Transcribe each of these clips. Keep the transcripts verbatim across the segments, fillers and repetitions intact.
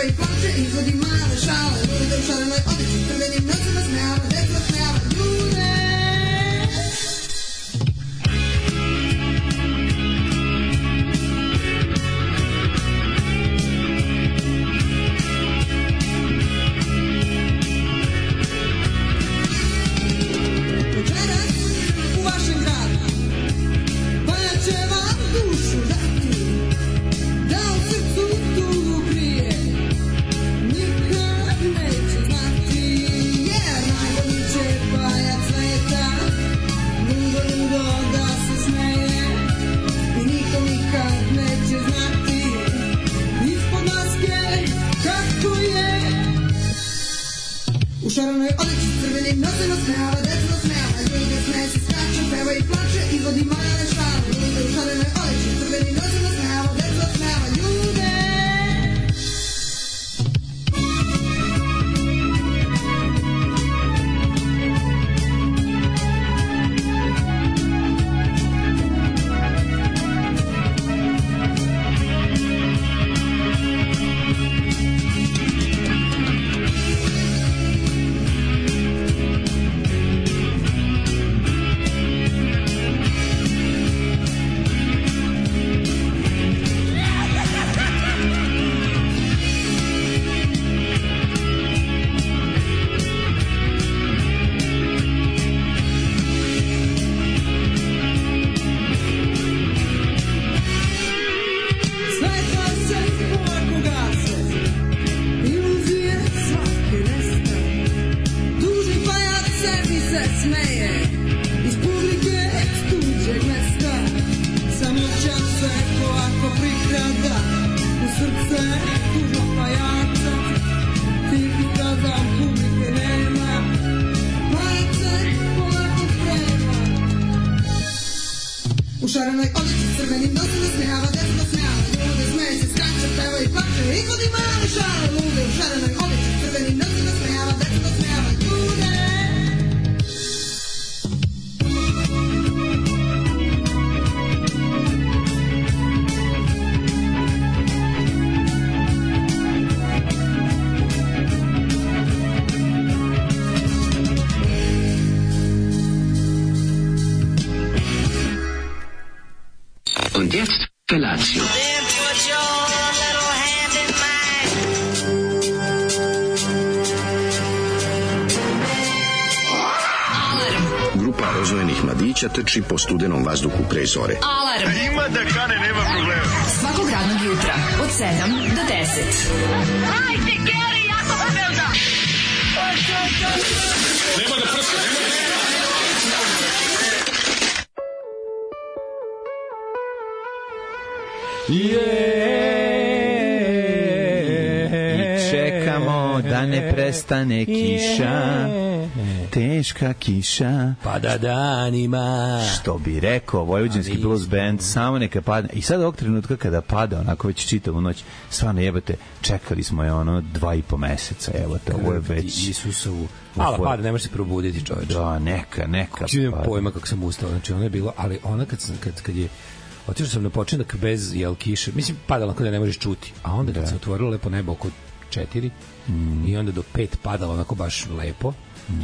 i plače, izvodi male šale, lude u šarenoj odeći, crvenim nosima smejava, deca smejava ljude. U šarenoj odeći s crvenim nosima smejava, deca smejava, ljude smeje se, skače, peva i plače, izvodi male šale, ljude u šarenoj odeći s crvenim nosima smejava, deca smejava, ljude. U šarenoj odeći s crvenim nosima smejava, deca smejava, ljude smeje se, skače, peva i plače, izvodi male šale, lude u šarenoj odeći s crvenim nosima smejava, deca smejava, ljude. Und jetzt Felatio. Grupa rozvojenih mladića trči po studenom vazduhu pre zore. Alarm! Ima da kane, nema problema. Svakog radnog jutra, od sedam do deset. Hajde, Geri, jako se velda! Nema da prska, nema da prska. I čekamo da ne prestane kiša, teška kiša, pada danima, što bi rekao vojvođanski blues band, samo neka padne. I sad ovog trenutka kada pada onako već čitavu noć, stvarno jebate, čekali smo je ono dva i po meseca, evo te, ovo je već Isusovu. Ala pada, ne može se probuditi, čoveče. Da, neka, neka. Čujem pojma kako sam ustao, znači ono je bilo, ali ona kad sam, kad, kad je otišao sam na počinak bez jel kiše, mislim padalo kada ne možeš čuti, a onda kad da. se otvorilo lepo nebo oko četiri mm. i onda do pet padalo onako baš lepo.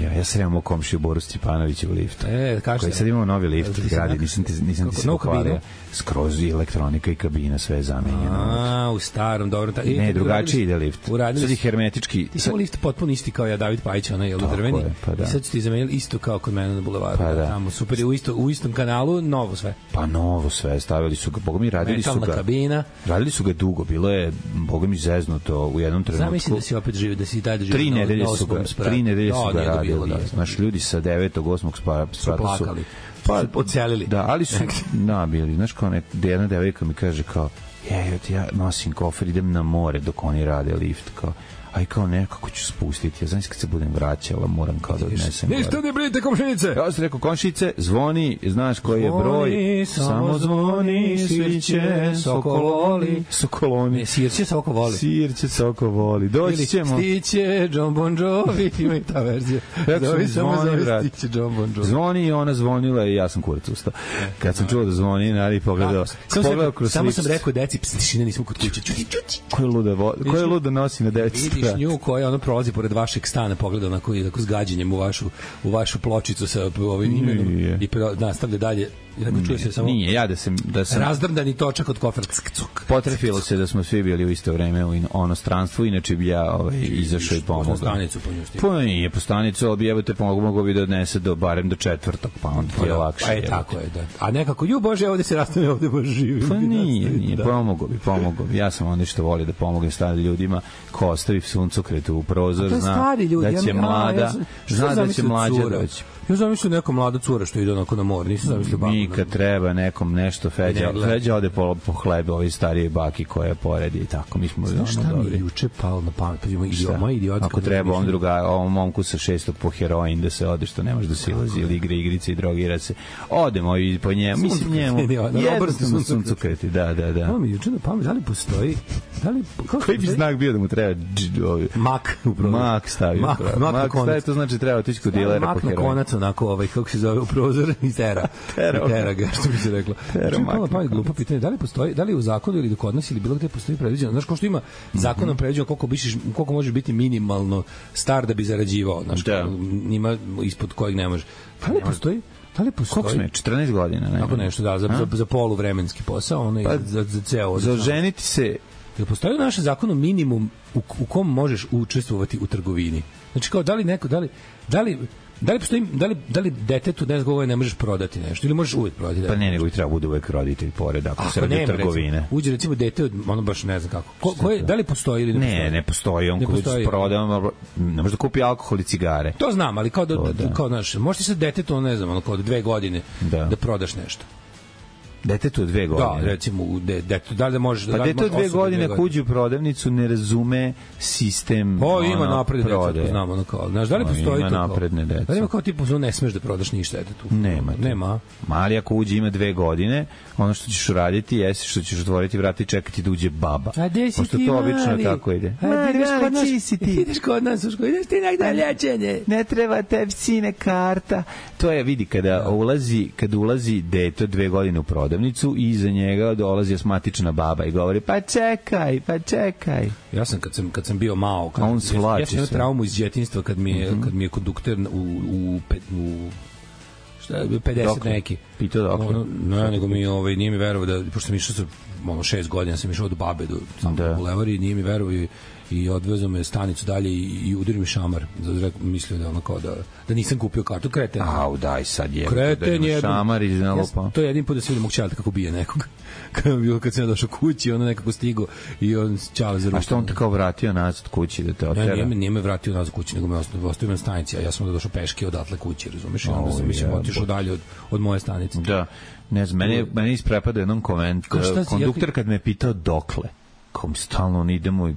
Ja, ja sam imao komšiju Boru Stjepanovića u liftu. E, koji sad imamo novi lift u gradi, nisam ti, nisam ti se pohvalio. Skroz i elektronika i kabina, sve je zamenjeno. A, u starom, dobro. Ta, ne, drugačiji ide lift. Uradili, sad je hermetički. Ti si imao lift potpuno isti kao ja, David Pajić, onaj, jel drveni? Je, pa da. I sad su ti zamenili isto kao kod mene na bulevaru. Pa da. Tamo, super, je u, isto, u istom kanalu, novo sve. Pa novo sve, stavili su ga, boga mi radili metalna su ga. Kabina. Radili su ga dugo, bilo je, boga mi zeznuto u jednom trenutku. Zamisli da si opet živio, da si i dalje živio. Tri nedelje su ga, tri nedelje su ga radili. Naš ljudi sa devetog osmog sprata su plakali, pa, su odselili. Da, ali su nabili. Znaš kao nek, jedna devojka mi kaže kao, je, ja nosim kofer, idem na more dok oni rade lift, kao, aj kao nekako ću spustiti. Ja znam kad se budem vraćala, moram kao da odnesem. Ništa ne brinite, komšinice. Ja sam rekao, komšinice, zvoni, znaš koji je broj. Samo zvoni, svirće, sokololi. Sokoloni. Sirće, soko voli. Sirće, soko voli. Doći ćemo. Stiće, John Bon Jovi, ima i ta verzija. Zove samo zove Stiće, John Bon Jovi. Zvoni i ona zvonila i ja sam kurac ustao. Kad sam čuo da zvoni, nari pogledao. Pogledao kroz samo sam rekao deci, tišina, nismo kod kuće. Čuti, čuti. Ko je luda, ko je luda nosi na devet sprat? Vidiš nju koja ono prolazi pored vašeg stana, pogleda onako i tako s gađenjem u vašu, u vašu pločicu sa ovim imenom i nastavlja dalje. I tako čuje se samo nije, ja da sam, da sam razdrndani točak od kofer. Potrefilo se da smo svi bili u isto vreme u onostranstvu, inače bi ja ovaj, izašao i pomogao. Stanicu po nju stigu. Pa nije po stanicu, ali bi jebate pomogao, mogo bi da odnese do, barem do četvrtog, pa onda ti je lakše. Pa je tako je, da. A nekako, ju Bože, ovde se rastane, ovde baš živim. Pa nije, nije, pomogao bi, pomogao bi. Ja sam onda što volio da pomognem starim ljudima, ko ostavi suncokret u prozor, zna da će mlada, zna da će mlađa doći. Ja zamislio neka mlada cura što ide onako na more, nisam zamislio babu. Mi kad treba nekom nešto, Feđa, Feđa ode po, po hlebe ovi starije baki koje poredi i tako, mi smo ono šta dobri. Mi je juče palo na pamet, pa ima idiot, moj idiot. Ako treba on druga, ovom momku sa šestog po heroin da se ode što nemaš da silazi ili igre igrice i drogira se. Odemo i po njemu, mislim njemu. Jednostavno suncokreti, da, da, da. Ovo mi juče na pamet, da li postoji, da li, koji bi znak bio da mu treba mak, mak stavio. Mak stavio, to znači treba otići kod dilera po heroin. Onako, ovaj, kako se zove, u prozor i tera. Tera, tera ga, što bi se reklo. Čekala pa glupo pitanje, da li postoji, da li u zakonu ili kod nas ili bilo gde postoji predviđeno, znaš, kao što ima zakonom predviđeno koliko biš, koliko može biti minimalno star da bi zarađivao, znaš, da. Ima ispod kojeg ne može. Da li postoji? Da li postoji? Koliko sme? četrnaest godina, ne? Tako nešto, da, za, za, za poluvremenski posao, ono pa, za, za ceo. Za ženiti se. Da postoji u našem zakonu minimum u, u kom možeš učestvovati u trgovini. Znači, kao, da li neko, da li, da li Da li postoji, da li, da li detetu ne znam ne možeš prodati nešto ili možeš uvek prodati? Pa ne, nego i treba bude uvek roditelj pored ako, ako se radi trgovine. Recimo, uđe recimo dete od, ono baš ne znam kako. Ko, ko je, da li postoji ili ne postoji? Ne, ne postoji. On ko proda, ne može da kupi alkohol i cigare. To znam, ali kao da, to, da. kao znaš, možeš ti sad detetu, ne znam, ono kao dve godine da, da prodaš nešto. Detetu od dve godine. Da, recimo, de, detetu, da li da možeš... Pa detetu od dve godine ako uđe u prodavnicu ne razume sistem o, ima ono, napredne detetu, znamo, ono kao, znaš, da li postoji ima to napredne detetu? Da li ima kao tipu, ono, ne smeš da prodaš ništa detetu? Nema. Nema. Mali ako uđe ima dve godine, ono što ćeš uraditi jesi što ćeš otvoriti vrata i čekati da uđe baba. A gde si ti, Mali? To obično tako ide. Mali, gde si ti? Ideš kod nas u školu, ideš ti negde liječenje. Ne treba tebi sine karta. To je, vidi, kada ulazi, kada ulazi dete dve godine u prodavnicu i iza njega dolazi asmatična baba i govori pa čekaj, pa čekaj. Ja sam kad sam kad sam bio mao, kad on svlači ja sam imao traumu iz djetinjstva kad mi je mm-hmm. kad mi je kondukter u u u šta je pedeset dokle? Neki. Pitao dokle? Ono, ne, nego mi ovaj nije mi verovao da pošto sam išao sa ono šest godina sam išao do babe do samo da. U Levari, nije mi verovao i i odvezao me stanicu dalje i, i udario mi šamar. Zato mislio da ono kao da, da nisam kupio kartu. Kreten. Au, daj sad je. Kreten je. Šamar iz nalopa. To je jedin put da se vidim mog čaleta kako bije nekog. Kad, bio, kad sam ja došao kući, ono nekako stigo i on čale za ruku. A što on te kao vratio nazad kući da te otera? Ne, nije me, nije me vratio nazad kući, nego me ostavio na stanici, a ja sam da došao peške odatle kući, razumeš? I onda sam, mislim, otišao dalje od, od moje stanice. Da. Ne znam, mene, mene isprepada jednom koment. Konduktor kad me je pitao dokle, kao mi stalno on idemo i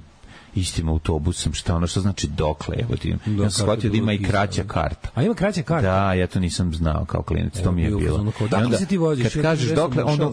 istim autobusom, šta ono, što znači dokle, evo ti. Da, ja sam shvatio da ima i kraća karta. A ima kraća karta? Da, ja to nisam znao kao klinac, to mi je bilo. Dakle se ti voziš? Kad kažeš dokle, onda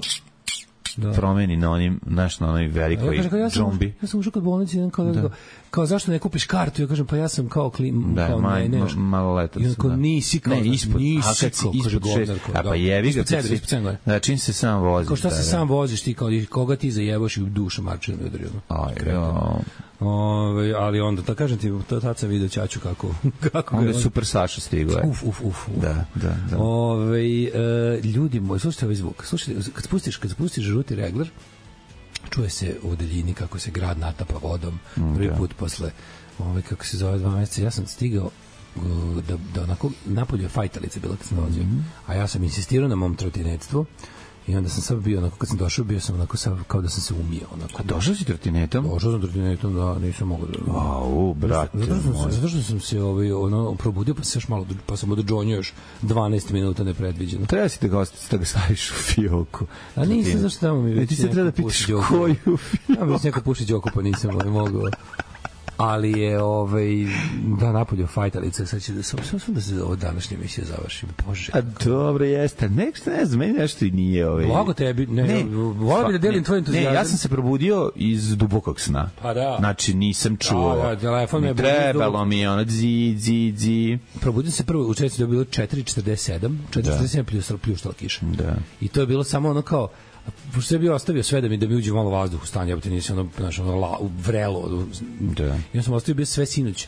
da. Promeni na onim, znaš, na onoj velikoj ja, ja džombi. Ja sam ušao kod bolnice i kao, da. kao, zašto ne kupiš kartu? Ja kažem, pa ja sam kao klim, da, kao maj, ne, nešto. Maloletac. I kao, da. Nisi kao, ne, ispod, nisi a kad si ispod šest, a pa jevi ga, kad si, da, čim se sam voziš. Kao šta se sam voziš ti, kao, koga ti zajebaš i u dušu marčinu ne odrio. Aj, jo. Ove, ali onda, to kažem ti, to tad sam vidio ćaću kako... kako onda je Super Saša stigao. Uf, uf, uf. uf. Da, da, da. Ove, e, ljudi moji, slušajte ovaj zvuk. Slušajte, kad spustiš, kad spustiš žuti regler, čuje se u daljini kako se grad natapa vodom. Mm, prvi put posle, ove, kako se zove, dva meseca, ja sam stigao da, da onako, napolju je fajtalica bila kad sam dolazio, mm-hmm. a ja sam insistirao na mom trotinetstvu. I onda sam sad bio, onako, kad sam došao, bio sam onako sad, kao da sam se umio. Onako. A došao si trotinetom? Došao sam trotinetom, da, nisam mogao da... Au, brate zato, zato, moj. Zato što sam se ovaj, ono, probudio, pa, se još malo, pa sam odžonio još dvanaest minuta nepredviđeno. Treba si da ga, da ga staviš u fioku. A nisam, zašto tamo mi... E, ti se treba da pitaš koju fioku. Ja mi se neko puši Đoko, pa nisam ovaj, mogao. ali je ovaj da napolju fajtalica, sad će da sam sam da se ovo današnje emisija završi. Bože. A dobro jeste. Nešto ne znam, meni nešto i nije ovaj. Blago tebi, ne, ne volim bi da delim tvoj entuzijazam. Ne, ja sam se probudio iz dubokog sna. Pa da. Znači nisam čuo. Da, da, telefon me trebalo mi je ono zi zi zi. Probudio se prvo u četiri, da je bilo četiri četrdeset sedam, četiri četrdeset sedam plus pljuštala kiša. Da. I to je bilo samo ono kao pošto je bio ostavio sve da mi da mi uđe malo vazduh u stan, ja bih nisi ono znaš ono la, vrelo. Da. Ja sam ostavio bio sve sinoć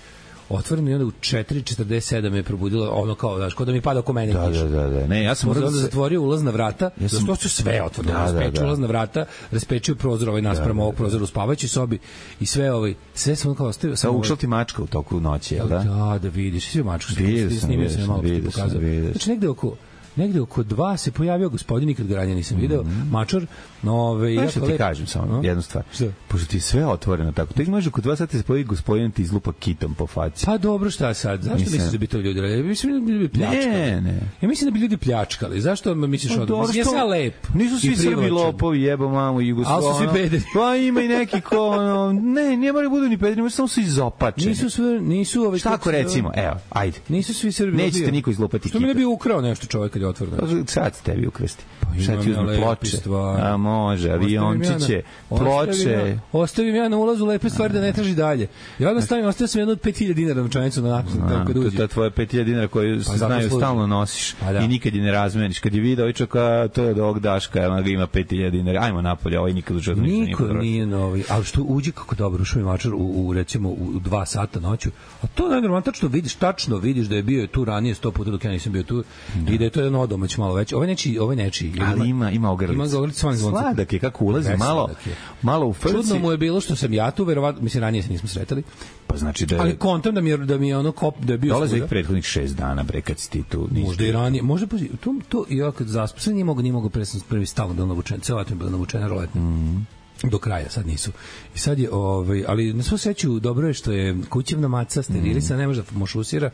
otvoreno i onda u četiri četrdeset sedam je probudilo ono kao znaš kao da mi pada oko mene da, kiša. Da, da, da. Ne, ja sam onda se... zatvorio ulazna vrata, ja sam to sve otvoreno, da, raspečio da, da. ulazna vrata, raspečio prozor ovaj naspram da, ovog prozora u spavaćoj sobi i sve ovaj sve sam kao ostavio samo ušao ti mačka u toku noći, jel da? Da, da vidiš, sve mačku snimio sam malo ti pokazao. Znači negde oko negde oko dva se pojavio gospodin, nikad ga ranije nisam video, mm-hmm. mačor, nove ja to ti kažem samo no? jednu stvar. Šta? Pošto ti je sve otvoreno tako. Tek može oko dva sata se pojavi gospodin ti izlupa kitom po faci. Pa dobro, šta sad? Zašto mislim... misliš da bi to ljudi radili? Mislim da bi ljudi pljačkali. Ne, ne. Ja mislim da bi ljudi pljačkali. Zašto misliš od toga? Ja sam lep. Nisu svi Srbi lopovi, jebo mamu i Jugoslaviju. Al su svi pederi. Pa ima i neki ko ono, ne, ne moraju budu ni pederi, samo su izopačeni. Nisu sve, nisu ove šta ako recimo, evo, ajde. Nisu svi Srbi. Nećete niko izlupati. Što mi ne bi ukrao nešto čovjek kad je otvoreno. Sad tebi ukrsti. Pa šta ti uzme ploče? A može, aviončiće, ploče. Ostavim ja na ulazu lepe stvari da ne traži dalje. Ja onda stavim, ostavio sam jednu od pet hiljada dinara novčanicu na nakon kad uđe. To je tvoje pet hiljada dinara koju se znaju stalno nosiš i nikad je ne razmeniš. Kad je video ovaj čoka, to je od ovog Daška, ona ga ima pet hiljada dinara. Ajmo napolje, ovaj nikad u životu ništa nije potrošio. Niko nije novi. Ali što uđe kako dobro, ušao mi mačar u, recimo u dva sata noću. A to najnormalno, tačno vidiš, tačno vidiš da je bio tu ranije sto puta dok ja nisam bio tu i da je to jedan odomać malo veći. Ovaj neči, ovaj neči. Ali ima ima ogrlicu. Ima ogrlicu svojim zvoncem. Sladak je kako ulazi malo, malo u frci. Čudno mu je bilo što sam ja tu, verovatno, mislim ranije se nismo sretali. Pa znači da je... Ali kontam da mi je da mi je ono kop da je bio. Dolazi ih prethodnih šest dana bre kad si ti tu. Možda i ranije, može pa to to ja kad zaspam, nije mogu ni mogu presno prvi stalno da navučen, ceo leto je bilo navučena roletna. Mm. Do kraja, sad nisu. I sad je, ovaj, ali na svu sreću dobro je što je kućevna maca sterilisa, mm. ne može da mošusira.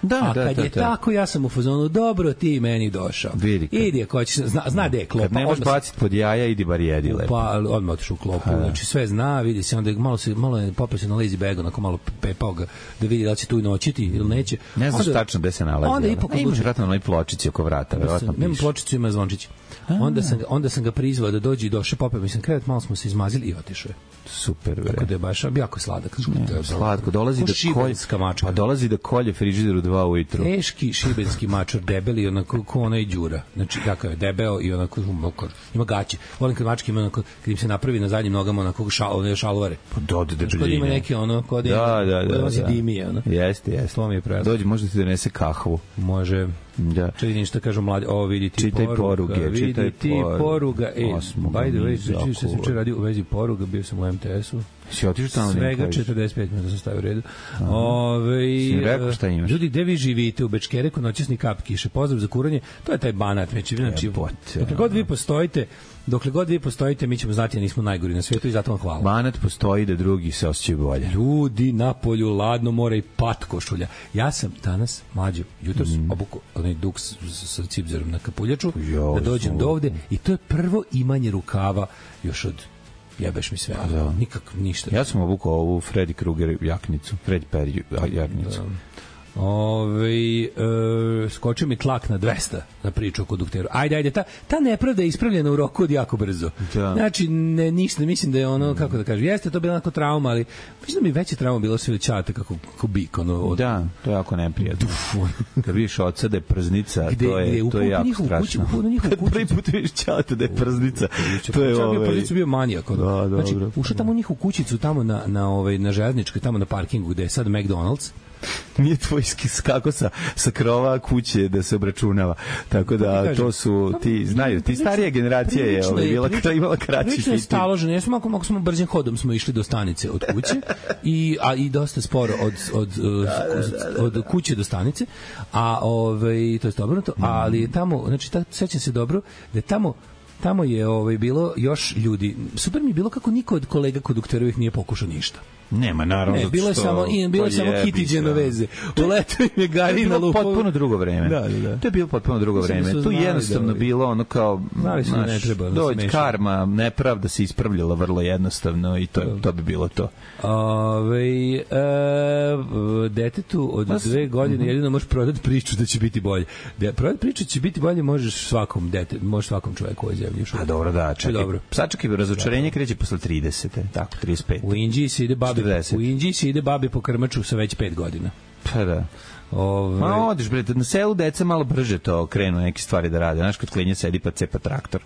Da, a da, kad da, je da. tako, ja sam u fazonu, dobro, ti meni došao. Vidi kad. Idi, ako ćeš, zna, zna gde je klopa. Kad ne možeš baciti pod jaja, idi bar jedi lepo. Pa, odmah otišu u klopu. A, znači, sve zna, vidi se, onda malo, se, malo je popio se na lazy bag, onako malo pepao ga, da vidi da li će tu noćiti ili neće. Ne znaš onda, tačno gde se nalazi. Onda ipak ne imaš vratno na onoj pločici oko vrata, verovatno piše. Nema pločicu, ima zvončić. Onda sam, onda sam ga prizvao da dođe i došao, popio, mislim, krevet, malo smo se izmazili i otišao je. Super, bre. Tako da je baš jako sladak. Ne, slatko, dolazi da kolje, pa dolazi da kolje frižider u dva ujutru. Teški šibenski mačor, debeli, onako ko onaj đura. Znači, kakav je, debeo i onako mokor. Ima gaće. Volim kad mačke ima onako, kad im se napravi na zadnjim nogama onako šal, one šalvare. Pa dode debeljine. Kod ima neke ono, kod da, ima, da, da, kod da. dimije, ono. Jeste, jeste. To mi je prezno. Dođi, možda ti donese kahvu. Može. Da. Čekaj, što kažu mladi, o vidi ti čitaj poruga, poruge, vidi čitaj ti poruga. E, by the way, pričao se sam čer radio u vezi poruga, bio sam u em te esu. Si otišao tamo? Svega četrdeset pet minuta sam stavio u redu. Ove, si rekao šta imaš? Ljudi, gde vi živite? U Bečkereku, noćasni kap kiše. Pozdrav za kuranje. To je taj Banat. Već, znači, dokle god vi postojite, dokle god vi postojite, mi ćemo znati da nismo najgori na svijetu i zato vam hvala. Banat postoji da drugi se osjećaju bolje. Ljudi, na polju, ladno more i pat košulja. Ja sam danas, mlađo, jutros mm. obuku onaj duks sa cipzerom na kapuljaču, jo, da dođem do ovde i to je prvo imanje rukava još od jebeš mi sve, da. Nikak, ništa. Ja sam obukao ovu Freddy Krueger jaknicu, Fred Perry jaknicu. Da. Ove, e, skočio mi tlak na dvesta na priču o kondukteru. Ajde, ajde, ta, ta nepravda je ispravljena u roku od jako brzo. Da. Znači, ne, ništa, mislim da je ono, kako da kažem, jeste to bila onako trauma, ali mislim da mi veća trauma bilo sve većate kako ko bik, ono. Od... Da, to je jako neprijatno. Kad vidiš oca da je prznica, gde, to je, gde, to je jako strašno. Kad prvi put vidiš čata da je prznica, to je ovaj... Čao prznicu bio manijak. Da, znači, ušao tamo u njihovu kućicu, tamo na, na, ovaj, na železničkoj, tamo na parkingu, gde je sad McDonald's. Nije tvoj skako sa, sa krova kuće da se obračunava. Tako da to su, ti znaju, ti starija generacija je ovaj, bila, imala kraći fitir. Prilično je staložen, ja smo, ako smo brzim hodom smo išli do stanice od kuće, i, a i dosta sporo od, od, da, od, od kuće do stanice, a ovaj, to je obrnuto, ali je tamo, znači, ta, sećam se dobro, da je tamo tamo je ovaj, bilo još ljudi. Super mi je bilo kako niko od kolega kondukterovih nije pokušao ništa. Nema, naravno. Ne, bilo je samo, i, bilo je samo Kitiđeno veze. U letu im je Gari na lupu. To je bilo potpuno drugo vreme. Da, da, da. To je bilo potpuno drugo vreme. Tu jednostavno da, bilo ono kao, znaš, ne treba, dođe karma, nepravda se ispravljala vrlo jednostavno i to, to bi bilo to. Ove, e, detetu od Mas, dve godine mm-hmm. jedino možeš prodati priču da će biti bolje. Da prodati priču će biti bolje možeš svakom dete, možeš svakom čoveku ovoj zemlji. A dobro, da, čekaj. Dobro. Sačekaj, razočarenje kreće posle tridesete, tako, trideset pet. U Indiji se ide babi, u Indiji se ide babi po krmaču sa već pet godina. Pa da. Ove... Ma odiš, bre, na selu deca malo brže to krenu neke stvari da rade. Znaš, kod klinja sedi pa cepa traktor.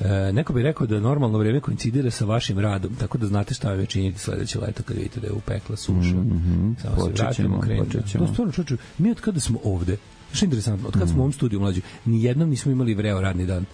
E, neko bi rekao da normalno vreme koincidira sa vašim radom, tako da znate šta je činiti sledeće leto kad vidite da je upekla suša. Mm-hmm. Samo se vratimo, krenemo. To stvarno, čoču, mi od kada smo ovde, što je interesantno, od kada smo u ovom studiju mlađu, nijednom nismo imali vreo radni dan.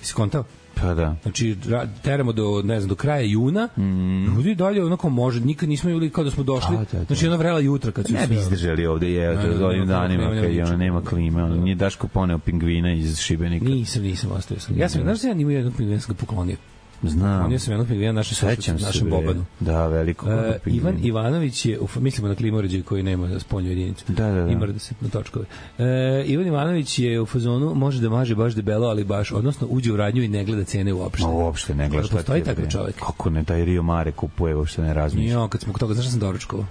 Si kontao? Pa da. Znači, teramo do, ne znam, do kraja juna, mm. ljudi dalje onako može, nikad nismo imali kao da smo došli, da, da. Znači, ona vrela jutra kad su ne bi izdržali ovde, je, od ovim danima, kad je ona nema klime, ona nije Daško poneo pingvina iz Šibenika. Nisam, nisam, ostavio sam. Ja sam, znaš da ja nimao jednog pingvina, sam ga poklonio. Znam. On je sam jednog pingvina naše sošće, našem Bobanu. Da, veliko. E, Ivan Ivanović je, uf, mislimo na klimoređaj koji nema spoljnu jedinicu. Da, da, da. Ima da se na točkove. E, Ivan Ivanović je u fazonu, može da maže baš debelo, ali baš, odnosno uđe u radnju i ne gleda cene uopšte. Ma uopšte ne gleda. Postoji takav čovjek. Kako ne, taj Rio Mare kupuje, uopšte ne razmišlja. Jo, kad smo kod toga, znaš da sam doručkovao?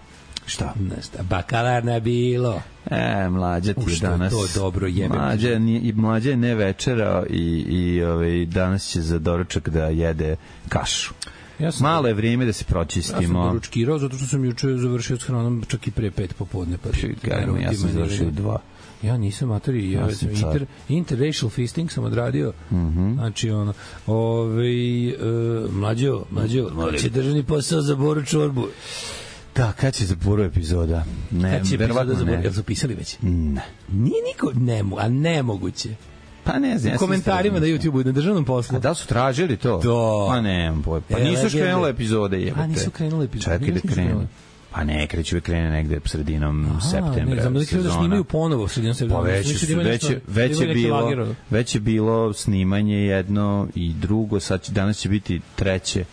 Šta? Nesta, bakalarna bilo. E, mlađa ti je danas. To dobro jebe. Mlađa, i mlađa je ne večera i, i ovaj, danas će za doručak da jede kašu. Ja malo je vrijeme da se pročistimo. Ja sam doručkirao zato što sam juče završio s hranom čak i pre pet popodne. Pa Gajmo, ja sam završio dva. Ja nisam matori, ja, ja sam inter, interracial fisting sam odradio. Mm-hmm. Znači, ono, ovaj, uh, mlađo, mlađo, će državni posao za Boru Čorbu. Da, kad će za Boru epizoda? Ne, kad će epizoda za Boru? Jel su pisali već? Ne. Nije niko, ne, a nemoguće. Pa ne znam. U komentarima na YouTubeu, na državnom poslu. A da li su tražili to? Da. Pa ne, pa e, nisu krenule epizode. Jebate. A nisu krenule epizode. Čekaj da krenu. Pa ne, kreću i krene negde sredinom Aha, septembra. Ne, znam da kreću da snimaju ponovo sredinom septembra. Pa već, su, već, već, je bilo, već je bilo snimanje jedno i drugo, sad će, danas će biti treće,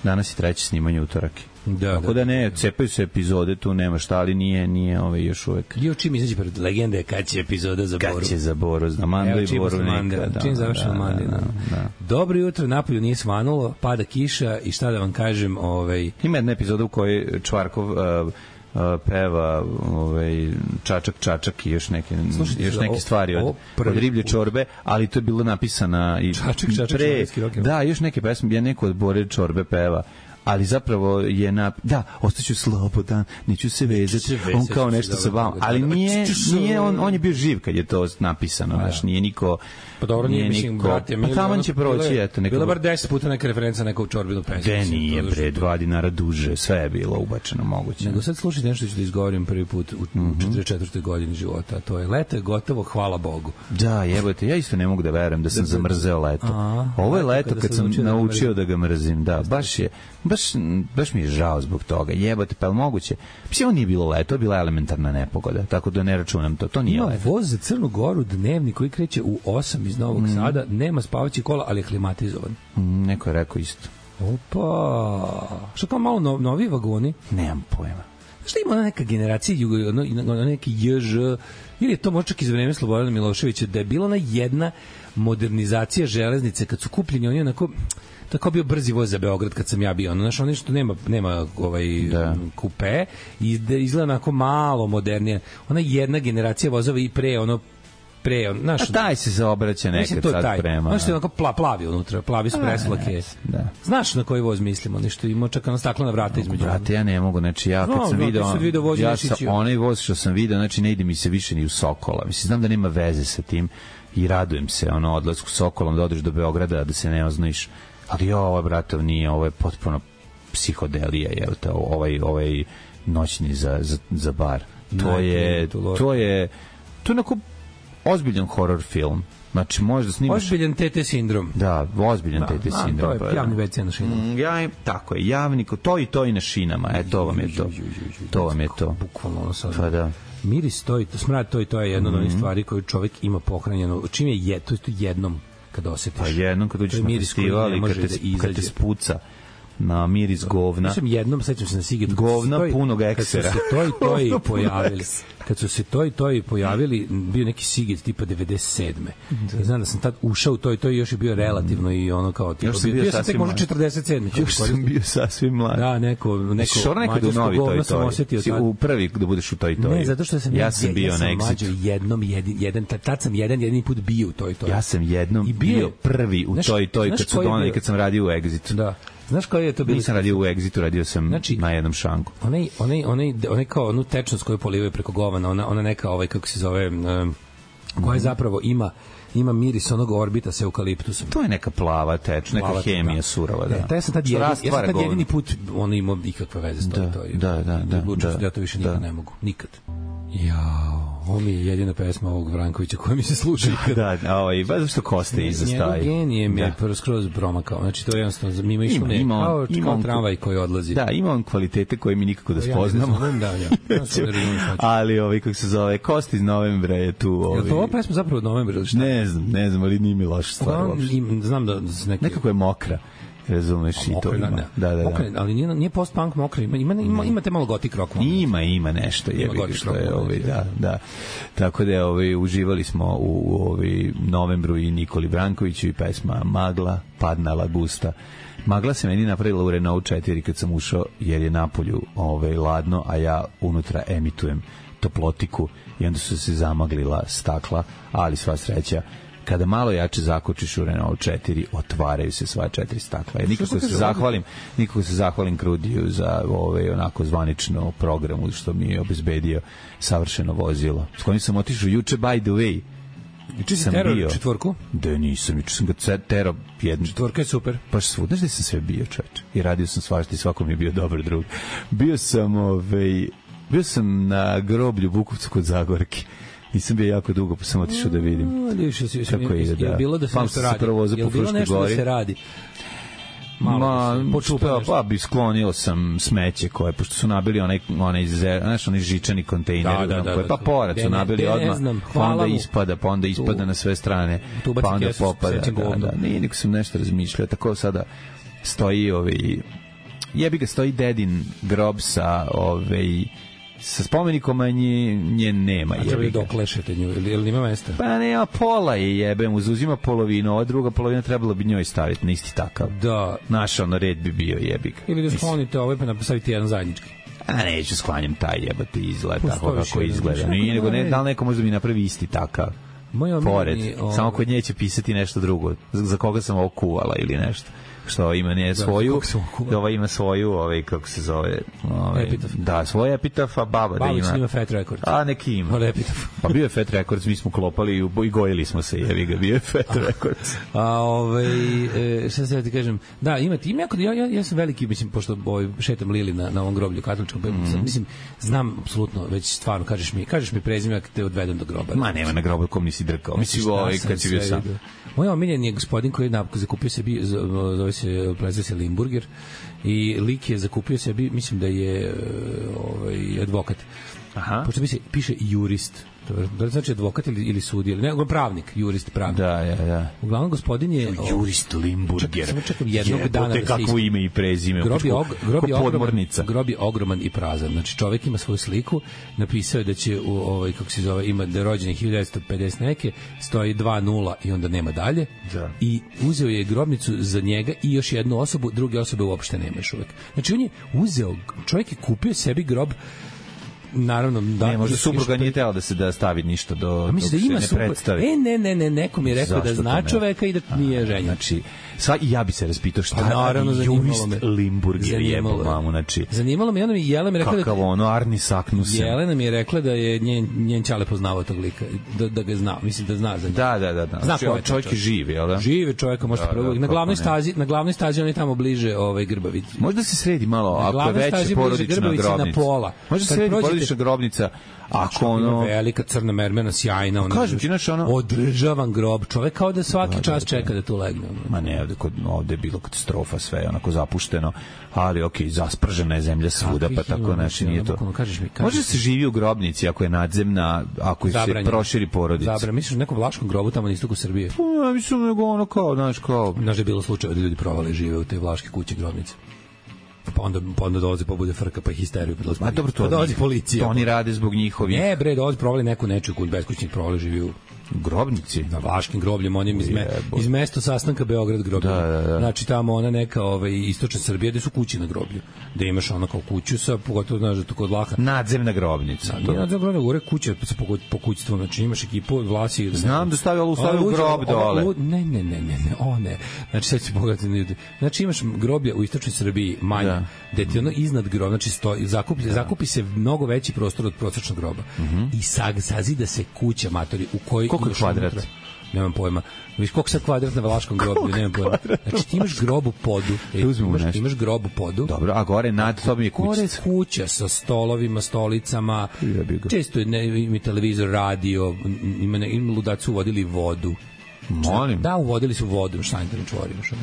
danas je treće snimanje utorak. Da, tako da, da ne, cepaju se epizode, tu nema šta, ali nije, nije ovaj još uvek. Jo, čim izađe pred legende, kad će epizoda za Boru? Kad će za Boru, za Mando i Boru neka. Da, čim završeno Mando. Da, da. Dobro jutro, napolju nije svanulo, pada kiša i šta da vam kažem, ovaj... Ima jedna epizoda u kojoj Čvarkov... Uh, Uh, peva ovaj čačak čačak i još neke Slušajte, još neke stvari od, od riblje čorbe, ali to je bilo napisana i čačak čačak pre, da, još neke pesme, ja neko od Bore Čorbe peva, ali zapravo je na da ostaću slobodan, neću se vezati, on kao nešto sa vama, ali nije nije on on je bio živ kad je to napisano, znači nije niko. Pa dobro, nije, mislim, brate, pa tamo će proći, eto, neko... Bilo bar deset puta neka referenca nekog Čorbinu pesmu. De nije, bre, dva dinara duže, sve je bilo ubačeno moguće. Nego sad slušajte nešto ću da izgovorim prvi put u četrdeset četvrtoj godini života, to je leto je gotovo, hvala Bogu. Da, jebote, ja isto ne mogu da verujem da sam zamrzeo leto. Ovo je leto kad sam naučio da ga mrzim, da, baš je, baš, baš mi je žao zbog toga, jebote, pa je moguće? Mislim, ovo nije bilo leto, bila je elementarna nepogoda, tako da ne računam to, to nije leto. Ima voz za Crnu Goru dnevni koji kreće u osam iz Novog mm. Sada, nema spavaći kola, ali je klimatizovan. Mm, neko je rekao isto. Opa! Što kao malo no, novi vagoni? Nemam pojma. Što ima ona neka generacija, ono, ono neki J Ž, ili je to možda čak iz vreme Slobodana Miloševića, da je bila ona jedna modernizacija železnice, kad su kupljeni oni onako... Tako bio brzi voz za Beograd kad sam ja bio. Ono, znaš, ono što nema, nema ovaj da. kupe, i izgleda onako malo modernije. Ona jedna generacija vozova i pre, ono, pre, on, znaš, a taj se zaobraća nekad sad taj. Prema. Znaš, što je onako pla, plavi unutra, plavi su preslake. Da. Znaš na koji voz mislimo, nešto ima čak na staklena vrata između. Brate, ja ne mogu, znači ja kad no, sam video, video ja sam onaj voz što sam video, znači ne ide mi se više ni u Sokola. Mislim, znam da nema veze sa tim i radujem se, ono, odlasku Sokolom da odeš do Beograda, da se ne oznojiš. Ali jo, ovo, bratov, nije, ovo je potpuno psihodelija, je te, ovaj, ovaj noćni za, za, za bar. To je, to je, to je onako ozbiljan horror film. Znači, možda snimaš... Ozbiljan T T sindrom. Da, ozbiljan T T sindrom. To je javni ve ce na šinama. Mm, ja, tako je, javni, to i to i na šinama. E, to vam je to. To vam je to. Bukvalno ono sad. Pa da. Miris to i to, smrad to i to je jedna od onih stvari koju čovjek ima pohranjeno. Čim je je, to je to jednom. kad osjetiš. Pa jednom kad uđeš na festival i kad te, kad te spuca na miris govna. Ja sam jednom, sećam se na Sigetu. Govna punog eksera. Kad su se to i to i pojavili. Kad su se to i to i pojavili, bio neki Siget tipa devedeset sedme. I znam da sam tad ušao u to i to i još je bio relativno i ono kao tipa. Još sam bio, bio sam tek možda četrdeset sedme. Još sam bio sasvim mlad. Da, neko, neko mađarsko govno sam osjetio. Si u prvi da budeš u to i to. Ne, zato što sam ja sam bio na Exitu. Jednom, jedan, jedan, tad sam jedan, jedini put bio u to i to. Ja sam jednom bio prvi u to i to i kad su donali, kad sam radio u Exitu. Da. Znaš koji je to bilo? Nisam radio u Exitu, radio sam znači, na jednom šanku. Onaj, onaj, onaj, onaj kao onu tečnost koju polivaju preko govana, ona, ona neka, ovaj, kako se zove, um, koja zapravo ima ima miris onog orbita sa eukaliptusom. To je neka plava teč, neka plava, hemija da. surova, da. E, taj sam tad, jedin, ja sam tad jedini put on imao ikakve veze s to. Da, to i, da, da. da, da, da ja to više nikad da. ne mogu. Nikad. Jao, ovo mi je jedina pesma ovog Vrankovića koja mi se sluša. Da, da, ovaj, baš zašto Koste iza staje. Njegov genije mi je prvo skroz promakao. Znači, to je jednostavno, mimo išlo ne, ima, kao, ima kao tramvaj koji odlazi. Da, ima on kvalitete koje mi nikako da spoznamo. Ja ne da, ja. ja ali, ovaj, kako se zove, Kosti iz novembra je tu. Ovaj... Je li to ova pesma zapravo od novembra ili šta? Ne znam, ne znam, ali nije mi loša stvar uopšte. Znam da... Neki... Nekako je mokra. Razumeš i to ima. Da, da, da. Mokre, ali nije, nije post-punk mokra, ima, ima, ima, imate malo gotik rock. Ima, ima nešto, jebi ga što je, ovaj, da, da. Tako da, ovaj, uživali smo u, u ovaj, novembru i Nikoli Brankoviću i pesma Magla, Padna Lagusta. Magla se meni napravila u Renault četiri kad sam ušao, jer je napolju ovaj, ladno, a ja unutra emitujem toplotiku i onda su se zamaglila stakla, ali sva sreća kada malo jače zakočiš u Renault četiri, otvaraju se sva četiri stakla. Ja nikako se zahvalim, nikako se zahvalim Krudiju za ovaj onako zvanično programu što mi je obezbedio savršeno vozilo. S kojim sam otišao juče, by the way. Juče sam bio četvorku? Da, nisam, juče sam ga tero jednu. Četvorka je super. Baš svud, znaš da sam sve bio, čoveče. I radio sam svašta i svako mi je bio dobar drug. Bio sam, ovaj, bio sam na groblju Bukovcu kod Zagorke. Nisam bio jako dugo, pa sam otišao da vidim kako ide. Je bilo da se nešto radi? Je bilo nešto da se radi? Ma, počupa, pa bi sklonio sam smeće koje, pošto su nabili onaj, onaj, znaš, onaj žičani kontejner, da, da, da, koje, pa pored su nabili odmah, pa onda ispada, pa onda ispada na sve strane, pa onda popada, da, da, nije, niko sam nešto razmišljao, tako sada stoji, ovaj, jebi ga, stoji dedin grob sa, ovaj, sa spomenikom, a nje, nje nema. A treba je dok lešete nju, ili, ili ima mesta? Pa ne, a pola je jebem, uzuzima polovinu, ova druga polovina trebalo bi njoj staviti na isti takav. Da. Naš ono red bi bio jebik. Ili da sklonite ovaj pa napraviti jedan zajednički. A neću sklanjam taj jebati izgled, tako kako izgleda. Nije, nego ne, da li neko možda mi napravi isti takav. Pored, ovaj... samo kod nje će pisati nešto drugo. Za, za koga sam ovo kuvala ili nešto. Što ima ne svoju, da, ova ima svoju, ovaj kako se zove, ovaj epitaf. Da, svoj epitaf, a baba da ima. Baba ima Fat Records. A neki ima. Ol epitaf. Pa bio je Fat Records, mi smo klopali i, i gojili smo se, jevi ga, bio je Fat Records. A ovaj e, šta se ja ti kažem, da, ima ti ima ja, ja ja sam veliki, mislim, pošto ovaj šetam Lili na na ovom groblju katoličkom, mm-hmm. mislim, znam apsolutno, već stvarno kažeš mi, kažeš mi prezime ako te odvedem do groba. Ma nema na grobu kom nisi drkao. Mislim, ovaj kad si bio sam. Moj omiljen je gospodin koji je napokon zakupio sebi, zove se, prezve se Limburger, i lik je zakupio sebi, mislim da je ovaj, advokat. Aha. Pošto se piše jurist. Da li znači advokat ili, ili sudija? Ne, pravnik, jurist, pravnik. Da, ja, da. Uglavnom, gospodin je... Jurist Limburger. Samo čekam jednog je, dana da se kakvo ime i prezime. Grob je, og, grob, je ogroman, grob je ogroman i prazan. Znači, čovek ima svoju sliku, napisao je da će, u, ovaj, kako se zove, ima da je rođen hiljadu devetsto pedeset neke, stoji dva nula i onda nema dalje. Da. I uzeo je grobnicu za njega i još jednu osobu, druge osobe uopšte nema još uvek. Znači, on je uzeo, čovjek je kupio sebi grob, naravno da ne, možda supruga nije tela da se da stavi ništa do dok se ne predstavi. E ne ne ne neko mi je rekao da zna čoveka i da nije ženjen. Znači sva i ja bi se raspitao šta naravno jurist Limburger jebo mamu, znači zanimalo me, ona mi Jelena mi rekla da kako ono Arni Saknusen. Jelena mi je rekla da je njen njen ćale poznavao tog lika, da da ga zna, mislim da zna za njega. Da da da da. Zna čovjek, čovjek je živ, je l' da? Živi čovjek, možete probati. Na glavnoj stazi, na glavnoj stazi on je tamo bliže ovaj Grbavić. Možda se sredi malo, ako je veća porodična grobnica. Na pola. Može se sredi obična grobnica, ako ono velika crna mermena sjajna, ona kažem ti znači ono održavan grob, čovek kao da svaki da, čas da, čeka da tu legne. Ma ne, ovde kod ovde je bilo katastrofa, sve onako zapušteno, ali okej, okay, zaspržena je zemlja svuda, pa tako znači nije to. Može se živi u grobnici ako je nadzemna, ako se proširi porodica. Zabranjeno. Misliš nekom vlaškom grobu tamo na istoku Srbije? Pa ja mislim nego ono kao, znaš, kao znaš da je bilo slučajeva da ljudi provale žive u te vlaške kuće grobnice. Pa onda, pa onda dolazi pa bude frka pa histeriju. A dobro, to pa dolazi policija. To oni rade zbog njihovih. Ne bre, dolazi provali neku nečiju kuć beskućnik provali živi u grobnici na Vaškim grobljem, onim iz, me, iz mesta sastanka Beograd groblje. Da, da, da. Znači tamo ona neka ovaj istočna Srbija gde su kuće na groblju. Da imaš ona kao kuću sa pogotovo znaš da to kod Vlaha. Nadzemna grobnica. Da, nadzemna grobnica, gore kuća sa pokućstvom, znači imaš ekipu Vlasi. Da znam da stavlja u stavlja u grob dole. Ne, ne, ne, ne, ne, o ne. Znači sad se pogledati ljudi. Znači imaš groblje u istočnoj Srbiji manje, da. Gde ti ono iznad groba, znači stoji, zakupi, da. zakupi se mnogo veći prostor od prosečnog groba. Uh -huh. I sag, sazida se kuća matori u kojoj koliko kvadrat? Nemam pojma. Viš koliko sad kvadrat na Valaškom groblju, nemam pojma. Znači ti imaš grob u podu. Ej, imaš, imaš grob u podu. Dobro, a gore nad tobom je kuća. Gore kuća sa stolovima, stolicama. Često je ne, ima televizor, radio, ima, ima ludaci uvodili vodu. Molim. Da, uvodili su vodu, šta internet čvori, imaš ono.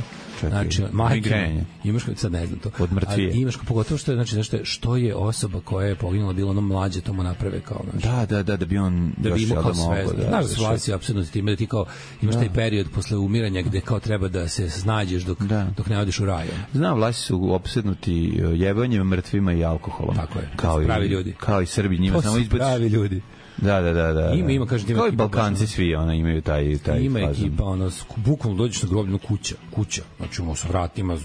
Znači, majke, imaš sad ne znam to. Od mrtvije. Imaš pogotovo što je znači nešto što je osoba koja je poginula bila ono mlađe, to mu naprave kao znači. Da, da, da, da bi on da bi imao kao sve. Znaš, situacija apsolutno s time da ti kao imaš da. taj period posle umiranja gde kao treba da se snađeš dok da. dok ne odeš u raj. Znam, Vlasi su opsednuti jebanjem, mrtvima i alkoholom. Tako je. Kao pravi i, ljudi. Kao i Srbi, njima samo izbaci. Pravi ljudi. Da, da, da, da. Ima, ima, kaže ti. Kao i Balkanci svi, ona imaju taj taj ima fazon. Ekipa, ona bukvalno dođeš na groblje, kuća, kuća. Znači ono sa vratima,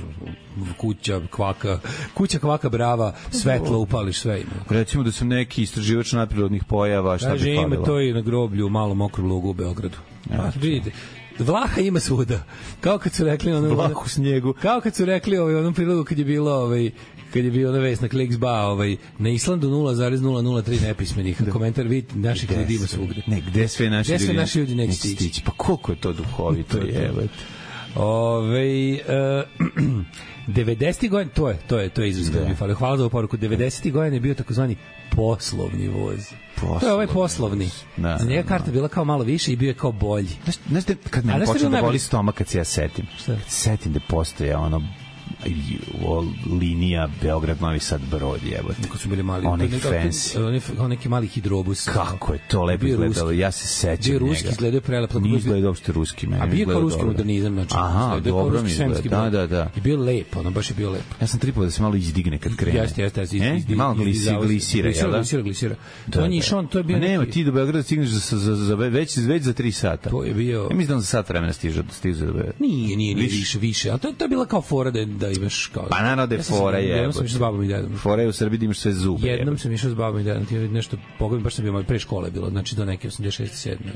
kuća, kvaka, kuća, kvaka brava, svetlo upališ sve ima. Recimo da sam neki istraživač nadprirodnih pojava, šta kaže, bi falilo? Ima to i na groblju u malom okrugu lugu u Beogradu. Ja, vidite. Vlaha ima svuda. Kao kad su rekli ono Vlahu snijegu. Kao kad su rekli ovaj onom prilogu kad je bilo ovaj kad je bio na vest na Kliksba, ovaj na Islandu nula zarez nula nula tri nepismenih. Komentar vid naših ljudi ima svugde. Ne, gde sve naši gde ljudi? Sve naši ljudi neće stići. Pa koliko je to duhovito, jebote. Ovaj uh, devedesetih godina, to je, to je, to je izraz koji mi fali. Hvala za ovu poruku. devedesetih godina je bio takozvani poslovni voz. Poslovni. To je ovaj poslovni. Da, za njega karta bila kao malo više i bio je kao bolji. Znaš, znaš da kad me počne da boli stomak kad se ja setim. Šta? Kad setim da postoje ono linija Beograd Novi Sad Brod, jebote. Kako su bili mali, onaj fancy, oni kao neki mali hidrobus. Kako je to lepo izgledalo, ja se sećam njega. Bio ruski, izgledao prelepo. Nije izgledao uopšte ruski meni. A bio kao ruski modernizam, znači. Aha, dobro mi izgleda, da, da, da. I bio lepo, ono baš je bio lepo. Ja sam tripao da se malo izdigne kad krene. Jeste, jeste, jeste. Malo glisira, jel da? Glisira, glisira. To nije išao, to je bio. Nema, ti do Beograda stigneš za već već za tri sata. To je bio. Ja mislim da za sat vremena stiže, stiže do Beograda. Nije, nije, više, više, al to je bila kao fora da imaš kao naravno da je fora je. Jednom sam išao s babom i dedom. Fora je u Srbiji da imaš sve zube. Jednom sam išao s babom i dedom, ti nešto pogledam, baš sam bio pre škole bilo, znači do neke osamdeset šeste sedme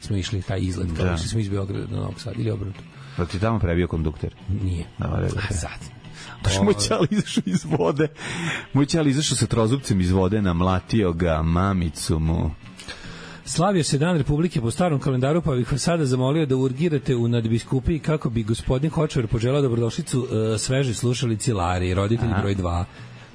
smo išli taj izlet, kao da. Išli smo iz Beograda do Novog Sada ili obrnuto. Da ti tamo prebio kondukter? Nije. Da, a sad. Baš moj ćali izašao iz vode. Moj ćali izašao sa trozupcem iz vode, namlatio ga, mamicu mu. Slavio se Dan Republike po starom kalendaru, pa bih vas sada zamolio da urgirate u nadbiskupiji kako bi gospodin Hočevar poželao dobrodošlicu uh, sveže slušalici Lari, roditelji broj dva.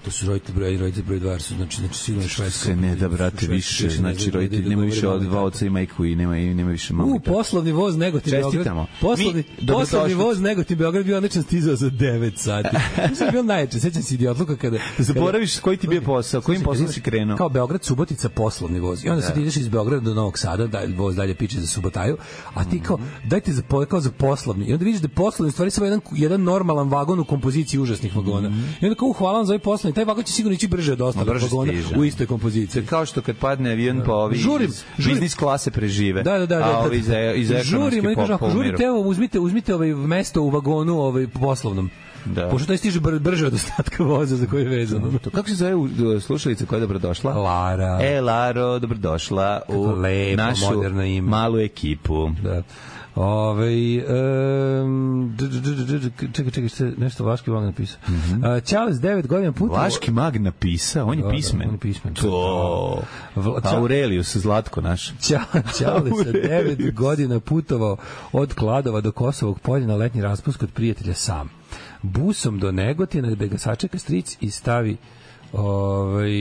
To su roditelji broj, roditelji broj dva, su znači znači sigurno švedsko. Se ne da brate više, znači roditelji nema više od dva oca i majku i nema i nema više mame. U poslovni voz Negotin Beograd. Poslovni poslovni voz Negotin Beograd bio odličan, stizao za devet sati. Mislim bio najče, sećam se idiotluka kada zaboraviš koji ti bio posao, kojim poslom si krenuo. Kao Beograd Subotica poslovni voz. I onda se ideš iz Beograda do Novog Sada, da voz dalje piče za Subotaju, a ti kao dajte za kao za poslovni. I onda vidiš da poslovni stvari samo jedan jedan normalan vagon u kompoziciji užasnih vagona. I onda kao hvala vam za ovaj poslovni, taj vagon će sigurno ići brže od ostalih vagona u istoj kompoziciji. Kao što kad padne avion pa ovi žurim, biznis klase prežive. Da, da, da, a ovi iz iz ekonomske pop. Žurite, evo uzmite, uzmite ovaj mesto u vagonu ovaj poslovnom. Da. Pošto taj stiže br brže od ostatka voza za koji je vezano. To kako se zove slušalica koja je dobrodošla? Lara. E, Laro, dobrodošla u lepo, našu malu ekipu. Da. Ove, um, čekaj, čekaj, nešto Vlaški mag napisao. Mm -hmm. uh, Charles devet godina putovao... Vlaški mag napisao, on je pismen. On je pismen. To. Aurelius, Zlatko naš. Charles devet godina putovao od Kladova do Kosovog polja na letnji raspust kod prijatelja sam. Busom do Negotina gde ga sačeka stric i stavi ovaj,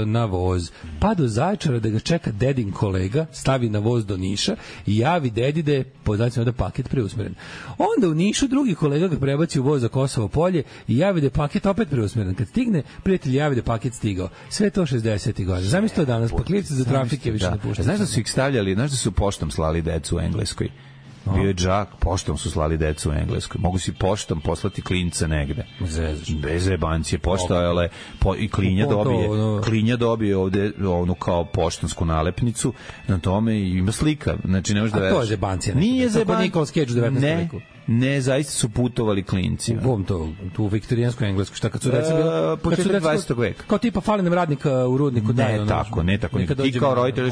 na voz. Pa do Zaječara da ga čeka dedin kolega, stavi na voz do Niša i javi dedi da je po znacima da paket preusmeren. Onda u Nišu drugi kolega ga prebaci u voz za Kosovo polje i javi da je paket opet preusmeren. Kad stigne, prijatelj javi da je paket stigao. Sve to šezdesetih godina. Zamisli to danas, paklivci za trafike više ne puštaju. Znaš da su ih stavljali, znaš da su poštom slali decu u Engleskoj? Bio je džak, poštom su slali decu u Engleskoj. Mogu si poštom poslati klinca negde. Bez jebancije. Poštojale po, i klinja dobije, klinja dobije ovde onu kao poštansku nalepnicu na tome i ima slika. Znači, ne možeš da veriš. A to je zebancija. Nije zebancija. Nikolas Cage u devetnaestom veku. Ne, zaista su putovali klinci. U bom to, tu u viktorijanskoj Engleskoj, šta kad su deca bila? Početak dvadesetog veka. Kao tipa fali nam radnika u rudniku. Ne, da, tako, ne tako. Ti kao roditelj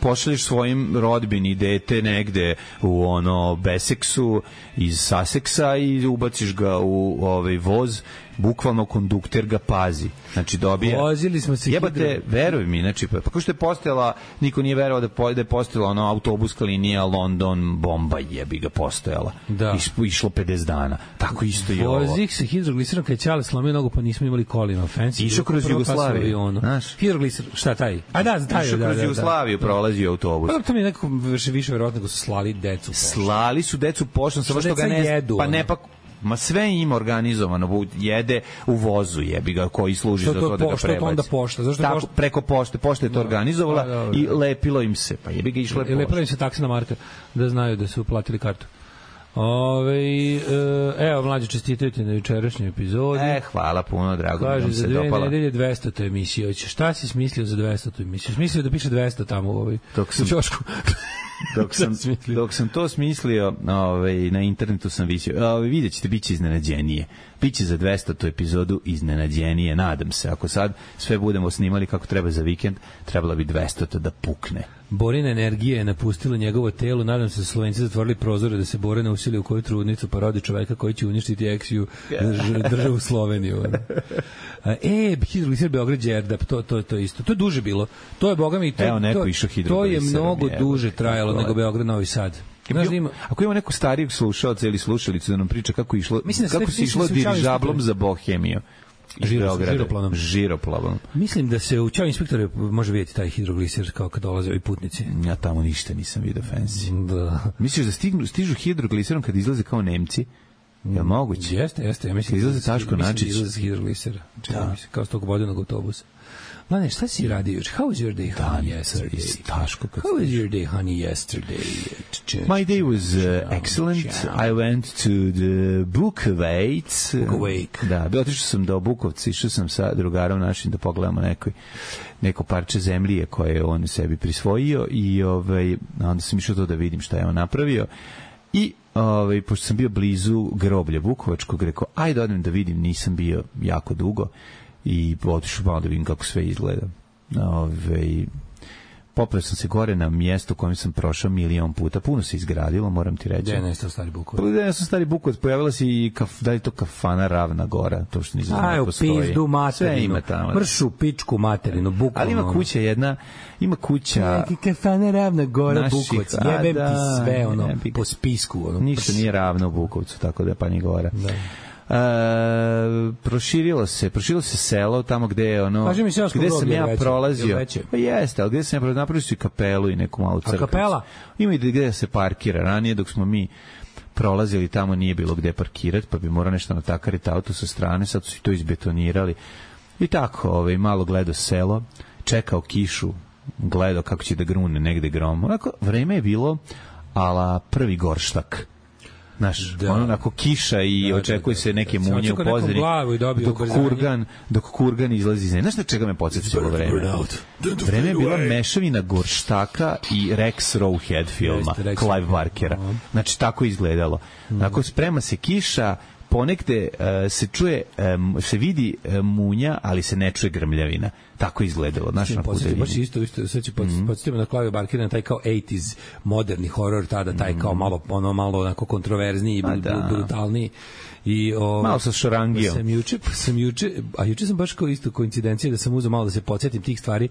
pošalješ svojim rodbini dete negde u ono Beseksu iz Susseksa i ubaciš ga u ovaj voz, bukvalno kondukter ga pazi. Znači dobije. Vozili smo se. Jebate, veruj mi, znači pa kako što je postojala, niko nije verovao da po, da je postojala ona autobuska linija London Bombay, jebi ga postojala. Da. Iš, išlo pedeset dana. Tako isto i ovo. Vozih se hidrogliserom kad Ćale slomio nogu pa nismo imali kolima. Fancy. Išao kroz Jugoslaviju. Znaš? Hidrogliser, šta taj? A da, taj. Išao kroz Jugoslaviju, prolazio autobus. Pa to mi je nekako više više verovatno da su slali decu. Slali su decu poštom, samo što ga ne jedu, pa ne pa ma sve ima organizovano, jede u vozu, jebi ga, koji služi što za to, to da ga prebaci. Što to onda pošta? Zašto tako, pošta? Preko pošte, pošta je to organizovala da, da, da. i lepilo im se, pa jebi ga išlo je pošta. Lepilo im se taksina marka, da znaju da su uplatili kartu. Ove, evo, mlađe, čestitaju ti na jučerašnjoj epizodi. E, hvala puno, drago. Kaže, za dve nedelje dvestota emisija. Šta si smislio za dvestota emisiju? Smislio da piše dvesta tamo u ovoj čošku. Dok sam, dok sam to smislio, ovaj, na internetu sam visio. Ovaj, vidjet ćete, bit će iznenađenije. Biće za dvestotu epizodu iznenađenije, nadam se. Ako sad sve budemo snimali kako treba za vikend, trebala bi dvestota da pukne. Borina energija je napustila njegovo telo. Nadam se da Slovenci zatvorili prozore da se Bore ne usili u koju trudnicu pa rodi čoveka koji će uništiti eksiju državu Sloveniju. E, hidrogliser Beograd Đerdap, to, to, to isto. To je duže bilo. To je, boga mi, to, Evo, neko to, išao to je mnogo duže trajalo nego Beograd Novi Sad. Znaš, ima, ako ima neko starijeg slušalca ili slušalicu da nam priča kako išlo, mislim, kako se išlo dirižablom za Bohemiju. Žiroplanom. Žiroplanom. Mislim da se u Ćao inspektore može vidjeti taj hidrogliser kao kad dolaze ovi putnici. Ja tamo ništa nisam vidio fancy. Da. Misliš da stignu, stižu hidrogliserom kad izlaze kao Nemci? Je li moguće? Jeste, jeste. Ja mislim izlaze Taško Načić. Izlaze s hidroglisera. Da. Mislim, kao s tog vodenog autobusa. Mane, šta si radio juče? How was your day, honey, yesterday? Taško. How was your day, honey, yesterday? My day was uh, excellent. I went to the Bukovac. Bukovake. Da, bio otišao sam do Bukovca, išao sam sa drugarom našim da pogledamo nekoj, neko parče zemlje koje je on sebi prisvojio i ovaj, onda sam išao to da vidim šta je on napravio. I ovaj, pošto sam bio blizu groblja Bukovačkog, rekao, ajde odem da vidim, nisam bio jako dugo. I otišao malo da vidim kako sve izgleda. Ove, popeo sam se gore na mjesto kojem sam prošao milion puta. Puno se izgradilo, moram ti reći. Gde je nestao Stari Bukovac? Gde je nestao Stari Bukovac? Pojavila se i kaf, da je to kafana Ravna Gora. To što nisam znao postoji. Aj, u pizdu materinu. Mršu pičku materinu, bukvalno. Ali ima kuća jedna, ima kuća... Neki kafana Ravna Gora, Bukovac. Jebem ti sve, ono, po spisku. Ono. Ništa nije ravno u Bukovcu, tako da je pa ni Gora. Da. Uh, proširilo se, proširilo se selo tamo gde je ono, gde sam ja veće, prolazio. Je pa jeste, ali gde sam ja prolazio, napravili su i kapelu i neku malu crkvicu. A kapela? Ima i gde se parkira. Ranije dok smo mi prolazili tamo nije bilo gde parkirati, pa bi morao nešto natakariti auto sa strane, sad su i to izbetonirali. I tako, ovaj, malo gledao selo, čekao kišu, gledao kako će da grune negde grom. Onako, vreme je bilo ala prvi gorštak. Znaš, da. Ono onako kiša i da, očekuje da, da, se neke da, munje u pozadini dok kurgan, dok kurgan izlazi iz nje. Znaš na čega me podsjeća ovo vreme? Vreme je bila mešavina gorštaka i Rex Rowhead filma, Clive Barkera. Znači, tako izgledalo. Dakle, sprema se kiša, ponekde uh, se čuje, um, se vidi uh, munja, ali se ne čuje grmljavina. Tako je izgledalo. Znaš, na puteljini. Baš isto, isto, sve će podsjetimo na Clive Barkera, taj kao osamdeset moderni horor, tada taj kao malo, ono, malo onako kontroverzniji i brutalniji. I o, malo sa šorangijom. Sam juče, sam juče, a juče sam baš kao isto koincidencija da sam uzeo malo da se podsjetim tih stvari.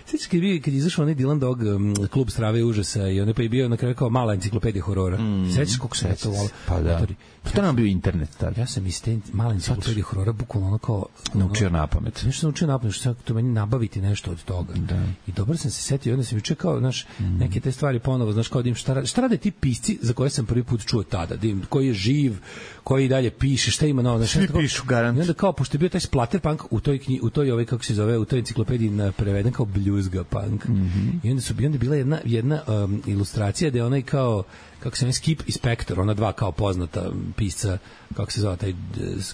Sećaš kad je kad je izašao onaj Dylan Dog um, klub Strave i užasa i on je pa je bio na kraju kao mala enciklopedija horora. Mm. Sećaš kako se to volelo? Pa da. Pa to nam bio internet tad. Ja sam iz te male enciklopedije horora bukvalno ono kao naučio napamet. Nešto naučio napamet, što to meni nabaviti nešto od toga. Da. I dobro sam se setio, onda sam juče kao, znaš, mm. neke te stvari ponovo, znaš, kao da im šta rade, šta rade ti pisci za koje sam prvi put čuo tada, da im, koji je živ, koji dalje piše, šta ima novo, znaš, svi pišu, garant. I onda kao, pošto je bio taj splatterpunk u toj knji, u toj, ovaj, kako se zove, u toj enciklopediji preveden kao bluesga punk. Mm -hmm. I onda su bi onda bila jedna, jedna um, ilustracija da je onaj kao, kako se zove, Skip i Spector, ona dva kao poznata pisca, kako se zove, taj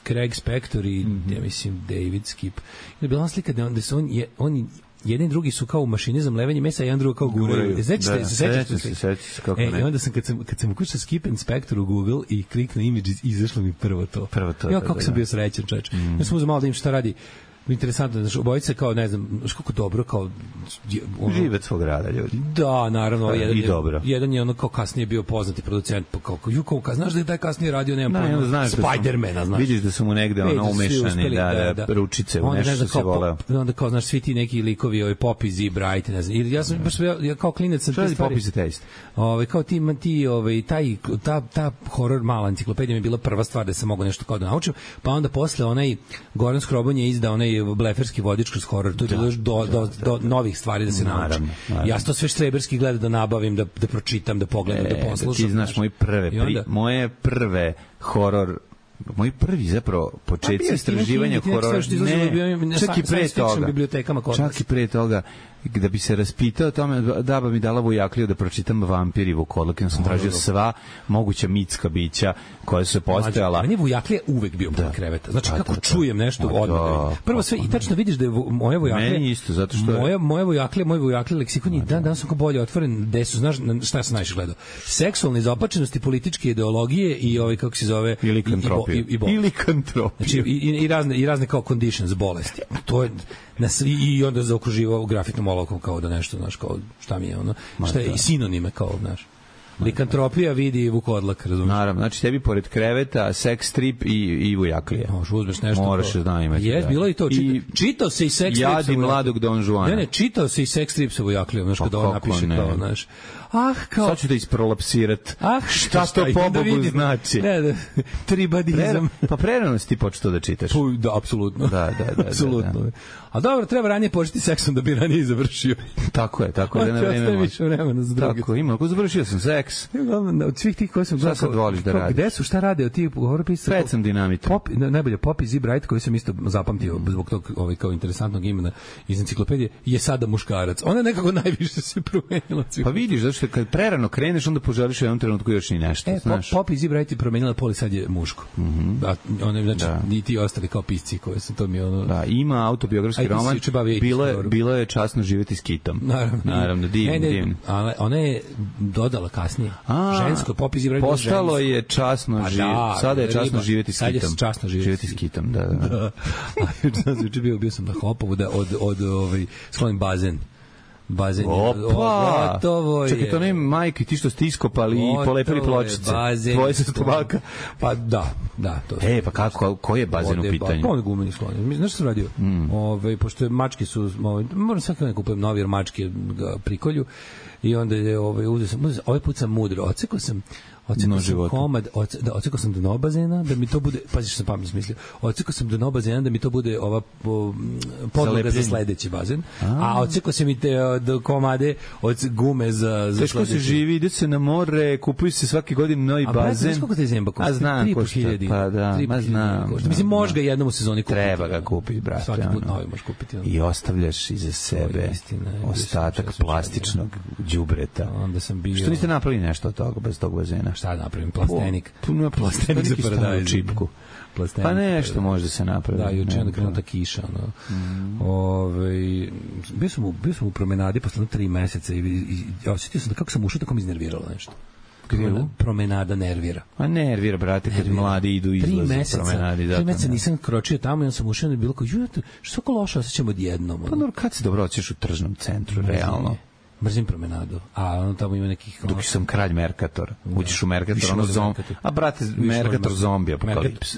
Craig Spector i, mm -hmm. ja mislim, David Skip. I onda je bila ona slika da, on, da se on, je, on jedni drugi su kao u mašini za mlevenje mesa, a jedan drugi kao guraju. Sećate se, sećate se, sećate se kako ne. E, i onda sam kad sam kad sam ukucao Skip and Spector u Google i kliknuo Images, izašlo mi prvo to. Prvo to. Ja kako da, sam da. bio srećan, čoveče. Mm. Ja sam uzeo malo da im šta radi. Interesantno, znači, obojice kao, ne znam, znaš kako dobro, kao... Ono, žive svog rada, ljudi. Da, naravno. Da, jedan, i dobro. Jedan je ono kao kasnije bio poznati producent, pa kao, ju, kao, znaš da je taj kasnije radio, nemam da, pojma, znaš Spidermana, znaš. Vidiš da su mu negde ono umešani, da, da, da, ručice u nešto što se voleo. Onda kao, znaš, svi ti neki likovi, ovaj Poppy Z, Bright, ne znam, ja sam, baš, ja, ja kao klinec sam te stvari... Poppy Z Taste? Ovaj, kao ti, ti, ovaj, taj, ta, ta horror mala enciklopedija mi je bila prva stvar da sam mogao nešto kao da naučim, pa onda posle onaj Goran Skroban je izdao onaj bleferski vodič kroz horor, to je bilo još do, do, do novih stvari da se naučim. Ja to sve štreberski gledam da nabavim, da, da pročitam, da pogledam, e, da poslušam. Ti znaš moje prve, pri, onda, moje prve horor moj prvi zapravo početci istraživanja horora, ne, čak i pre toga, čak i pre toga, da bi se raspitao o tome, Daba mi dala Vujakliju da pročitam Vampir i Vukodlak, ja sam tražio sva moguća mitska bića koja su se postojala. Meni Vujaklija uvek bio pod kreveta. Znači, kako da, da, čujem nešto da, odmah. Prvo sve, i tačno vidiš da je moja Vujaklija... Meni isto, zato što... Moja, moja Vujaklija, moj Vujaklija leksikon je dan, dan sam kao bolje otvoren, gde su, znaš, šta sam najviše gledao? Seksualne izopačenosti, političke ideologije i ovaj, kako se zove... I likantropije. I, i, i, I likantropije. Znači, i, i, razne, i razne kao conditions, bolesti. To je... Na svi, i onda zaokruživao grafitnom olovkom kao da nešto, znaš, kao šta mi je ono, šta je i sinonime kao, znaš. Likantropija vidi Vukodlak, razumiješ? Naravno, znači tebi pored kreveta, sex strip i, i Vujaklija. Možeš uzmeš nešto. Moraš da znam imati. Jes, bilo i to. Čita, I čitao se i sex strip. Jadi mladog Don Juana. Ne, ne, čitao se i sex strip sa Vujaklijom, znaš, kada on napiše ne. Kao, znaš. Ah, kao... Sad ću da isprolapsirat. Ah, šta to pobogu da znači? Ne, da, tribadizam. Pre, pa prerano si ti počeo da čitaš. Pu, da, apsolutno. Da, da, da. Apsolutno. Da, da. A dobro, treba ranije početi seksom da bi ranije završio. Tako je, tako je. Da na vreme više vremena za druge. Tako, ima, ako završio sam seks. Od svih tih koji sam gledao. Šta sad voliš da radiš? Gde su, šta rade od tih hororpisa? Pred sam dinamita. Pop, najbolje, Poppy Z Bright, koji sam isto zapamtio zbog tog ovaj, kao interesantnog imena iz enciklopedije, je sada muškarac. Ona nekako najviše se promenila. Pa vidiš, zato što kad prerano kreneš, onda poželiš u jednom trenutku još i nešto. E, znaš. Poppy Z Bright je promenila pol i sad je muško. Mm -hmm. Da, one, znači, da. Ni ti ostali kao pisci koji su to mi ono... Da, ima autobiografski roman. Bilo je, bilo je časno živjeti s Kitom. Naravno. Naravno, divno, divno. Ali ona je dodala kasnije. A, žensko, Poppy Z Bright postalo je časno pa živjeti. Da, sada je časno živjeti s Kitom. Sad je časno živjeti, živjeti s Kitom, da, da. da. A bio, bio sam na Hopovu da od, od ovaj, sklonim bazen. Bazen. Opa! Gotovo je. Čekaj, to ne majke, ti što ste iskopali i polepili pločice. Tvoje su stomaka. Pa da, da. To e, pa kako, koji je bazen u pitanju? Pa on je gumeni sklon. Znaš što sam radio? Mm. Ove, pošto mačke su, ove, moram svaki dan kupujem novi, jer mačke ga prikolju. I onda je, ove, uzeo sam, uzeo, ovaj put sam mudro, ocekao sam Ocekao sam komad, oce, da, ocekao sam dno bazena, da mi to bude, pazi što sam pametno smislio, ocekao sam dno bazena da mi to bude ova po, podloga za sledeći bazen, a, a ocekao sam i te do komade od gume za, za teško se živi, ide se na more, kupuju se svake godine novi a, bazen. A koliko te zemba košta? A znam košta, pa da, ma znam. Košta. Mislim, možeš ga jednom u sezoni kupiti. Treba ga kupiti, brate. Svaki put novi možeš kupiti. I ostavljaš iza sebe istina, ostatak plastičnog đubreta. Onda sam bio... Što niste napravili nešto od toga, bez tog bazena? Šta napravim? Plastenik. Puno plastenik za paradajz. Čipku. Plastenik. Pa nešto može da se napravi. Da, juče onda krenula ta kiša. No. Mm. Ove, bio, sam u, bio sam u promenadi posle tri meseca i, i, i osjetio sam da kako sam ušao, tako mi iznerviralo nešto. Promenada, promenada nervira. A nervira, brate, kad nervira. Mladi idu izlazi meseca, promenadi. Tri meseca nisam kročio tamo i on sam ušao i bilo kao, što tako loše osjećam odjednom. Pa dobro, kad se dobro osjećaš u tržnom centru, mrzim realno? Je. Mrzim promenadu, a ono tamo ima nekih... Dok sam kralj Mercator. Uđeš u Mercator, ono zom... A brate, Mercator zombi apokalips.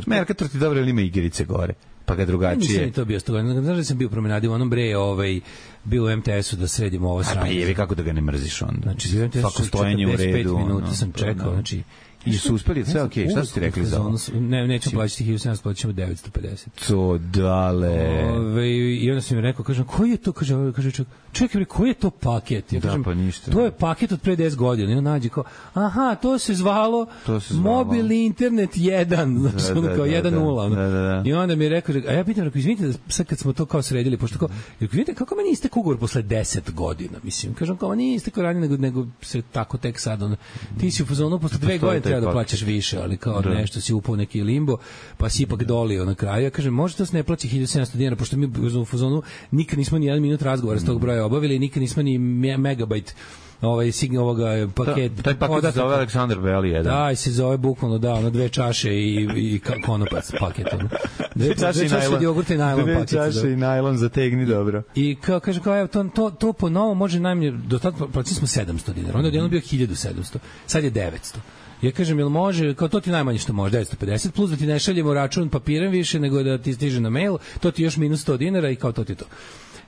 Mercator ti dobro, ili ima igrice gore? Pa ga drugačije. Nisam ni to bio sto godina. Znaš da sam bio u promenadi u onom bre, ovaj, bio u em te esu da sredimo ovo sranje. Pa jevi kako da ga ne mrziš onda. Znači, u em te esu svako stojenje u redu. četrdeset pet minuta sam čekao, znači... I su uspeli, sve okej, šta su ti rekli za ovo? Ne, nećemo plaćati hiljadu sedamsto, plaćamo devetsto pedeset. To dale. Ove, I onda sam mi rekao, kažem, koji je to, kaže, kaže čovjek, čekaj, koji je to paket? Ja kažem, da, pa ništa. To je paket od pre deset godina. I on nađe kao, aha, to se zvalo, to se zvalo. Mobilni internet jedan, znači, da, da, kao jedan nula. Da, da, da. I onda mi je rekao, a ja pitam, rekao, izvinite, da sad kad smo to kao sredili, pošto kao, izvinite, kako meni istek ugovor posle deset godina, mislim, kažem, kao, nije istek ranije, nego, nego se tako tek sad, on, ti si u fazonu, posle dve godine treba da plaćaš više, ali kao da. Nešto si upao neki limbo, pa si ipak dolio na kraju. Ja kažem, može da se ne plaća hiljadu sedamsto dinara, pošto mi u fazonu nikad nismo ni jedan minut razgovora s tog broja obavili, nikad nismo ni megabajt ovaj signal ovoga paket. Ta, taj paket se zove Aleksandar Beli jedan. Da, se zove bukvalno, da, ono dve čaše i, i konopac paket. Ono. Dve, čaše dve i čaše od jogurta i najlon dve paket. Dve čaše da. I najlon zategni dobro. I kao, kaže, kao, evo, to, to, to po novom može najmanje, do tada plaćali smo sedamsto dinara, onda je jedno bio hiljadu sedamsto, sad je devetsto. Ja kažem, jel može, kao to ti najmanje što može, devetsto pedeset, plus da ti ne šaljemo račun papirem više, nego da ti stiže na mail, to ti još minus sto dinara i kao to ti to.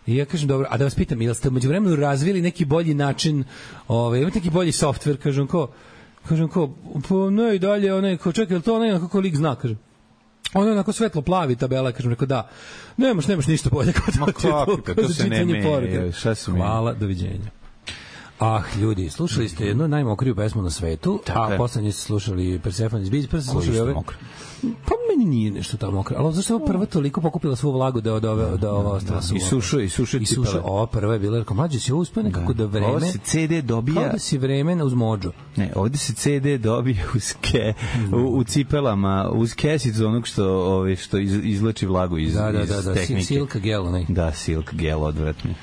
I ja kažem, dobro, a da vas pitam, jel ste među vremenu razvili neki bolji način, ovaj, imate neki bolji softver, kažem, ko, kažem, ko, pa ne i dalje, onaj, ko, čekaj, jel to onaj, kako lik zna, kažem. Ono je onako svetlo plavi tabela, kažem, rekao da, nemaš, nemaš ništa bolje, kao to, to, to, to se ne meje, šta su mi? Hvala, doviđenja. Ah, ljudi, slušali ste jednu najmokriju pesmu na svetu, a poslednje ste slušali Persephone iz Bizije, prvo ste slušali ove... Pa meni nije nešto tamo mokro, ali zašto je ova prva toliko pokupila svu vlagu da od ove, da ova ostala suva? I sušu, i sušu i sušu. Ova prva je bila, rekao, mlađe si ovo uspio nekako da vreme... Ovo se ce de dobija... Kao da si vreme uz mođo. Ne, ovde se ce de dobija uz ke, u, u cipelama, uz kesicu onog što, ove, što iz, izlači vlagu iz, da, da, iz da, da, tehnike. Silk gel, ne? Da, silk gel, odvratni.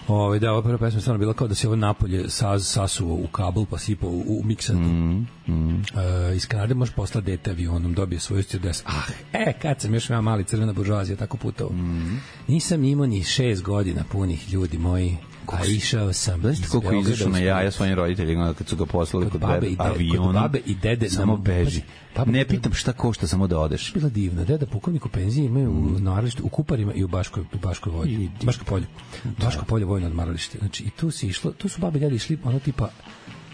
Ove, da, ova prva pesma je stvarno bila kao da se ovo napolje saz, sasuo u kabel pa sipao u, u miksatu. Mm, mm. E, iz Kanade možeš poslati dete avionom, dobije svoju stewardess. Ah, e, kad sam još ima mali crvena buržoazija tako putovao. Mm. Nisam imao ni šest godina punih, ljudi moji. A išao sam. Znaš koliko izašao na jaja svojim roditeljima kad su ga poslali kod, kod avionom. Kod babe i dede. Samo beži. Baba, ne pitam šta košta, samo da odeš. Bila divna. Deda pukovnik u penziji imaju mm. u odmaralištu, u Kuparima i u Baškoj, u Baškoj vojni. Baško polje. Da. Baško polje vojno odmaralište. Znači, i tu se išlo, tu su babe i dede išli, ono tipa,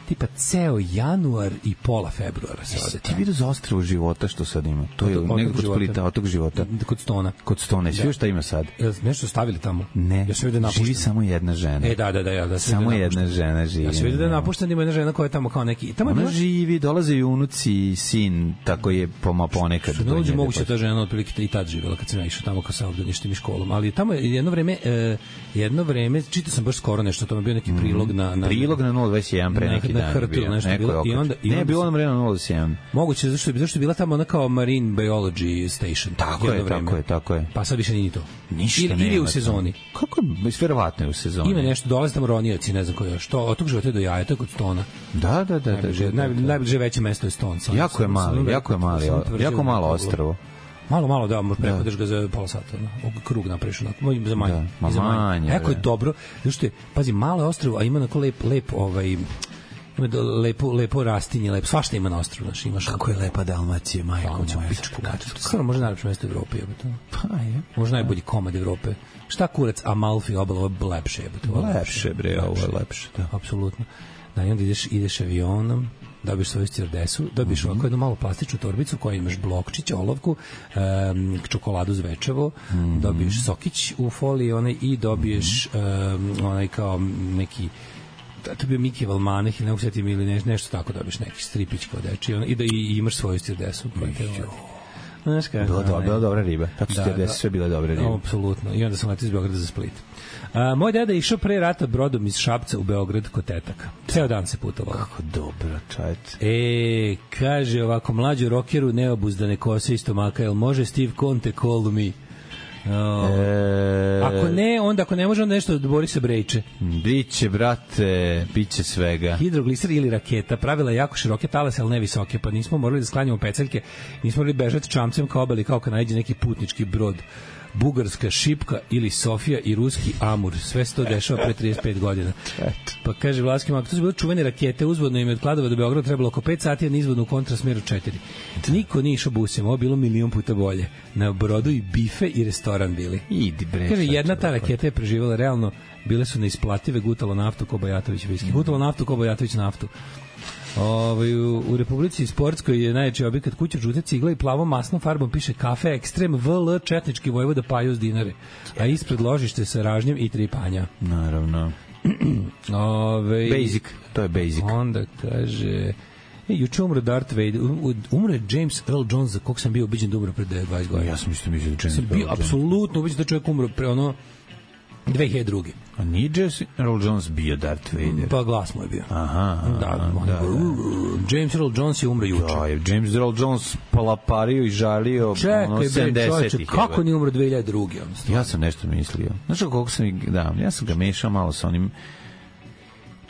tipa ceo januar i pola februara se ode. Ti vidio za ostrvo života što sad ima? To je nego kod Splita, otok života. Kod Stona. Kod Stona. Sve šta ima sad? Jel nešto stavili tamo? Ne. Ja se vidi da živi samo jedna žena. E da da da ja da samo jedna žena živi. Ja se vidi da je napušten, ima jedna žena koja je tamo kao neki. Tamo ona živi, dolaze i unuci i sin, tako je poma ponekad. Ne dođe moguće ta žena otprilike i tad živela kad sam ja išao tamo kao sa obdaništem i školom, ali tamo je jedno vreme e, jedno vreme čitao sam baš skoro nešto, tamo je bio neki prilog na na prilog na nula dvadeset jedan pre neki dan. Bilo, i onda i ne bilo na vremenu nula sedam. Moguće zašto je zašto je bila tamo ona kao Marine Biology Station. Tako je, tako je, tako je. Pa sad više nije to. Ništa ili, ili u sezoni. Kako verovatno je u sezoni. Ima nešto, dolaze tamo ronioci, ne znam ko je. Što od tog života do jaja, to je kod Stona. Da, da, da, da. Najbliže veće mesto je Ston. Jako je mali, jako je mali, jako malo ostrvo. Malo, malo, da, možeš prehodeš ga za pola sata, no? Krug napraviš, onako, za manje. Da, za manje. Eko je dobro, zato je, pazi, malo je ostrvo, a ima onako lep, lep, ovaj, ima lepo, lepo rastinje, lepo, svašta ima na ostrvu, znaš, imaš. Kako je lepa Dalmacija, majko moja. Skoro možda najlepše mesto Evrope, jebote. Pa je. Možda najbolji komad Evrope. Šta kurac Amalfi obala, ovo je lepše, jebote. Lepše, bre, ovo je lepše, da. Apsolutno. Da, i onda ideš, ideš avionom, dobiješ svoju stewardessu, dobiješ mm -hmm. ovako jednu malu plastičnu torbicu koja imaš blokčić, olovku, um, čokoladu zvečevo, mm -hmm. dobiješ sokić u foliji onaj, i dobiješ um, onaj kao neki to je bio Miki Valmaneh ili ne usetim ili ne, nešto tako dobiješ neki stripić kao deči i, da, i imaš svoju stewardessu. Znaš kako? Bila, do, bila dobra riba. Tako su stewardesse sve bile dobre ribe. Apsolutno. I onda sam letio iz Beograda za Split. A, moj deda je išao pre rata brodom iz Šapca u Beograd kod tetaka. Ceo dan se putovao. Kako dobro, čajte. E, kaže ovako, mlađu rokeru neobuzdane kose i stomaka, jel može Steve Conte call me? Oh. E... Ako ne, onda ako ne može, onda nešto od Borisa Brejče. Biće, brate, biće svega. Hidrogliser ili raketa, pravila jako široke talase, ali ne visoke, pa nismo morali da sklanjamo peceljke, nismo morali bežati čamcem kao obali, kao kad najde neki putnički brod bugarska šipka ili Sofija i ruski Amur. Sve se to dešava pre trideset pet godina. Pa kaže Vlaski Mak, to su bile čuvene rakete, uzvodno im je od Kladova do Beograda trebalo oko pet sati, a nizvodno u kontrasmeru četiri. Niko nije išao busem, ovo bilo milion puta bolje. Na brodu i bife i restoran bili. Idi bre. Kaže, jedna ta raketa je preživala realno, bile su neisplative, gutalo naftu ko Bajatović viski. Gutalo naftu ko Bajatović naftu. Ovaj u, u Republici Sportskoj je najjači objekat kuća žute cigle i plavom masnom farbom piše kafe ekstrem V L četnički vojvoda Pajus dinare. A ispred ložište sa ražnjem i tri panja. Naravno. Ove, basic, to je basic. Onda kaže E, juče umro Darth Vader, umro je James Earl Jones, za kog sam bio ubiđen da umro pred dvadeset godina. Ja sam isto mislio da James Earl Jones. Sam bio apsolutno ubiđen da čovjek umro pre ono dve hiljade druge. A nije James Earl Jones bio Darth Vader? Pa glas mu je bio. Aha, da, da, da. James Earl Jones je umro juče. Da, je James Earl Jones palapario i žalio Čekaj, ono sedamdesetih. Kako nije umro dve hiljade druge? Ja sam nešto mislio. Znaš kako sam, da, ja sam ga mešao malo sa onim,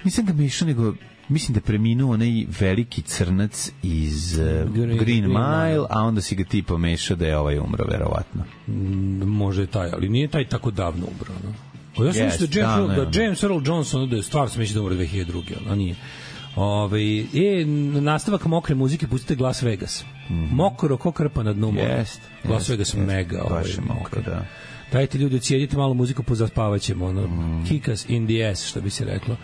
nisam ga mešao, nego mislim da je preminuo onaj veliki crnac iz uh, Green, Green Mile, a onda si ga ti pomešao da je ovaj umro, verovatno. Mm, može je taj, ali nije taj tako davno umro, no? O, ja sam yes, mislio da James, da, Earl, da James Earl Jones, ono da je stvarno sam mislio da umro dve hiljade druge, a nije. Ove, e, nastavak mokre muzike, pustite Las Vegas. Mm -hmm. Mokro ko krpa na dnu mora. Yes, Las yes, Vegas yes, mega. Baš je mokro, da. Dajte ljudi, ocijedite malo muziku, pozaspavaćemo. Ono, mm. Kick us in the ass, što bi se reklo.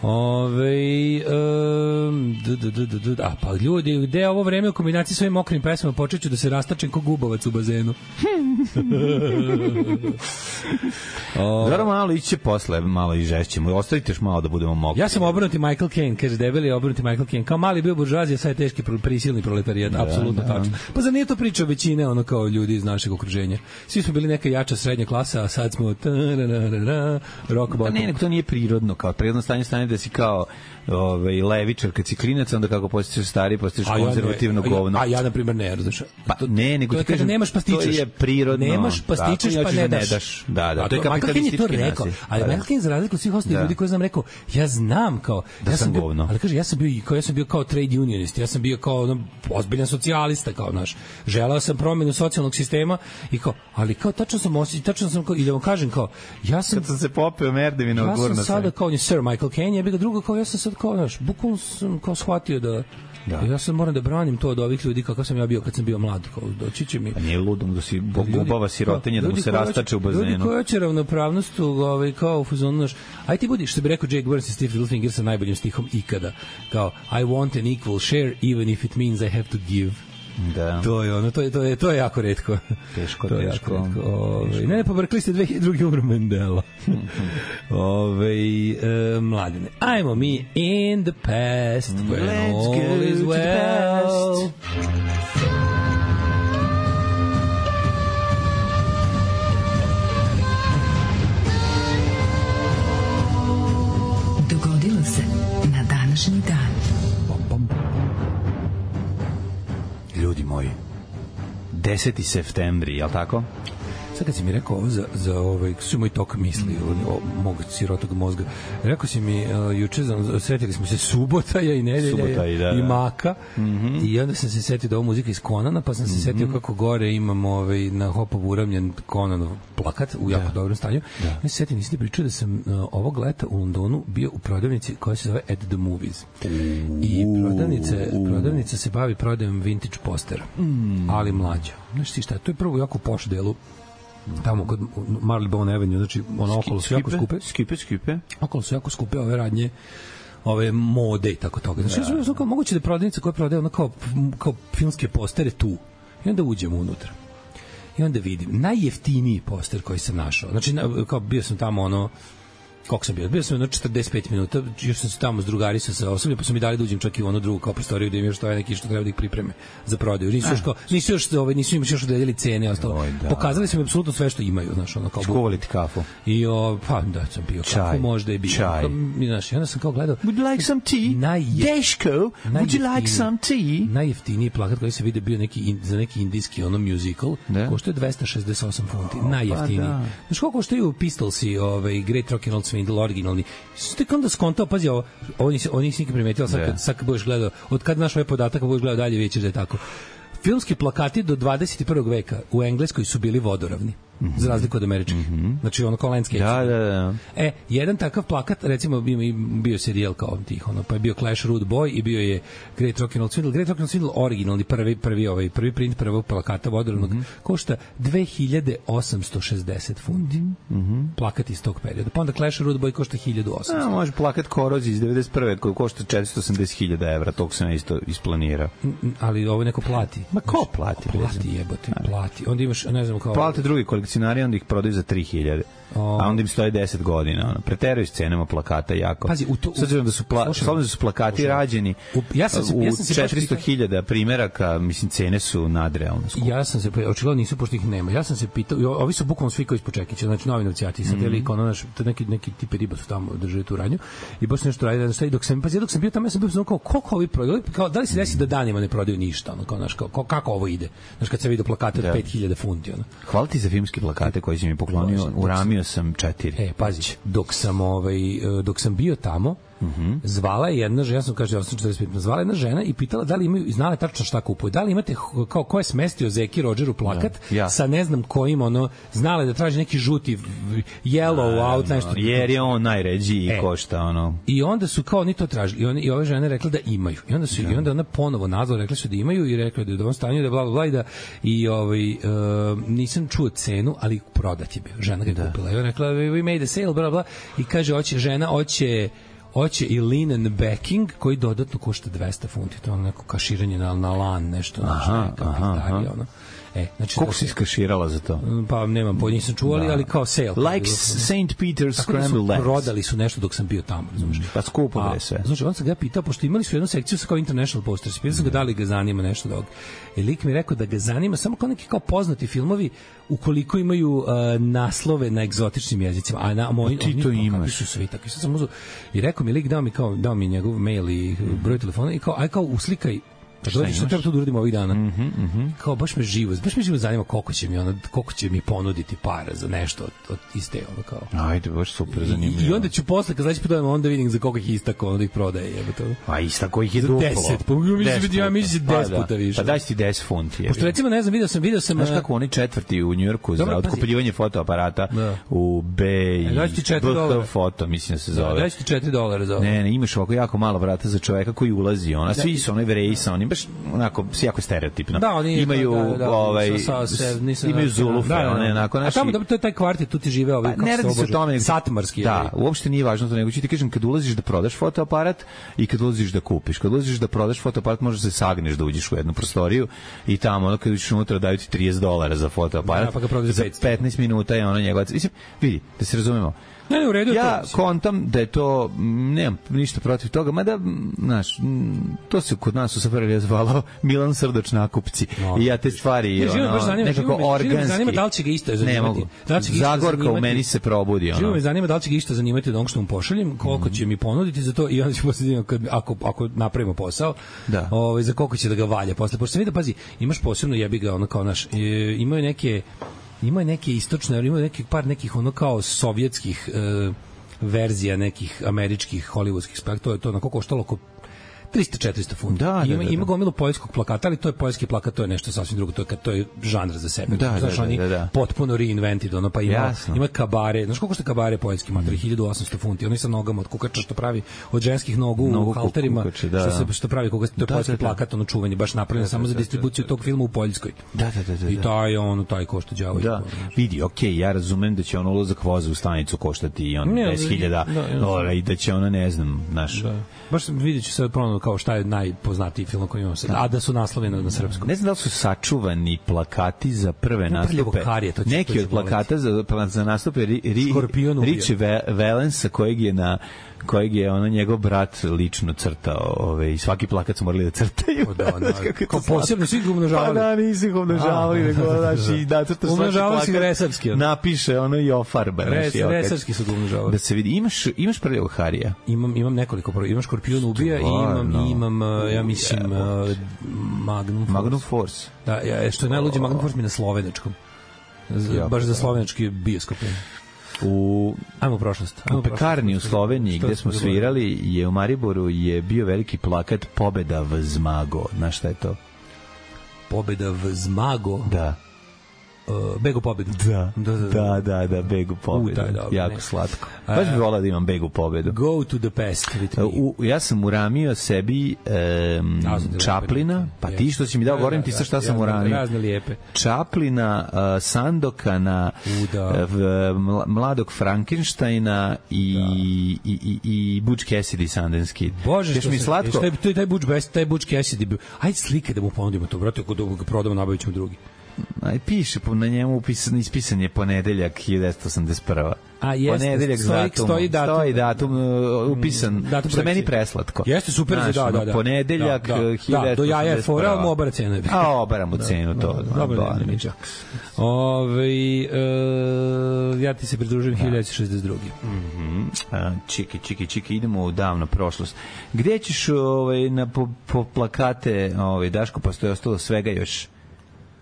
Ove, um, d, d, d, d, d, a pa ljudi, gde je ovo vreme u kombinaciji s ovim mokrim pesmama, počet ću da se rastačem ko gubovac u bazenu. Zara malo iće posle, malo i žešćemo. Ostavite još malo da budemo mokri. Ja sam obrnuti Michael Caine, kaže debeli obrnuti Michael Caine. Kao mali bio buržuazija, sad je teški prisilni proletarijat, da, apsolutno da. Tačno. Pa za nije to priča većine, ono kao ljudi iz našeg okruženja. Svi smo bili neka jača srednja klasa, a sad smo rock bottom. Ne, ne, to nije prirodno, kao prirodno stanje stanje da si kao ovaj levičar kad si klinac, onda kako postaješ stari, postaješ konzervativno ja govno. A ja na primer ne, razumeš. Pa ne, nego ti kažem, nemaš pastičeš. To je prirodno. Nemaš pastičeš pa ne daš. daš. Da, da. A to je kapitalistički rekao. Ali Melkin za razliku od svih ostalih ljudi koji znam rekao, ja znam kao da ja sam bio, govno. ali kaže ja sam bio kao ja sam bio kao trade unionist, ja sam bio kao ono, ozbiljan socijalista kao naš. Želeo sam promenu socijalnog sistema i kao, ali kao tačno sam osjećao, tačno sam kao i da vam kažem kao ja sam kad sam se popeo merdevina ja ogurno. Ja sam sada kao ni Sir Michael Caine, ja bih ga drugo kao ja sam sad kao naš, bukvalno sam kao shvatio da da. Ja sam moram da branim to od ovih ljudi kakav sam ja bio kad sam bio mlad, kao doći će mi. Pa nije ludom da si bubava sirotinje da mu se rastače u bazenu. Ljudi koji hoće ravnopravnost ovaj kao u fazonu naš. Aj ti budi što bi rekao Jake Burns i Steve Littlefinger sa najboljim stihom ikada. Kao I want an equal share even if it means I have to give. Da. To je ono, to je to je to je jako retko. Teško, to je teško. Jako retko. Ove, ne, pobrkli ste dve hiljade druge umro Mandela. Ove, e, mladine. Ajmo mi in the past when Let's all is well. Dogodilo se na današnji dan. Ljudi moji, deseti septembri, je li tako? Sad kad si mi rekao ovo za, za ovaj, su moj tok misli o, o mog sirotog mozga, rekao si mi uh, juče, sretili smo se subota i nedelja subota i, da, i da. Maka mm -hmm. i onda sam se setio da ovo muzika iz Konana, pa sam se mm -hmm. setio kako gore imam ovaj, na Hopovu uramljen Konanov plakat u jako da. dobrom stanju. Da. Ja se setio, nisi ti pričao da sam uh, ovog leta u Londonu bio u prodavnici koja se zove At the Movies. I prodavnica, prodavnica se bavi prodajom vintage postera, mm. ali mlađa. Znaš ti šta, to je prvo jako poš delu tamo kod Marylebone Avenue, znači ono okolo su jako skupe. Skipe, skipe. Okolo su jako skupe ove radnje, ove mode i tako toga. Znači, da. Znači, moguće da je prodavnica koja prodaje ono kao, kao filmske postere tu. I onda uđemo unutra. I onda vidim, najjeftiniji poster koji sam našao. Znači, kao bio sam tamo ono, koliko sam bio? Bio sam jedno četrdeset pet minuta, još sam se tamo s drugari sa osobljem, pa su mi dali da uđem čak i u onu drugu kao prostoriju da im još to je neki što treba da ih pripreme za prodaju. Nisu još kao, nisu još, ovaj, nisu im još odredili cene, ostalo. Oj, da. Pokazali su mi apsolutno sve što imaju, znaš, ono kao. Škovali ti kafu. I o, pa da sam pio kafu, možda i bio. Čaj. Znaš, i onda sam kao gledao. Would you like some tea? Najjef... Deško, would you like some tea? Najjeftiniji plakat koji se vidi bio neki in, za neki indijski ono musical, košta dvesta šezdeset osam funti. Najjeftiniji. Pa da. Znaš koliko koštaju Pistolsi, ovaj Great Rock and Roll Swindle originalni. Ste onda skontao, pazi ovo, ovo nisi, ovo nisi nikad primetila, sad kad, sad kad budeš gledao, od kad znaš ovaj podatak, budeš gledao dalje, vidjet ćeš da je tako. Filmski plakati do dvadeset prvog veka u Engleskoj su bili vodoravni. Mm-hmm. Za razliku od američkih. Mm-hmm. Znači ono kao landscape. Da, da, da. E, jedan takav plakat, recimo bio, bio serijal kao tih, ono, pa je bio Clash Rude Boy i bio je Great Rock'n'Roll Swindle. Great Rock'n'Roll Swindle originalni, prvi, prvi, ovaj, prvi print prvog plakata vodoravnog, mm-hmm. košta dve hiljade osamsto šezdeset funti. Mm-hmm. Plakat iz tog perioda. Pa onda Clash Rude Boy košta hiljadu osamsto. A, može plakat Korozije iz devedeset prve koji košta četiristo osamdeset hiljada evra, tog sam isto isplanirao. Ali ovo neko plati. Ma ko plati? Plati, jebote, plati. Onda imaš, ne znam kao... Plate drugi kolekcionari, onda ih prodaju za tri hiljade. Oh. A onda im stoje deset godina. Ono. Preteraju s cenama plakata jako. Pazi, u to... S obzirom da su, pla, s obzirom da su plakati slušam. rađeni u, ja sam se, ja sam se u četiristo hiljada primjeraka, mislim, cene su nadrealne. Ja sam se, očigledno nisu, pošto ih nema. Ja sam se pitao, ovi su bukvalno svi koji iz Počekića, znači novinovci, a ti sad, mm. ono, naš, neki, neki tipe riba su tamo držali tu radnju i baš nešto radi, da dok sam, pazi, dok sam bio tamo, ja sam bio znao kao, koliko ovi prodaju, kao, da li se desi da danima ne prodaju ništa, ono, kao, naš, kao, kako ovo ide? Znaš, kad sam vidio plakate od pet hiljada funti, ono. Hvala ti za filmske plakate koji si mi poklonio, uramio sam četiri. E, pazi, dok sam, ovaj, dok sam bio tamo, Mm-hmm. zvala je jedna žena, ja sam kaže, ja sam četrdeset pet, zvala jedna žena i pitala da li imaju, znala je tačno šta kupuju, da li imate, kao ko je smestio Zeki Rodgeru plakat, ja, ja. sa ne znam kojim, ono, znala je da traži neki žuti yellow A, out, nešto. Jer je on najređi i e. košta, ono. I onda su kao oni to tražili, i, on, i ove žene rekla da imaju. I onda su, ja. i onda ona ponovo nazvala, rekla su da imaju i rekla da je u ovom stanju, da bla, bla, bla, i da, i ovaj, uh, nisam čuo cenu, ali prodat je bio. Žena ga je da. kupila. I ona rekla, we made a sale, bla, bla, i kaže, hoće, žena, hoće hoće i linen backing koji dodatno košta dvesta funti, to je ono neko kaširanje na, na lan, nešto, aha, nešto, aha, aha. ono. E, znači, koliko si iskaširala za to? Pa nemam pojma, nisam čuo, da. ali kao sale. Like Saint Peter's Scrambled Eggs. Prodali su nešto dok sam bio tamo, razumiješ? Pa skupo bre sve. Znači, on sam ga pitao, pošto imali su jednu sekciju sa kao international posters, pitao sam ga da li ga zanima nešto dog. I lik mi rekao da ga zanima samo kao neki kao poznati filmovi ukoliko imaju uh, naslove na egzotičnim jezicima. A na moj, ti to imaš. Su svi takvi. Sad sam uzeo i rekao mi lik, dao mi, kao, dao mi njegov mail i broj telefona i kao, aj kao uslikaj. Pa dođe što treba to da uradimo ovih dana. Mm-hmm, mm-hmm. Kao baš me živo, baš me živo zanima koliko će mi ona, koliko će mi ponuditi para za nešto od, od iste ono kao. Ajde, baš super zanimljivo. I, i onda ću posle kad sledeći put dođem onda vidim za koliko ih istako, onda ih prodaje, jebote. Pa istako ih je duplo. deset, pa mislim ja mislim deset puta više. Pa daj ti deset funti. Pošto recimo ne znam, video sam, video sam. Znaš kako oni četvrti u Njujorku za otkupljivanje fotoaparata u B i B foto, mislim da se zove. Daj ti četiri dolara za. Ne, ne, imaš ovako jako malo vrata za čoveka koji ulazi, ona svi su onaj Vreji sa onim baš onako jako stereotipno. Da, oni imaju da, da, da, ovaj sa, sa, nisam, imaju zulufe, da, da, one onako naši. A tamo da to je taj kvartet, tu ti žive ovaj pa, kako se tome satmarski. Da, uopšte nije važno to, nego ću ti kažem kad ulaziš da prodaš fotoaparat i kad ulaziš da kupiš. Kad ulaziš da prodaš fotoaparat možeš da se sagneš da uđeš u jednu prostoriju i tamo ono kad uđeš unutra daju ti trideset dolara za fotoaparat. Da, pa ga prodaš za petnaest minuta je ono njegova. Mislim, vidi, da se razumemo. Ne, ne, u redu ja to, kontam da je to, nemam ništa protiv toga, mada, znaš, to se kod nas u Safarelija zvalo Milan Srdač nakupci. No. I ja te stvari, ne, ono, zanima, nekako živo, organski. Živo me zanima da li će ga isto zanimati. Ne mogu. Da Zagorka u meni se probudi. Ono. Živo me zanima da li će ga isto zanimati od onog što mu pošaljem, koliko mm. će mi ponuditi za to i onda ću poslediti, ako, ako napravimo posao, da. Ovaj, za koliko će da ga valja posle. Pošto sam vidio, pazi, imaš posebno jebi ga, ono kao naš, e, imaju neke ima neke istočne, ima neki par nekih ono kao sovjetskih e, verzija nekih američkih hollywoodskih spektakla, to je to na koliko koštalo oko trista četiristo funta. Da, ima, da, da, ima gomilu poljskog plakata, ali to je poljski plakat, to je nešto sasvim drugo, to je kad to je žanr za sebe. Da, znaš, da, oni da, da. potpuno reinvented, ono pa ima Jasno. ima kabare, znaš koliko što kabare poljski, mm. hiljadu osamsto funti, oni sa nogama od kukača što pravi od ženskih nogu Nogu u halterima, kukače, da, što se što pravi koga to je da, poljski da, da. plakat, ono čuveni, baš napravljen da, samo da, za distribuciju da, da, da. tog filma u Poljskoj. Da, da, da, da. I taj on taj košta đavo. Da. Vidi, okej, okay, ja razumem da će on ulazak voza u stanicu koštati i on deset hiljada dolara i da će ona ne znam, znaš. Baš videću sad ponovno kao šta je najpoznatiji film koji imamo sad, a da su naslovi na, na srpskom. Ne znam da li su sačuvani plakati za prve nastupe. Karije, to neki od plakata za, za nastupe ri, ri, Riči Valensa kojeg je na kojeg je ono njegov brat lično crtao, ove, i svaki plakat su morali da crtaju. O, da, da. Kao posebno svi ga umnožavali. Pa da, nisi ga umnožavali, nego daš i da crta svaki plakat. Resavski. Napiše ono i ofarba. Res, resavski su ga umnožavali. Da se vidi, imaš, imaš prvog Harija? Imam, imam nekoliko prvog. Imam Škorpion ubija i imam, imam, ja mislim, uh, Magnum Force. Magnum Force. Da, ja, što je najluđe, Magnum Force mi na slovenačkom. Z, baš za slovenački bioskop. U ajmo u prošlost. Ajmo u pekarni u Sloveniji gde smo svirali je u Mariboru je bio veliki plakat Pobeda v Zmago. Znaš šta je to? Pobeda v Zmago? Da. uh, Begu pobedu. Da, da, da, da, da, da Begu pobedu. Uh, da, jako ne. Slatko. Baš bih volao da imam Begu pobedu. Go to the past. U, ja sam uramio sebi um, Chaplina, pa ti što si mi dao, govorim ti sa šta sam uramio. Razne lijepe. Chaplina, uh, Sandokana, uh, mladog Frankensteina i, da. i, i, i Butch Cassidy, Sundance Kid. Bože, što mi slatko. Taj, taj, taj Butch Best, taj Butch Cassidy bio. Ajde slike da mu ponudimo to, brate, ako ga prodamo, nabavit ćemo drugi. Aj, piše, na njemu upisan, ispisan je ponedeljak hiljadu devetsto osamdeset prva. A jeste, ponedeljak stoji, datum, stoji datum, stoji datum uh, upisan, datum što je meni preslatko. Jeste, super, znaš, da, da, da. Ponedeljak, da, da, hiljadu devetsto osamdeset prva. Da, do jaja je fora, ali mu obara cenu. A, obara mu cenu, da, to. Da, da, dobro, ne, ne, čak. Ove, uh, ja ti se pridružujem hiljadu devetsto šezdeset druge. Mhm. Čiki, čiki, čiki, idemo u davnu prošlost. Gde ćeš ovaj, na, po, po plakate, ovaj, Daško, pa stoje ostalo svega još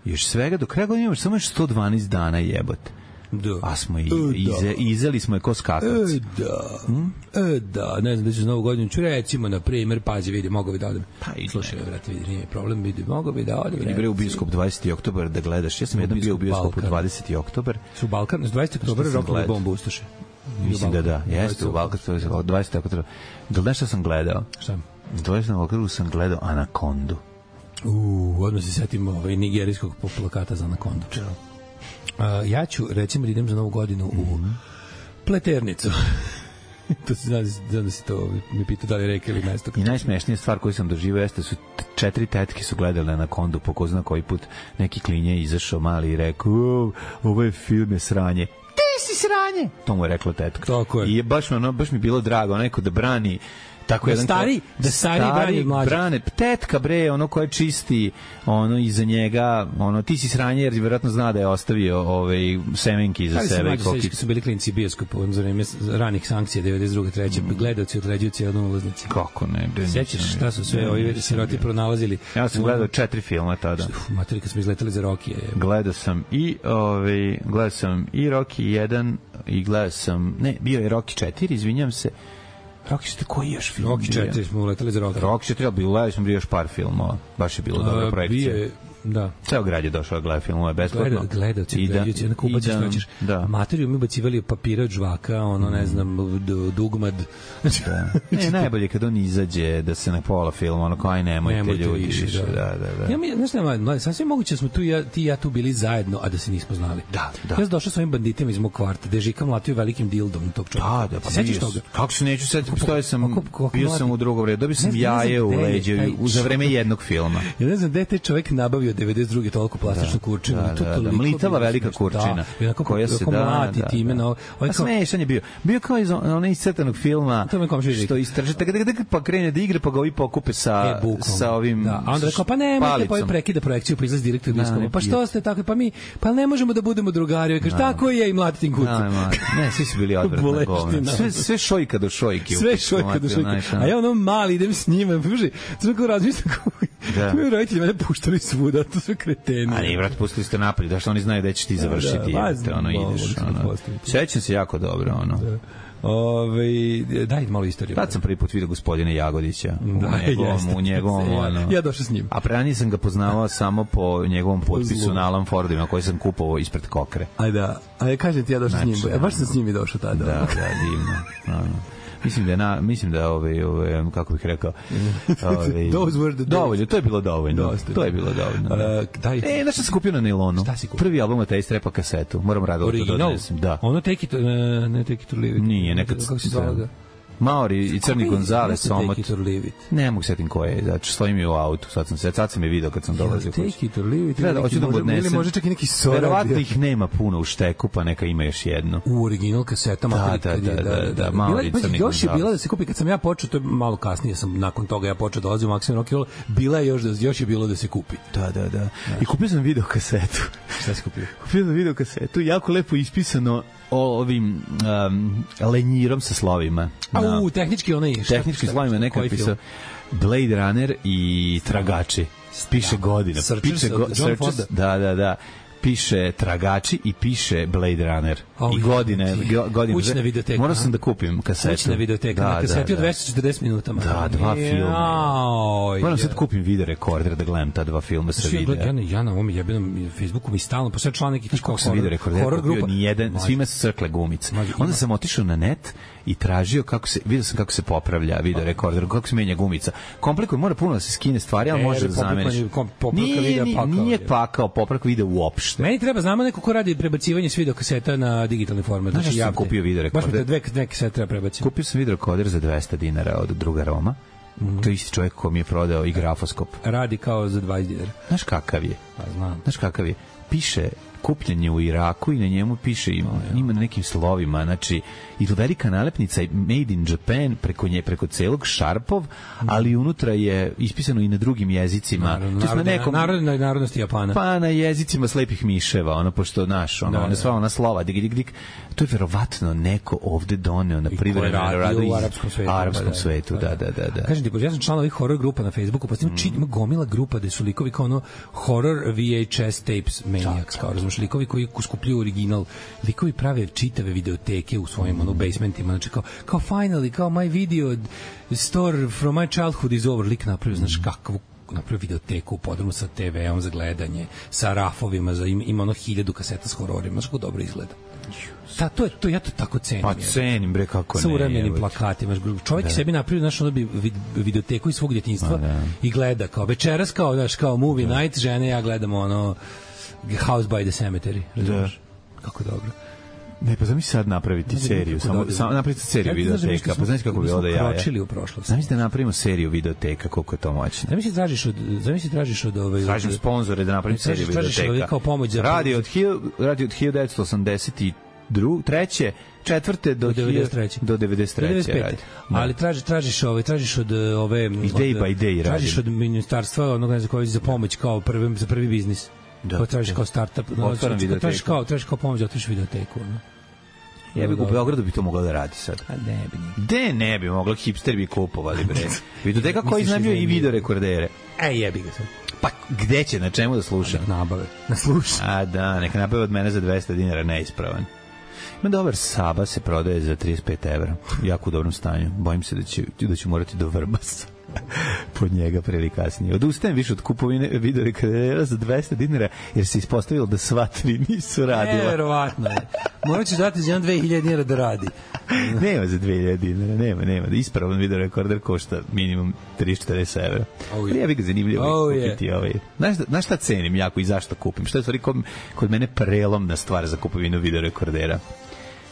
još svega, do kraja godine imaš samo još sto dvanaest dana, jebote. Da. A smo i ize, izeli smo je ko skakavci. E, da. Hm? E, da. Ne znam da ću za novu godinu. Ću recimo, na primjer, pazi, vidi, mogu bi da odem. Pa i slušaj, vrati, vidi, nije problem, vidi, mogu bi da odem. Vidi, bre, u bioskop dvadeseti oktobar da gledaš. Ja sam jednom bio u bioskopu dvadeseti oktobar. Su Balkan, dvadeseti oktobar rokovi bombu ustoše. Mislim da da, jeste u Balkan, dvadeseti oktobar. Da li nešto sam gledao? Šta? dvadeseti oktobar sam gledao Anakondu. Uuu, odmah se setim ovaj nigerijskog plakata za Anakondu. Uh, ja ću, recimo, da idem za novu godinu u mm-hmm. Pleternicu. To se zna, zna da si to mi pita da li reka ili mesto. I najsmešnija stvar koju sam doživao jeste su četiri tetke su gledale Anakondu, po ko zna koji put neki klinje izašao mali i rekao, ovo je film je sranje. Ti si sranje! To mu je rekla tetka. Tako je. I je baš, ono, baš mi bilo drago, neko da brani tako da jedan stari, ko, da stari, stari brani mlađe. Brane, tetka bre, ono koje čisti, ono iza njega, ono ti si sranje jer vjerojatno zna da je ostavio ovaj semenki iza ali sebe i kokić. Su bili klinci bioskopu za vreme ranih sankcija devedeset druge treće Mm. Gledaoci određuju cijelu ulaznici. Kako ne? Sećaš šta su sve ovi siroti pronalazili? Ja sam gledao četiri filma tada. Uf, materi, kad smo izletali za Rokije. Gledao sam i ovaj gledao sam i Rocky jedan i gledao sam, ne, bio je Rocky četiri, izvinjavam se. Rocky četiri, koji još film? Rocky četiri smo uletali za Rocky. Rocky četiri, ali gledali smo još par filmova. Baš je bilo dobra projekcija. Bio je, da. Ceo grad je došao da gleda filmove besplatno. Gleda, gledaoci, gledaoci, jednako ubaciš, noćeš. Materiju mi ubacivali papira od žvaka, ono, ne znam, dugmad. Da. Ne, najbolje kad on izađe da se na pola filma, ono, kao aj nemojte, nemojte ljudi. Više, više, da, da, da. Ja mi, znaš nema, sasvim moguće da smo tu ja, ti i ja tu bili zajedno, a da se nismo znali. Da, da. Ja sam došao s ovim banditima iz mog kvarta, gde Žika mlatio velikim dildom tog čovjeka. Da, da, pa sećaš toga? Kako se neću setiti, postoje sam, bio sam u drugom redu, dobio sam jaje u leđe za vreme jednog filma. Ja ne znam gde je taj čovjek nabavio devedeset druge toliko plastičnu kurčinu. Da, da, da, mlitava velika kurčina. Da, koja se da, da, time, da. No, a smešan je bio. Bio kao iz onog iscrtanog filma, što istražite, pa krene da igra, pa ga ovi pokupe sa, e, sa ovim da. A onda rekao, pa nemojte, pa ovi prekida projekciju, pa izlazi direktor diskova. Pa što ste tako, pa mi, pa ne možemo da budemo drugari. Kaže, tako je i mlatim kucu. Ne, svi su bili odvratna govna. Sve, sve šojka do šojke. Sve šojka do šojke. A ja ono mali idem s njima, puži, sve kao razmišljam kako mi roditelji mene puštali svuda, to sve kreteni. A ne, vrat, pustili ste napolje, da što oni znaju da ćeš ti završiti. Da, da, ono, ideš, ono. Sećam se jako dobro, ono. Da. Ove, daj malo istoriju. Tad sam prvi put vidio gospodina Jagodića da, u njegovom, jeste, u njegovom ja, ono, ja došao s njim. A pre nisam ga poznavao samo po njegovom potpisu na Alan Fordima koji sam kupovao ispred Kokre. Aj da, a ja kažem ti ja došao znači, s njim. Ja baš sam s njim i došao tada. Da, da, divno. Ono. Mislim da je na, mislim da ove ove kako bih rekao ove dovoljno, to je bilo dovoljno. Dosta, to je bilo dovoljno. Uh, daj. E, nešto sam kupio na nailonu. Prvi album od Taste Rapa kasetu. Moram rado to donesem. Da. Ono Take It, uh, ne Take It or Leave It. Nije, nekad kako se zove. Maori i Crni Gonzales Somot. Ne mogu setim ko je, znači stoji mi u autu, sad sam se, sad sam je video kad sam dolazio. Take It or Leave It. Treba, hoću da mu odnesem. Ili može čak i neki sorak. Verovatno ih nema puno u šteku, pa neka ima još jedno. U original kasetama. Da, da, da, da, da, Maori i Crni Gonzales. Još je bila da se kupi, kad sam ja počeo, to je malo kasnije, sam nakon toga ja počeo dolazio u Maksimum Rock and Roll, bila je još, još je bilo da se kupi. Da, da, da. I kupio sam video kasetu. Šta si kupio? Kupio sam video kasetu, jako lepo ispisano o ovim um, lenjirom sa slovima. A u tehnički onaj tehnički slovima neka pisao Blade Runner i Tragači. Piše godina. Piše go, Searchers, da, da, da. piše Tragači i piše Blade Runner. Oh, I godine, godine. Kućna videoteka. Morao sam da kupim kasetu. Kućna videoteka, da, na kaseti od dvesta četrdeset minuta. Da, dva filma. Moram sad kupim video rekorder da gledam ta dva filma sa videa. Ja, ja na ovom jebenom Facebooku mi stalno, pa sve član neki kako sam video rekorder kupio ni jedan, svima se crkle gumice. Onda sam otišao na net i tražio kako se, vidio sam kako se popravlja video rekorder, kako se menja gumica. Komplikuje, mora puno da se skine stvari, ali može da zameniš. Nije, nije pakao, popravka video uopšte. Meni treba, znamo neko ko radi prebacivanje s video kaseta na digitalni format. Znaš što sam kupio video rekorder? Baš mi dve, dve kasete treba prebaciti. Kupio sam video rekorder za dvesta dinara od druga Roma. Mm-hmm. To je isti čovjek ko mi je prodao i grafoskop. Radi kao za dvadeset dinara. Znaš kakav je? Pa znam. Znaš kakav je? Piše kupljenje u Iraku i na njemu piše ima, oh, ima na nekim slovima, znači i velika nalepnica made in Japan preko nje, preko celog šarpov, mm. ali unutra je ispisano i na drugim jezicima. Naravno, to narodne, nekom, narodne narodnosti Japana. Pa na jezicima slepih miševa, ono, pošto naš, ono, da, one sva ona slova, dig, dig, dig, to je verovatno neko ovde doneo na privremenu radu u arapskom svetu. Arapskom svetu, da, da, da. da. Kažem ti, pošto ja sam član ovih horror grupa na Facebooku, pa mm. ima gomila grupa gde su likovi kao ono horror V H S tapes maniacs, kao razumiješ, likovi koji skupljuju original, likovi prave čitave videoteke u svojim ono basementima, znači kao, kao finally, kao my video store from my childhood is over, lik napravio, znaš kakvu napravio videoteku u podrumu sa te veom za gledanje, sa rafovima, za, ima, ima ono hiljadu kaseta s hororima, znaš kako dobro izgleda. Da, to je, to, ja to tako cenim. Pa cenim, bre, kako ne. Sa uremenim plakatima. Čovjek da. sebi napravio, znaš, ono bi videoteku iz svog djetinjstva da. i gleda kao večeras, kao, znaš, kao movie da. night, žene, ja gledamo ono House by the Cemetery, razumiješ? Da. Kako dobro. Ne, pa zamisli sad napraviti seriju, samo, samo napraviti seriju videoteka, pa znaš kako bi ovo da jaja. Kročili u prošlost. Zamisli da napravimo seriju videoteka, koliko je to moćno. Zamisli tražiš od, zamisli tražiš od ove... Tražim sponzore da napravim seriju videoteka. Kao pomoć za... Radi od, radi od hiljadu devetsto osamdeset treće četvrte do devedeset treće do devedeset treće radi. Ali tražiš tražiš ove tražiš od ove day by day radi. Tražiš od ministarstva onog ne znam koji za pomoć kao prvi za prvi biznis. Da. Pa tražiš kao startup, no, tražiš kao tražiš kao pomoć da otvoriš videoteku, no. Ja bih u Beogradu bi to moglo da radi sad. A ne bi. De ne bi moglo, hipster bi kupovali bre. Videoteka koja iznajmljuje i video rekordere. E jebi ga sad. Pa gde će, na čemu da sluša? Na nabave. Na sluša. A da, neka nabave od mene za dvesta dinara, neispravan. Ima dobar Saba, se prodaje za trideset pet evra. Jako u dobrom stanju. Bojim se da ću, da ću morati do Vrbasa pod njega pre ili kasnije. Odustajem više od kupovine video rekordera za dvesta dinara, jer se ispostavilo da sva tri nisu radila. Verovatno je. Morat ću dati za jedan dve hiljade dinara da radi. Nema za dve hiljade dinara, nema, nema. Ispravan video rekorder košta minimum tristo četrdeset evra. Oh, ja bih ga zanimljivo oh, kupiti yeah. ovaj. Znaš, znaš šta cenim jako i zašto kupim? Šta je stvari kod, kod mene prelomna stvar za kupovinu video rekordera?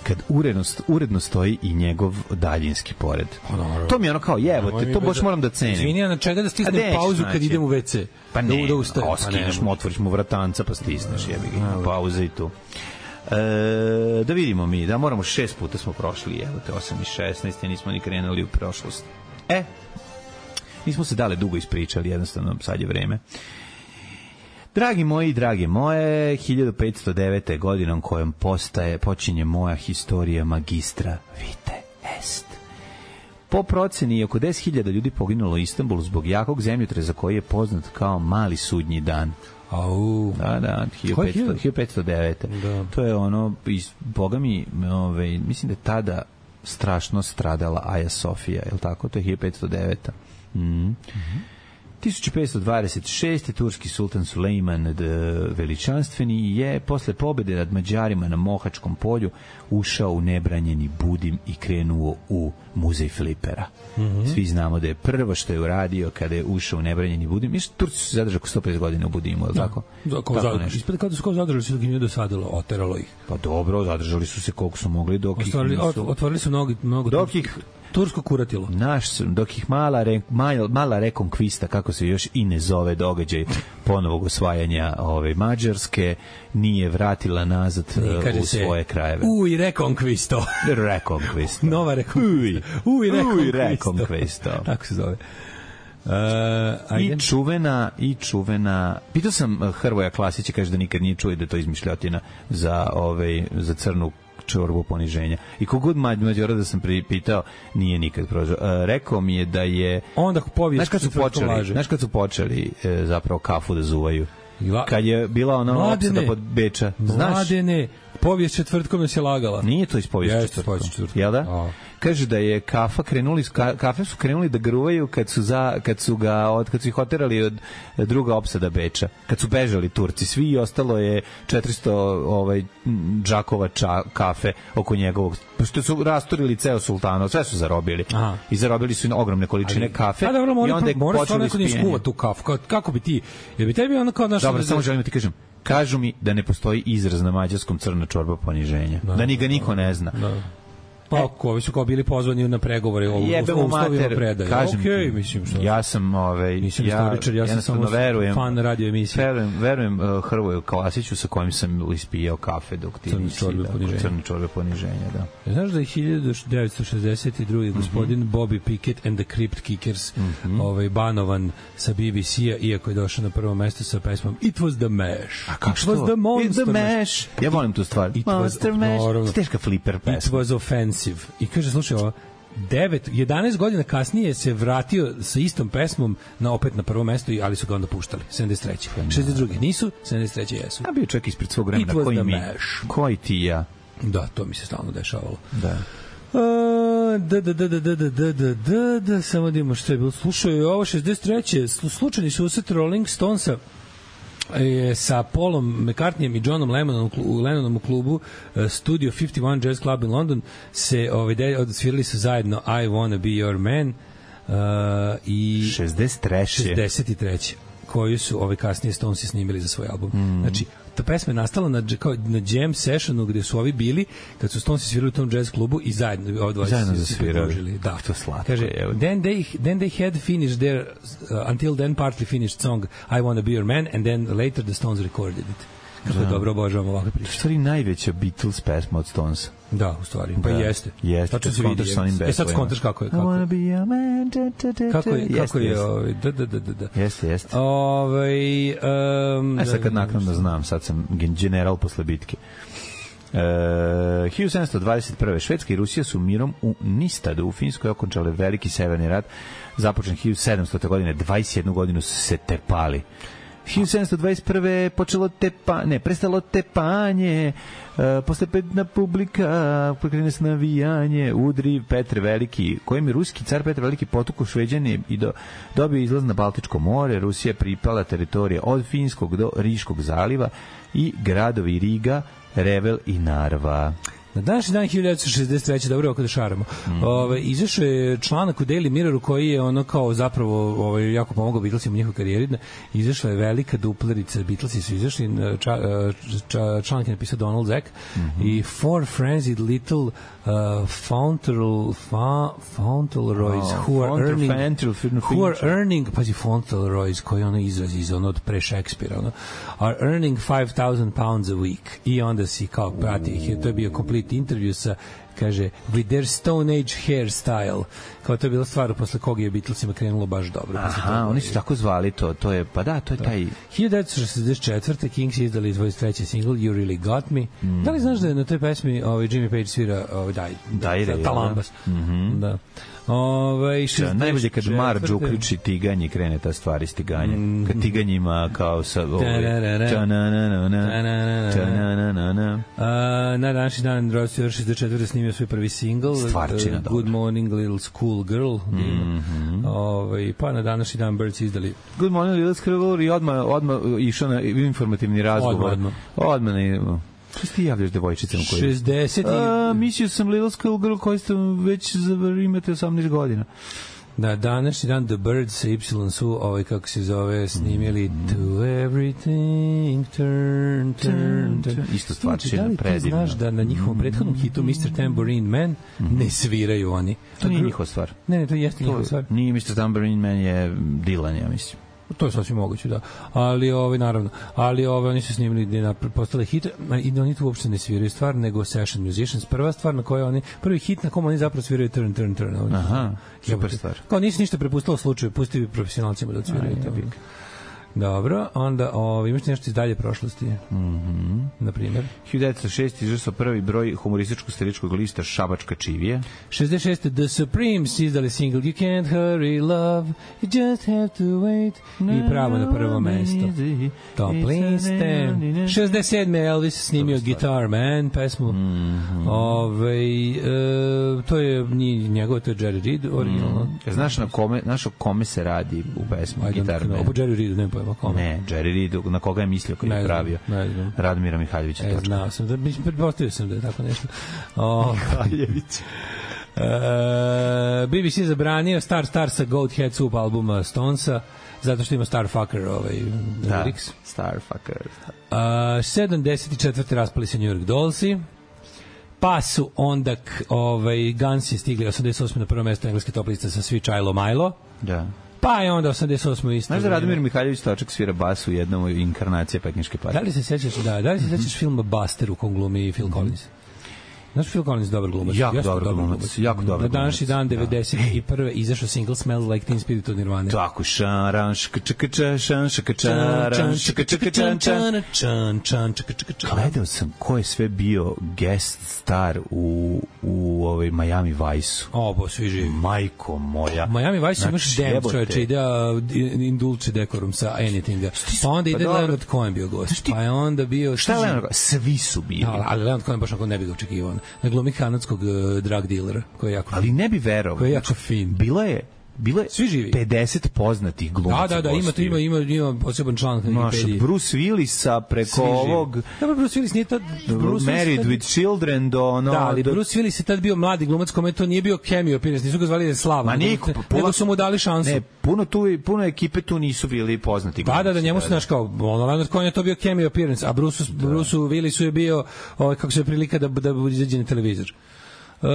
Kad uredno, uredno stoji i njegov daljinski pored. Oh, to mi je ono kao, jevo te, to baš moram da cenim. Izvini, ja na čega da stisnem pauzu kad idem u ve ce? Pa ne, da, da oskineš mu, otvoriš mu vratanca pa stisneš, jebi ga, pauza i tu. E, da vidimo mi, da moramo šest puta smo prošli, evo te osam i šesnaest, nismo ni krenuli u prošlost. E, nismo se dale dugo ispričali, jednostavno sad je vreme. Dragi moji, drage moje, hiljadu petsto devete godinom kojom postaje, počinje moja historija magistra vite est. Po proceni oko deset hiljada ljudi poginulo u Istanbulu zbog jakog zemljotresa koji je poznat kao mali sudnji dan. Au. Da, da, hiljadu petsto devete. Da. To je ono, boga mi, ove, mislim da je tada strašno stradala Aja Sofija, je li tako? To je hiljadu petsto deveta. Mhm. Mhm. tisuću petsto dvadeset šeste. turski sultan Sulejman Veličanstveni je posle pobede nad Mađarima na Mohačkom polju ušao u nebranjeni Budim i krenuo u muzej flipera. Mm-hmm. Svi znamo da je prvo što je uradio kada je ušao u nebranjeni Budim. Mislim, Turci su se zadržali oko sto pedeset godina u Budimu, je li tako? Da, kao zadržali. Ispada kao da su kao zadržali su dok im nije dosadilo, oteralo ih. Pa dobro, zadržali su se koliko su mogli dok Ostvarili, ih nisu... Otvorili su mnogo... mnogo dok ih... Tursko kuratilo. Naš, dok ih mala, re, mala, mala rekonkvista, kako se još i ne zove događaj ponovog osvajanja ove Mađarske, nije vratila nazad ne, u svoje se, krajeve. Uj, rekonkvisto. Rekonkvisto. Nova rekonkvisto. Uj, Uj, rekonkvisto. Tako se zove. Uh, I čuvena i čuvena pitao sam Hrvoja Klasića, kaže da nikad nije čuo da to izmišljotina za, ovaj, za crnu čorbu poniženja. I kogod Mađora da sam pitao, nije nikad prožao. E, rekao mi je da je... Onda povijest... Znaš kad su počeli, znaš kad su počeli e, zapravo kafu da zuvaju? kad je bila ona opsada pod Beča. Znaš? Mladene, povijest četvrtkom nas je lagala. Nije to iz povijest četvrtkom. Jel da? A. Kaže da je kafa krenuli, kafe su krenuli da gruvaju kad su, za, kad su, ga, od, kad su ih oterali od druga opsada Beča. Kad su bežali Turci. Svi i ostalo je četiristo ovaj, džakova ča, kafe oko njegovog. Što su rasturili ceo sultano, sve su zarobili. Aha. I zarobili su ogromne količine ali, kafe. A dobro, mora, i onda je mora počeli neko nije skuva tu kafu. Kako, kako bi ti... Je bi tebi ono kao... Dobro, da, samo želim da ti kažem. Kažu mi da ne postoji izraz na mađarskom crna čorba poniženja. Da, da ni ga niko ne zna. Da. Pa, ovi su kao bili pozvani na pregovore o uslovima predaje. Kažem okay, ti, mislim što. Ja sam, ovaj, nisam ja, istoričar, ja sam samo verujem, fan radio emisije. Verujem, verujem uh, Hrvoju Klasiću sa kojim sam ispijao kafe dok ti crne čorbe da, poniženja. Crne čorbe poniženja, da. Znaš da je hiljadu devetsto šezdeset druge Mm -hmm. gospodin Bobby Pickett and the Crypt Kickers mm -hmm. ovaj, banovan sa B B C-a, iako je došao na prvo mesto sa pesmom It was the Mash. A kako It was the Monster the Mash. Ja volim tu stvar. It Monster was, Mash. Teška flipper pesma. It was offensive. I kaže, slušaj ovo, devet, jedanaest godina kasnije se vratio sa istom pesmom na opet na prvo mesto, ali su ga onda puštali. sedamdeset treće šezdeset druge nisu, sedamdeset treće jesu. A bio čovjek ispred svog vremena, koji mi, koji ti ja. Da, to mi se stalno dešavalo. Da. Da, da, da, da, da, da, da, da, da, da, samo da imamo što je bilo. Slušaj, ovo šezdeset treće slučajni susret Rolling Stonesa je sa Paulom McCartneyjem i Johnom Lennonom, Lennonom u klubu Studio pedeset jedan Jazz Club in London se ovaj, odsvirali su zajedno I Wanna Be Your Man uh, i šezdeset treće šezdeset treće koju su ovaj kasnije Stonesi snimili za svoj album. Mm. Znači, ta pesma je nastala na, kao, na jam sessionu gde su ovi bili kad su Stonesi svirali u tom jazz klubu i zajedno ovaj zajedno zasvirali. Da, to slatko. Kaže, then they, then they had finished their uh, until then partly finished song I Wanna Be Your Man and then later the Stones recorded it. Kako da. Dobro obožavam ovakve priče. U stvari najveća Beatles pesma od Stonesa. Da, u stvari. Pa da. jeste. Jeste. Tačno se vidi. E sad skontaš kako je. Kako je. Kako je, kako je. Ovaj, da, da, da, da. Jeste, jeste. Ovaj, um, e sad kad naknadno znam, sad sam general posle bitke. Uh, hiljadu sedamsto dvadeset prve Švedska i Rusija su mirom u Nistadu u Finskoj okončale veliki severni rat. Započen hiljadu sedamstote godine, dvadeset jednu godinu su se tepali. hiljadu sedamsto dvadeset prve počelo tepa, ne, prestalo tepanje, uh, posle petna publika, pokrene se navijanje, udri Petar Veliki, kojim je ruski car Petar Veliki potukao Šveđane i do, dobio izlaz na Baltičko more. Rusija pripala teritorije od Finskog do Riškog zaliva i gradovi Riga, Revel i Narva. Na današnji dan hiljadu devetsto šezdeset treće dobro oko da šaramo. Mm. Ove, izašao je članak u Daily Mirroru koji je ono kao zapravo ovaj, jako pomogao Beatlesima u njihovoj karijeri. Izašla je velika duplerica, Beatlesi su izašli, ča, ča, članak je napisao Donald Zack mm -hmm. i Four Frenzied Little uh, Fauntleroys fa, Fauntleroys oh, who are earning who are earning pazi Fauntleroys koji ono izrazi iz ono od pre Šekspira ono, are earning five thousand pounds a week i onda si kao prati ih, to je bio complete intervju sa, kaže, with their Stone Age hairstyle, kao to je bila stvar posle kog je Beatlesima krenulo baš dobro. Aha, oni su tako zvali to, to je, pa da, to je da. taj... hiljadu devetsto šezdeset četvrte Kings izdali dvadeset treći single You Really Got Me. Mm. Da li znaš da je na toj pesmi ovaj, Jimmy Page svira ovaj, daj, daj, daj, talambas? Mm -hmm. Da. Ove, ja, najbolje kad Marge uključi tiganje, krene ta stvar iz tiganja. Mm. Kad tiganjima kao sa... Na današnji dan Rod Stewart šezdeset četvrte snimio svoj prvi single Stvarčina, uh, Good Morning Little School Girl. Mm -hmm. Ove, pa na današnji dan Birds izdali Good Morning Little School Girl i odmah, odmah išao na informativni razgovor. Odmah, odmah. Odmah na... Što ti javljaš devojčicama koji... šezdeset A, mislio sam Little School Girl koji ste već imate osamnaest godina. Na današnji dan The Birds sa Y su, ovaj kako se zove, snimili mm. To Everything Turn, Turn, Turn. Isto stvarčina, predivno. Da li ti znaš da na njihovom prethodnom hitu mister Tambourine Man mm. ne sviraju oni? To nije njihova stvar. Ne, ne, to jeste njihova stvar. Nije mister Tambourine Man, je Dylan, ja mislim. To je sasvim moguće, da. Ali ovaj naravno, ali ovaj oni su snimili da na postale hit i oni tu uopšte ne sviraju stvar nego session musicians. Prva stvar na kojoj oni prvi hit na kom oni zapravo sviraju Turn Turn Turn. Oni aha, super stvar. Kao nisi ništa prepustilo slučaju, pusti profesionalcima da odsviraju to. Dobro, onda o, imaš nešto iz dalje prošlosti? Mhm. Na primjer? hiljadu devetsto šest. izašao prvi broj humorističko-satiričkog lista Šabačka čivija. šezdeset šeste. The Supremes izdali single You Can't Hurry Love, You Just Have to Wait. I pravo na prvo mesto. Top liste. šezdeset sedme. Elvis snimio Guitar Man pesmu. Mm-hmm. Ove, e, to je njegov, to je Jerry Reed originalno. Mm. Znaš na kome, znaš o kome se radi u pesmu Guitar Man? O Jerry Reedu, ne pojma kome. Ne, Jerry Reed, na koga je mislio koji je pravio? Radmira Mihaljevića. E, znao sam, da, pretpostavio sam da je tako nešto. O, Mihaljević. Uh, B B C zabranio Star Star sa Goathead Soup albuma Stonesa zato što ima Starfucker ovaj, da, lyrics. Starfucker. Uh, sedamdeset četvrte raspali se New York Dollsi, pa su onda ovaj, Gunsi stigli osamdeset osme na prvo mesto engleske top liste sa Svi Chilo Milo. Da. Pa je onda osamdeset osme isto. Znaš da Radomir Mihaljević Točak svira bas u jednom inkarnacije Pekinške patnje? Da li se sećaš, da, da li se sećaš filma Buster u kom glumi Phil Collins? Znaš, Phil Collins dobar glumac. Jako dobar glumac. Jako dobar Na današnji dan devedeset prve izašao single Smells Like Teen Spirit od Nirvane. Tako, šaran, škačakača, šan, škačaran, škačakačan, gledao sam ko je sve bio guest star u, u ovaj Miami Vice-u. O, bo svi živi. Majko moja. Miami Vice imaš dem, čovječe, ide Indulce Decorum sa Anythinga. Pa onda ide Leonard Cohen bio gost. Pa je onda bio... Šta je Leonard Cohen? Svi su bili. Ali Leonard Cohen baš onako ne bi ga očekivao. Na glumi kanadskog uh, drug dealera koji je jako ali ne bi verovao koji je jako fin. Bilo je bilo je svi živi. pedeset poznatih glumaca. Da, da, da, ima tu ima ima ima poseban članak na Wikipediji. Bruce Willisa preko ovog. Da, Bruce Willis nije tad Bruce Married tad... with Children do no. Da, ali do... Bruce Willis je tad bio mladi glumac, kome to nije bio cameo appearance, nisu ga zvali da slava. Ma niko, nego su mu dali šansu. Ne, puno tu puno ekipe tu nisu bili poznati glumci. Da, da, da, njemu se znaš kao ono Leonard Cohen je to bio cameo appearance, a Bruce da. Bruce Willisu je bio ovaj kako se prilika da da izađe na televizor. Uh,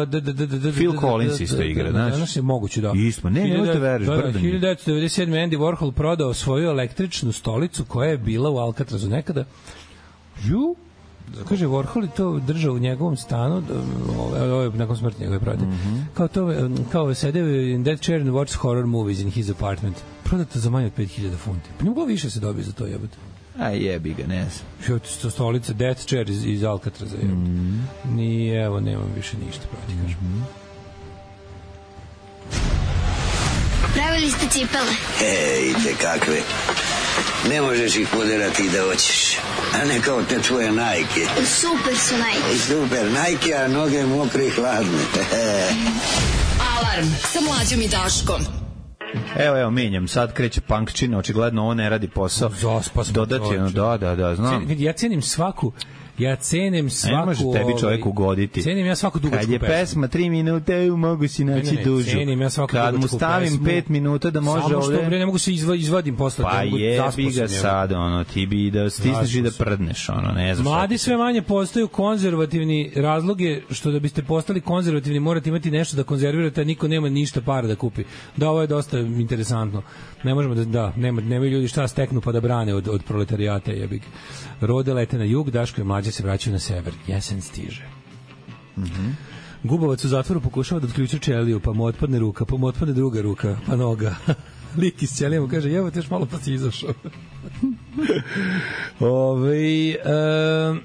da, da, da, da, Phil Collins isto igra, znaš? Danas je moguće, da. Isto, ne, nemojte veriš, brdan. hiljadu devetsto devedeset sedme. Andy Warhol prodao svoju električnu stolicu koja je bila u Alcatrazu nekada. Ju, kaže, Warhol je to držao u njegovom stanu, ovo je nakon smrti njegove prode. Mm-hmm. Kao to, kao sede in that chair and watch horror movies in his apartment. Prodato za manje od pet hiljada funti. Pa ne moglo više se dobije za to, jebote. A jebi ga, ne znam. Što stolica, Death Chair iz, iz Alcatraza. Mm. Ni, evo, nemam više ništa proti, kažem. Mm. Pravili ste cipele? Ej, te kakve. Ne možeš ih poderati da hoćeš. A ne kao te tvoje Nike. Super su Nike. Super Nike, a noge mokre i hladne. Alarm sa Mlađom i Daškom. Evo, evo, menjam, sad kreće punkčina, očigledno ovo ne radi posao. Zaspas. Dodati, ono, da, da, da, znam. Vidi, ja cenim svaku, ja cenim svaku... Ne može tebi čovjek ugoditi. Cenim ja svaku dugačku pesmu. Kad je pesma tri minute, mogu si naći ne, ne, dužu. Cenim ja svaku kad dugačku mu stavim pesmu, pet minuta da može samo ovde... Samo što ne mogu se izva, izvadim posle. Pa jebi ga sad, ono, ti bi da stisneš i da prdneš, ono, ne znam. Mladi sve manje postaju konzervativni. Razlog je što da biste postali konzervativni morate imati nešto da konzervirate, a niko nema ništa para da kupi. Da, ovo je dosta interesantno. Ne možemo da, da nema, nemaju ljudi šta steknu pa da brane od, od proletarijata, jebik. Rode lete na jug, Daško i Mlađe se vraćaju na sever. Jesen stiže. Mhm. Gubovac u zatvoru pokušava da otključi ćeliju, pa mu otpadne ruka, pa mu otpadne druga ruka, pa noga. Lik iz ćelije mu kaže, evo te još malo pa si izašao. Ove, um,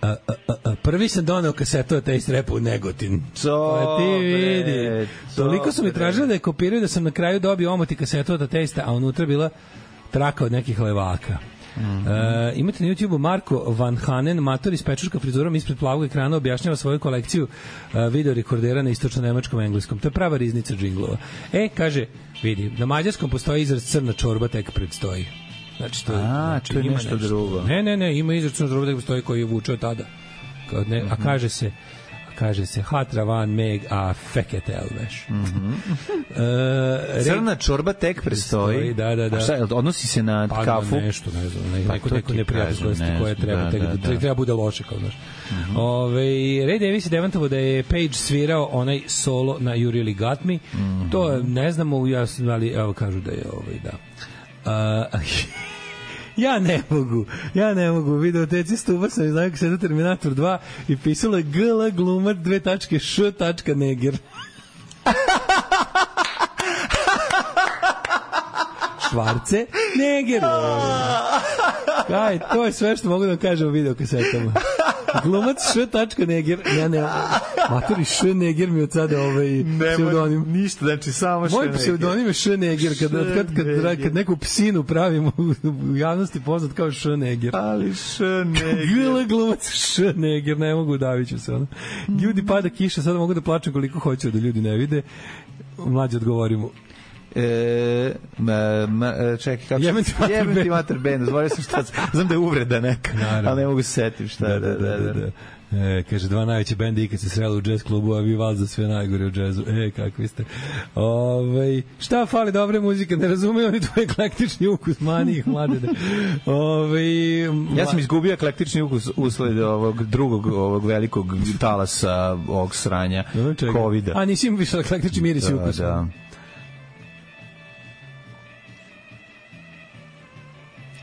A, a, a, prvi sam doneo kasetu Taste Rap u Negotin. Co, ti vidi. Toliko su mi tražili da je kopiraju da sam na kraju dobio omoti kasetu od Taste, a unutra bila traka od nekih levaka. Mm-hmm. E, imate na YouTubeu Marko Van Hanen, mator iz pečurka frizurom ispred plavog ekrana, objašnjava svoju kolekciju e, video rekordera na istočno-nemačkom engleskom. To je prava riznica džinglova. E, kaže, vidi, na mađarskom postoji izraz crna čorba, tek predstoji. Znači, to, a, znači, to je ima nešto, nešto drugo. Ne, ne, ne, ima izračun drugo da stoji koji je vučeo tada. Kao ne, mm-hmm. A kaže se a kaže se hatra van meg a fekete elveš. Mm-hmm. uh, Crna čorba tek prestoji. Da, da, da. A šta, odnosi se na pa, kafu? nešto, ne znam, ne, pa neko, neko neprijatnost koja treba, da, tek, da, da. treba bude loše, kao znaš. Mm-hmm. Ove, Ray Davis je demantovao da je Page svirao onaj solo na You Really Got Me. Mm-hmm. To ne znamo, ja, ali evo kažu da je ovaj, da. Uh, ja ne mogu, ja ne mogu. Videoteci stupa sam i znaju kako se da Terminator dva i pisalo je G L glumac dve tačke š tačka neger. Švarce, Neger. Kaj, to je sve što mogu da kažem u videokasetama. Glumac Š. Neger. Ja ne, matori Š. Neger mi od sada ovaj pseudonim. Ništa, znači samo Š. Moj pseudonim je Š. Neger. Kad, kad, kad, kad neku psinu pravimo u javnosti poznat kao Š. Neger. Ali Š. Neger. Gila glumac Š. Neger, ne mogu daviću se. Ono. Ljudi pada kiša, sada mogu da plačem koliko hoću da ljudi ne vide. Mlađe odgovorimo. E, ma, ma, čekaj, kako jebem ti mater jebem ti mater bend, zvorio sam šta, znam da je uvreda neka, naravno. Ali ne mogu se setim šta. Da, da, da, da, da. E, kaže, dva najveće bende ikad se sreli u džez klubu, a vi val za sve najgore u džezu. E, kakvi ste. Ove, šta fali dobre muzike, ne razumeju oni tvoj eklektični ukus, mani ih mladene. Ove, ja sam izgubio eklektični ukus usled ovog drugog ovog velikog talasa ovog sranja, kovida. A nisi im više eklektični miris da, ukus. Da,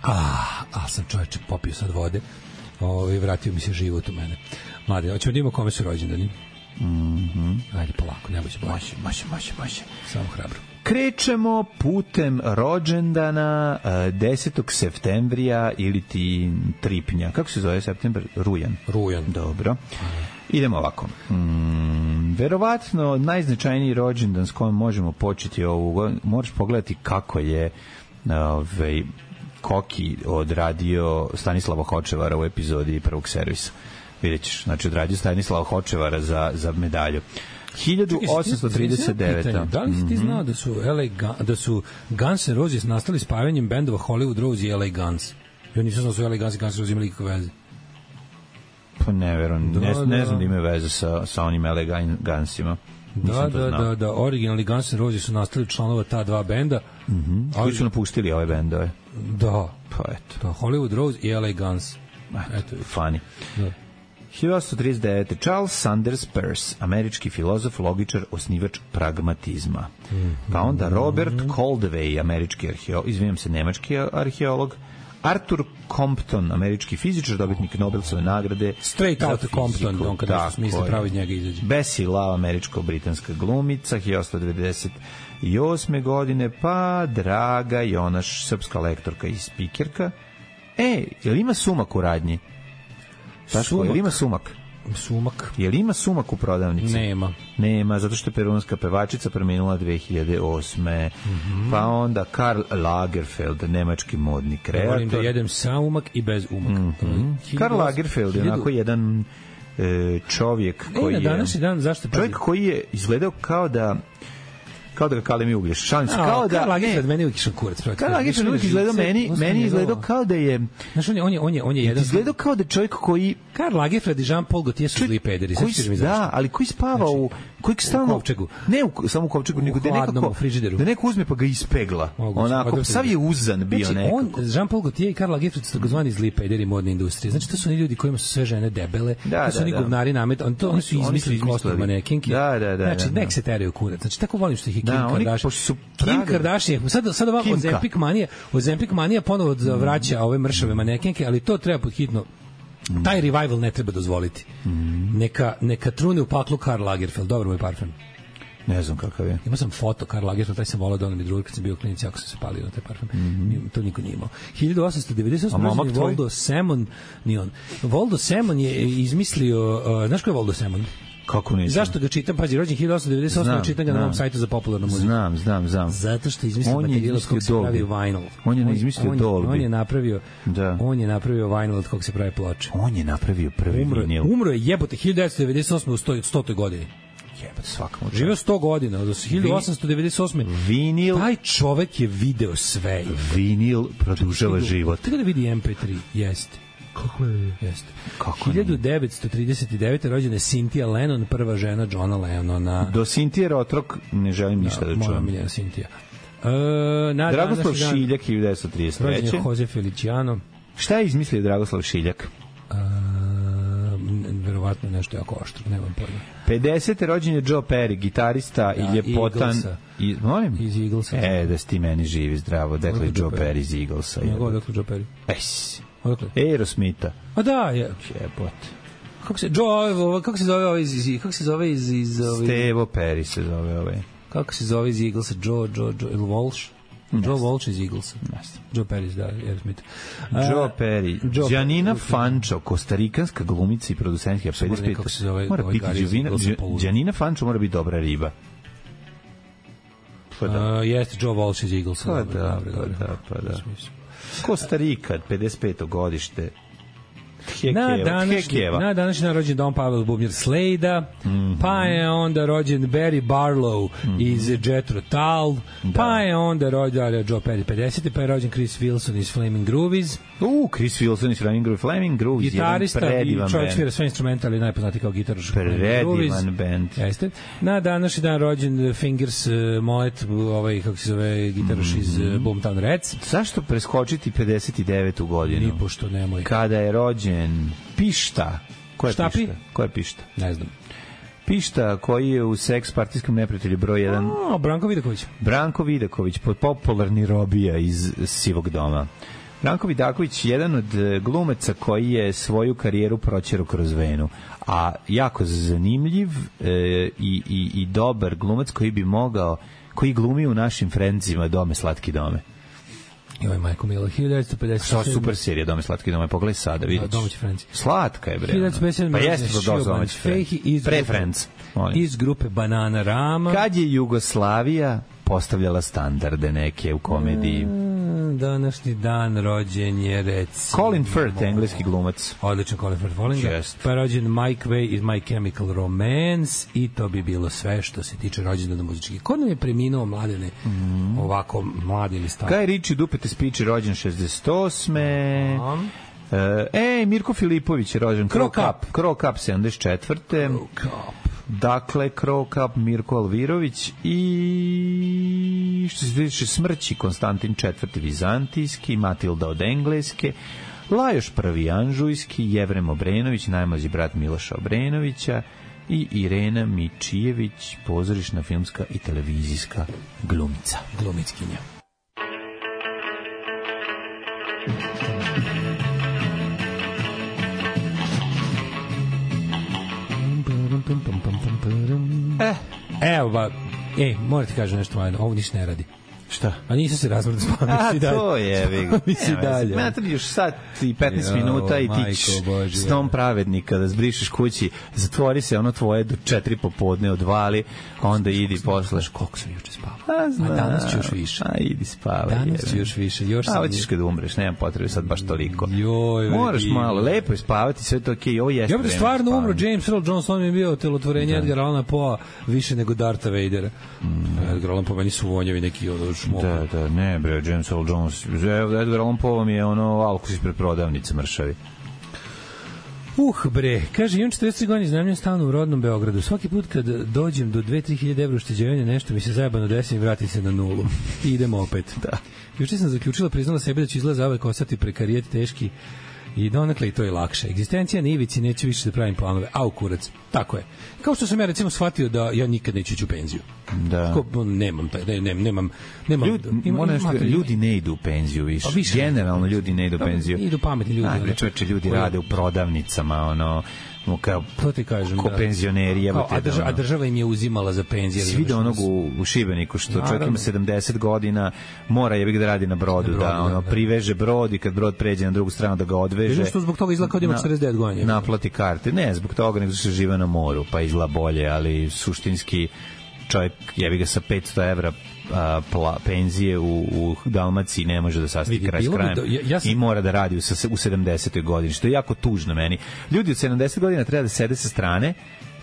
Ah, a sam čovječe popio sad vode. Ovaj vratio mi se život u mene. Mlade, hoćemo da imamo kome su rođendani. Mhm. Ajde polako, ne boj se bojati. Može, može, može, može. Samo hrabro. Krećemo putem rođendana desetog septembrija ili ti tripnja. Kako se zove septembar? Rujan. Rujan. Dobro. Idemo ovako. Mm, verovatno najznačajniji rođendan s kojim možemo početi ovu, možeš pogledati kako je ovaj Koki odradio Stanislava Hočevara u epizodi prvog servisa. Vidjet ćeš, znači odradio Stanislava Hočevara za, za medalju. hiljadu osamsto trideset devete. Da li si ti znao da su, L A, da su Guns N' Roses nastali spajanjem bendova Hollywood Rose i L A Guns? Ja nisam znao da su L A Guns i Guns N' Roses imali ikakve veze. Pa ne verujem, ne, da, ne znam da imaju veze sa, sa onim L A Gunsima. Da, da, da, da, originalni Guns N' Roses su nastali članova ta dva benda. Mhm. Ali koji su napustili ove bendove. Da. Pa eto. Da, Hollywood Rose i L A Guns. Eto, funny. Da. hiljadu osamsto trideset devete. Charles Sanders Peirce, američki filozof, logičar, osnivač pragmatizma. Mm-hmm. Pa onda Robert Koldewey, američki arheolog, izvinjam se, nemački arheolog. Arthur Compton, američki fizičar, dobitnik Nobelove nagrade. Straight out of Compton, on kada nešto smisli pravo iz njega izađe. Bessie Love, američko-britanska glumica, hiljadu osamsto devedeset osme godine, pa Draga Jonaš, srpska lektorka i spikerka. E, je li ima sumak u radnji? Taško, je li ima sumak? Sumak. Je li ima sumak u prodavnici? Nema. Nema, zato što je perunska pevačica preminula dve hiljade osme. Mm-hmm. Pa onda Karl Lagerfeld, nemački modni kreator. Volim da jedem sa umak i bez umak. Mm-hmm. Karl Lagerfeld je onako jedan e, čovjek koji e, na današnji dan, zašto je... Čovjek koji je izgledao kao da kao da ga kalemi uglješ. Šalim se, kao da... Karl Lagerfeld meni uvijek išao kurac. Karl Lagerfeld uvijek izgledao meni, meni izgledao kao da je... Znaš, on je, on je, on je, on je jedan... Izgledao kao da čovjek koji... Karl Lagerfeld i Jean-Paul Gaultier su zli pederi. Koji, da, ali koji spava znači, u... Koji stalno, u kovčegu. Ne u, samo u kovčegu, nego da nekako... frižideru. Da neko uzme pa ga ispegla. Moguće, onako, sav je uzan bio znači, nekako. On, Jean-Paul Gaultier i Karl Lagerfeld su takozvani zli pederi modne industrije. Znači, to su oni ljudi kojima su sve žene debele, da, to su oni da, govnari namet, on, to, oni su izmislili kostum manekinke. Da, da, da. Znači, nek se teraju kurac. Znači, tako volim što ih je Kim Kardashian. Kim Kardashian, sad, sad ovako Ozempic manija, Ozempic manija ponovo vraća ove mršave manekenke, ali to treba pod hitno, taj revival ne treba dozvoliti. Neka, neka trune u paklu Karl Lagerfeld, dobro moj parfem. Ne znam kakav je. Imao sam foto Karl Lagerfeld, taj sam volao da ono mi drugi kad sam bio u klinici, ako sam se palio na taj parfem. Mm-hmm. To niko nije imao. hiljadu osamsto devedeset osme rođen Voldo Semon, ni on. Voldo Semon je izmislio, uh, znaš ko je Voldo Semon? Kako ne? Zašto ga čitam? Pazi, rođen hiljadu osamsto devedeset osme, čitam ga na mom sajtu za popularnu muziku. Znam, znam, znam. Zato što je izmislio materijal od kog se pravi vinyl. On je izmislio Dolby. On je napravio, da. On je napravio vinyl od kog se pravi ploče. On je napravio prvi umro, vinil. Umro je jebote hiljadu devetsto devedeset osme u stotoj godini. Jebote, svakamo. Živeo sto godina, od hiljadu osamsto devedeset osme. Vinil. Taj čovek je video sve. Vinil produžava život. Tako da vidi em pe tri, jeste. Kako je? Jeste. hiljadu devetsto trideset devete rođena je Cynthia Lennon, prva žena Johna Lennona. Do Cynthia Rotrok ne želim ništa da, da čujem. Moja miljena Cynthia. E, Dragoslav Šiljak, hiljadu devetsto trideset treće. Rođen je Jose Feliciano. Šta je izmislio Dragoslav Šiljak? E, verovatno nešto jako oštro, nemam pojma. pedesete rođen je Joe Perry, gitarista ja, i ljepotan. I, molim? Iz Eaglesa. E, da si ti meni živi, zdravo. Dekle Joe Perry iz Eaglesa. Nego, dakle Joe Perry. Ejs. Aerosmitha. A da, je. Jebote. Kako se Joe, kako se zove ovaj iz kako se zove iz iz ovaj Stevo Perry se zove ovaj. Kako se zove iz Eaglesa? Joe, Joe, Joe Walsh. Joe Walsh iz Eaglesa. Joe Perry, da, Aerosmith. Joe Perry. Giannina Fancho, kostarikanska glumica i producentka pedeset pet. Kako se zove? Mora biti Giannina Fancho, mora biti dobra riba. Pa da. Uh, jeste Joe Walsh iz Eaglesa. Pa da, pa da, pa da. Kostarika, pedeset peto godište. Na današnji, na današnji dan rođen Don Pavel Bubnjar Slejda, mm -hmm. pa je onda rođen Barry Barlow mm -hmm. iz Jethro Tull, da. Pa je onda rođen Joe Perry pedeset, pa je rođen Chris Wilson iz Flaming Groovies. U, Chris Wilson iz Flaming Groovies, Flaming Groovies, gitarista i čovjek svira sve instrumentali, najpoznatiji kao gitaroš. Predivan band. Jeste. Na današnji dan rođen Fingers uh, Moet, ovaj, kako se zove, gitaroš mm -hmm. iz uh, Boomtown Rats. Zašto preskočiti pedeset devetu godinu? Ni pošto nemoj. Kada je rođen Pišta. Ko je Štapi? Pišta? Ko je Pišta? Ne znam. Pišta koji je u Seks partijskom neprijatelju broj jedan. O, Branko Vidaković. Branko Vidaković, popularni robija iz Sivog doma. Branko Vidaković, jedan od glumaca koji je svoju karijeru proćerao kroz venu, a jako zanimljiv e, i, i, i dobar glumac koji bi mogao, koji glumi u našim Friendsima Dome slatki dome. Joj, majko milo, hiljadu devetsto pedeset sedam. Što super serija, Dome slatki dome, pogledaj sada, vidiš. Domaći Friends. Slatka je, bre. hiljadu devetsto pedeset sedam. Pa jeste to domaći Friends. Pre Friends. Iz grupe Banana Rama. Kad je Jugoslavija postavljala standarde neke u komediji. Mm, današnji dan rođen je, recimo... Colin Firth, engleski glumac. Odličan Colin Firth, volim ga. Yes. Pa je rođen Mike Way iz My Chemical Romance i to bi bilo sve što se tiče rođendana muzičkih. Ko nam je preminuo, mladene, mm. ovako mladi ili stari? Guy Ritchie, Dupete Spiči, rođen šezdeset osme. Um. E, Mirko Filipović je rođen. Crow Cup. Crow Cup, sedamdeset četvrte. Crow Cup. Dakle, Crow Cup, Mirko Alvirović i što se tiče smrći, Konstantin četvrti Vizantijski, Matilda od Engleske, Lajoš prvi Anžujski, Jevrem Obrenović, najmlađi brat Miloša Obrenovića i Irena Mičijević, pozorišna, filmska i televizijska glumica. Glumickinja. Eh, evo ba, ej, moram ti kažem nešto malo, ovo ništa ne radi. Šta? A nisam se razvrdo spavio. A, to je, vi. Misli dalje. Mene treba još sat i petnaest jo, minuta i ti ćeš snom pravednika da zbrišeš kući, zatvori se ono tvoje do četiri popodne, odvali, onda idi posle. Koliko sam juče spavao? A, zna, a danas ću još više. A, idi spavaj. Danas ću još više. Još a, hoćeš kada umreš, nemam potrebe sad baš toliko. Joj, moraš malo, lepo je spavati, sve to okej, okay, ovo jeste. Ja bih stvarno umro, James Earl Jones, on mi je bio telotvorenje Edgar Allana Poe više nego Dartha Vadera. Mm. Edgar Allan Poe, meni su vonjevi neki ono šmoka. Da, da, ne bre, James Earl Jones. Edgar Allan Poe mi je ono alkus ispred prodavnice mršavi. Uh, bre, kaže, imam četrdeset godina, iznajmljujem stan u rodnom Beogradu. Svaki put kad dođem do dve do tri hiljade evra ušteđevanja, nešto mi se zajebano desi i vrati se na nulu. I idemo opet. Da. Juče sam zaključila, priznala sebi da ću izgleda zauvek ostati prekarijet teški i donekle i to je lakše. Egzistencija na ivici, neću više da pravim planove. Au, kurac. Tako je. Kao što sam ja recimo shvatio da ja nikad neću ići u penziju. Da. Ko, nemam, ne, ne, nemam, nemam, Ljudi, ima, ima, nešto, ljudi ne idu u penziju više. Pa više generalno ljudi ne idu u penziju. Idu pametni ljudi. Ajde, čoveče, ljudi koji rade u prodavnicama, ono, kao, to ti kažem, ko da. Penzioneri. Kao, a, država, a država im je uzimala za penzije. Svi do onog u, u Šibeniku, što naravno. Čovjek ima sedamdeset godina, mora jebik da radi na brodu, na brodu da, ono, da, priveže brod i kad brod pređe na drugu stranu da ga odveže. Vidim što zbog toga izgleda kao da ima četrdeset devet godina. Naplati karte. Ne, zbog toga nego što žive na moru, pa izgleda bolje, ali suštinski čovjek jebi ga sa petsto evra a, pla, penzije u, u Dalmaciji ne može da sastavi kraj s krajem do, ja, ja sam... i mora da radi u, u sedamdesetoj godini, što je jako tužno meni. Ljudi od sedamdeset godina treba da sede sa strane,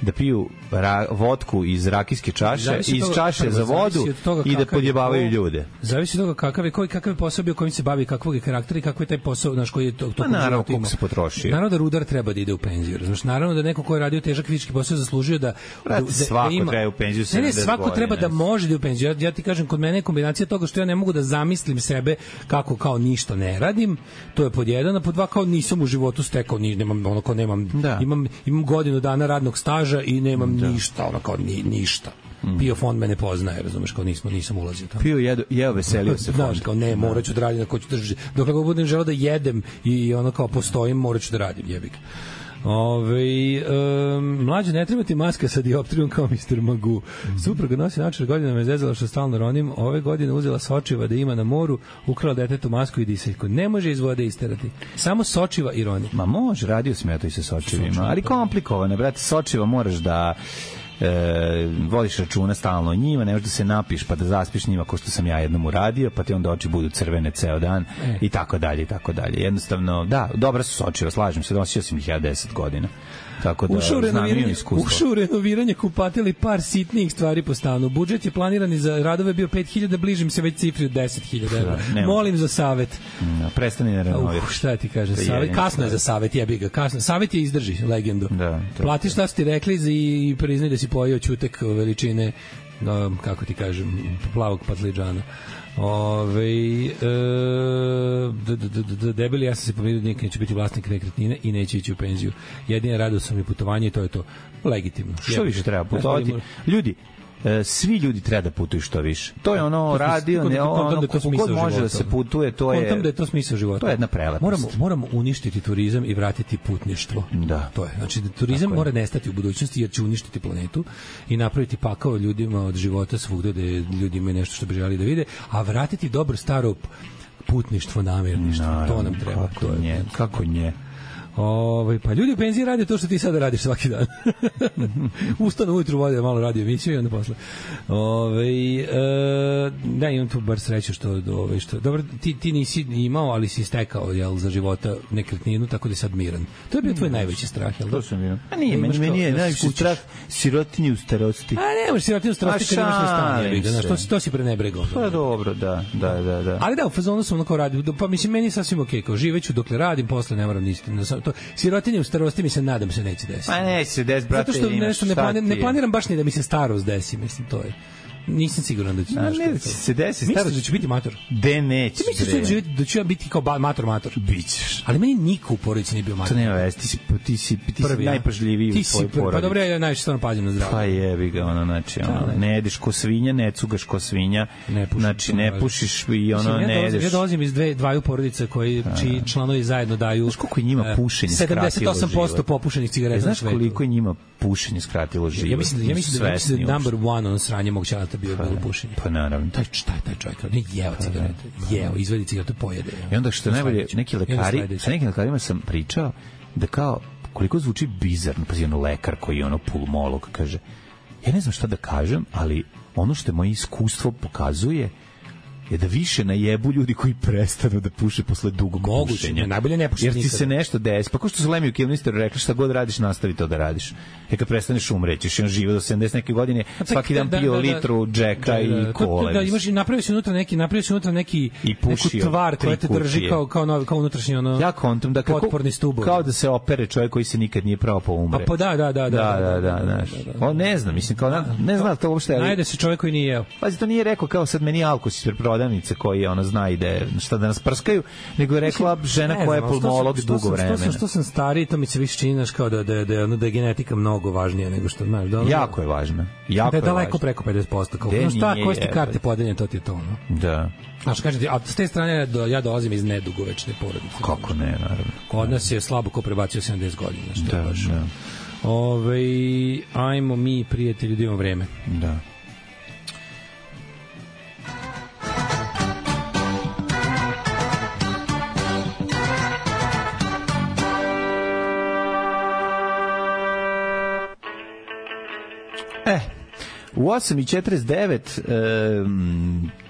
da piju ra, vodku iz rakijske čaše, iz toga, čaše za vodu i da podjebavaju ko, ljude. Zavisi od toga kakav je, koji, kakav je posao bio kojim se bavi, kakvog je karaktera i kakav je taj posao, naš koji je to, to naravno koliko se potrošio. Naravno da rudar treba da ide u penziju, razumiješ? Naravno da neko ko je radio težak fizički posao zaslužio da... Brate, da, svako da ima, treba u penziju sedamdeset godina. Ne, ne, svako treba da može da u penziju. Ja, ja ti kažem, kod mene je kombinacija toga što ja ne mogu da zamislim sebe kako kao ništa ne radim, to je pod jedan, a pod dva kao nisam u životu stekao, ni, nemam, ono kao nemam, da. imam, imam godinu dana radnog staža i nemam da. ništa, ono kao ni, ništa. Mm. Pio fond me ne poznaje, razumeš, kao nismo, nisam ulazio tamo. Pio, jedo, jeo, veselio se fond. Znaš, kao ne, morat ću da radim, ako ću držati. Dok ako budem želeo da jedem i ono kao postojim, morat ću da radim, jebik. Ove, um, mlađe, ne treba ti maska sa dioptrijom kao mister Magoo. Supruga nosi način godina me zezala što stalno ronim. Ove godine uzela sočiva da ima na moru, ukrala detetu masku i diseljku. Ne može iz vode isterati. Samo sočiva i roni. Ma može, radio sam ja to i sa sočivima, ali komplikovane, brate, sočiva moraš da e, vodiš računa stalno o njima, ne možeš da se napiš pa da zaspiš njima ko što sam ja jednom uradio, pa ti onda oči budu crvene ceo dan e. i tako dalje i tako dalje. Jednostavno, da, dobra su sočiva, slažem se, nosio sam ih ja deset godina. Tako da ušao renoviranje, ušao renoviranje kupatili par sitnijih stvari po stanu. Budžet je planiran za radove bio pet hiljada, bližim se već cifri od deset hiljada evra. Molim za savet. No, prestani da renoviraš. Uh, šta ti kaže? Savet, kasno je za savet, jebi ga, kasno. Savet je izdrži legendu. Da, platiš šta su ti rekli i priznaj da si pojeo ćutek veličine, no, kako ti kažem, plavog patliđana. Ove, e, d, d, d, d, debeli, ja sam se pomirio da nikad neću biti vlasnik nekretnine i neće ići u penziju. Jedina radost sam i putovanje i to je to. Legitimno. Što više treba putovati? Ljudi, E, svi ljudi treba da putuju što više. To je ono radio, ne ono, kako god može da se putuje, to je... Kontam da je to smisao života. To je jedna prelepost. Moramo, moramo uništiti turizam i vratiti putništvo. Da. To je. Znači, da turizam mora nestati u budućnosti jer će uništiti planetu i napraviti pakao ljudima od života svugde da ljudi imaju nešto što bi želi da vide, a vratiti dobro staro putništvo, namirništvo. Naravno, to nam treba. Kako to je, nje, kako nje. Ove, pa ljudi u penziji rade to što ti sada radiš svaki dan. Ustanu ujutru, vode malo radio emisiju i onda posle. Ove, e, da, imam tu bar sreću što, ove, što dobro, ti, ti nisi imao, ali si stekao, jel, za života nekretninu, tako da je sad miran. To je bio tvoj najveći strah, jel? To sam bio. A nije, meni, meni je najveći strah sirotinje u starosti. A ne, možeš sirotinje u starosti kad imaš na stanje. Znaš, to, to si prenebregao. Pa dobro, da, da, da, da. Ali da, u fazonu sam onako radio, pa mislim, meni je sasvim okej, kao živeću dokle radim, posle ne moram ništa. To sirotinje u starosti mi se nadam se neće desiti. Pa neće se desiti, brate. Zato što nešto ne planiram, ne planiram baš ni da mi se starost desi, mislim, to je. Nisam siguran da će no, ne, da će se desi starost. Misliš da ću biti mator? De neće. Ti misliš da ću ja biti kao mator mator? Bićeš. Ali meni niko u porodici nije bio mator. To nema veze, ti si, ti si, ti prvi, si najpažljiviji u svojoj porodici. Pa dobro, ja najviše stvarno pazim na zdravlje. Pa jebi ga, ono, znači, ono, ne jedeš ko svinja, ne cugaš ko svinja, ne pušiš, znači, ne pušiš i ono, mislim, ne jedeš. Ja dolazim iz dve, dvaju porodica koji, čiji članovi zajedno daju... Znaš koliko je njima pušenje skratilo život? sedamdeset osam posto popušenih cigareta. Znaš koliko je njima pušenje skratilo život? Ja mislim da, ja mislim da, mislim da number one on sranje mog ćalata bio bilo pušenje. Pa naravno. Taj šta je taj čovjek? Ne jeo cigarete. Jeo, izvadi cigaretu, pojede. I onda što najbolje, neki lekari, sa nekim lekarima sam pričao da kao koliko zvuči bizarno, pa je ono lekar koji je ono pulmolog, kaže, ja ne znam šta da kažem, ali ono što moje iskustvo pokazuje je da više najebu ljudi koji prestanu da puše posle dugog Moguće, pušenja. Najbolje ne puši jer ti nikada. Se nešto desi. Pa ko što su Lemmy u Kilmisteru rekli, šta god radiš, nastavi to da radiš. E kad prestaneš umrećeš, i on živo do sedamdeset neke godine, svaki dan pio da, da, litru džeka da, da, da, i kole. Da, imaš i napravio si unutra neki, napravio si unutra neki i pušio, neku tvar koja te drži kao, kao, novi, kao unutrašnji ono, ja kontam da kako, potporni stubovi. Kao da se opere čovjek koji se nikad nije pravo pa umre. A pa da, da, da. Da, da, da. On ne znam, mislim, kao, ne znam to uopšte. Najde se čovjek koji nije jeo. Pazi, to nije rekao kao sad meni alkos ispred prodavnice koji je ona zna ide šta da nas prskaju, nego je rekla žena koja je pulmolog dugo vremena. Što sam, što sam stariji, to mi se više čini kao da, da, da, da je genetika mnogo važnija nego što, znaš, da ono, jako je važna. Jako da je daleko važna. Preko pedeset posto. Kao, no šta, koje ste karte podeljenje, to ti je to, no? Da. Znaš, kažete, a s te strane do, ja dolazim iz nedugovečne porodice. Kako ne, naravno. Kod nas je slabo ko prebacio sedamdeset godina. Što da, je baš. Da. Ove, ajmo mi, prijatelji, da imamo vreme. Da. E, u osam i četrdeset devet e,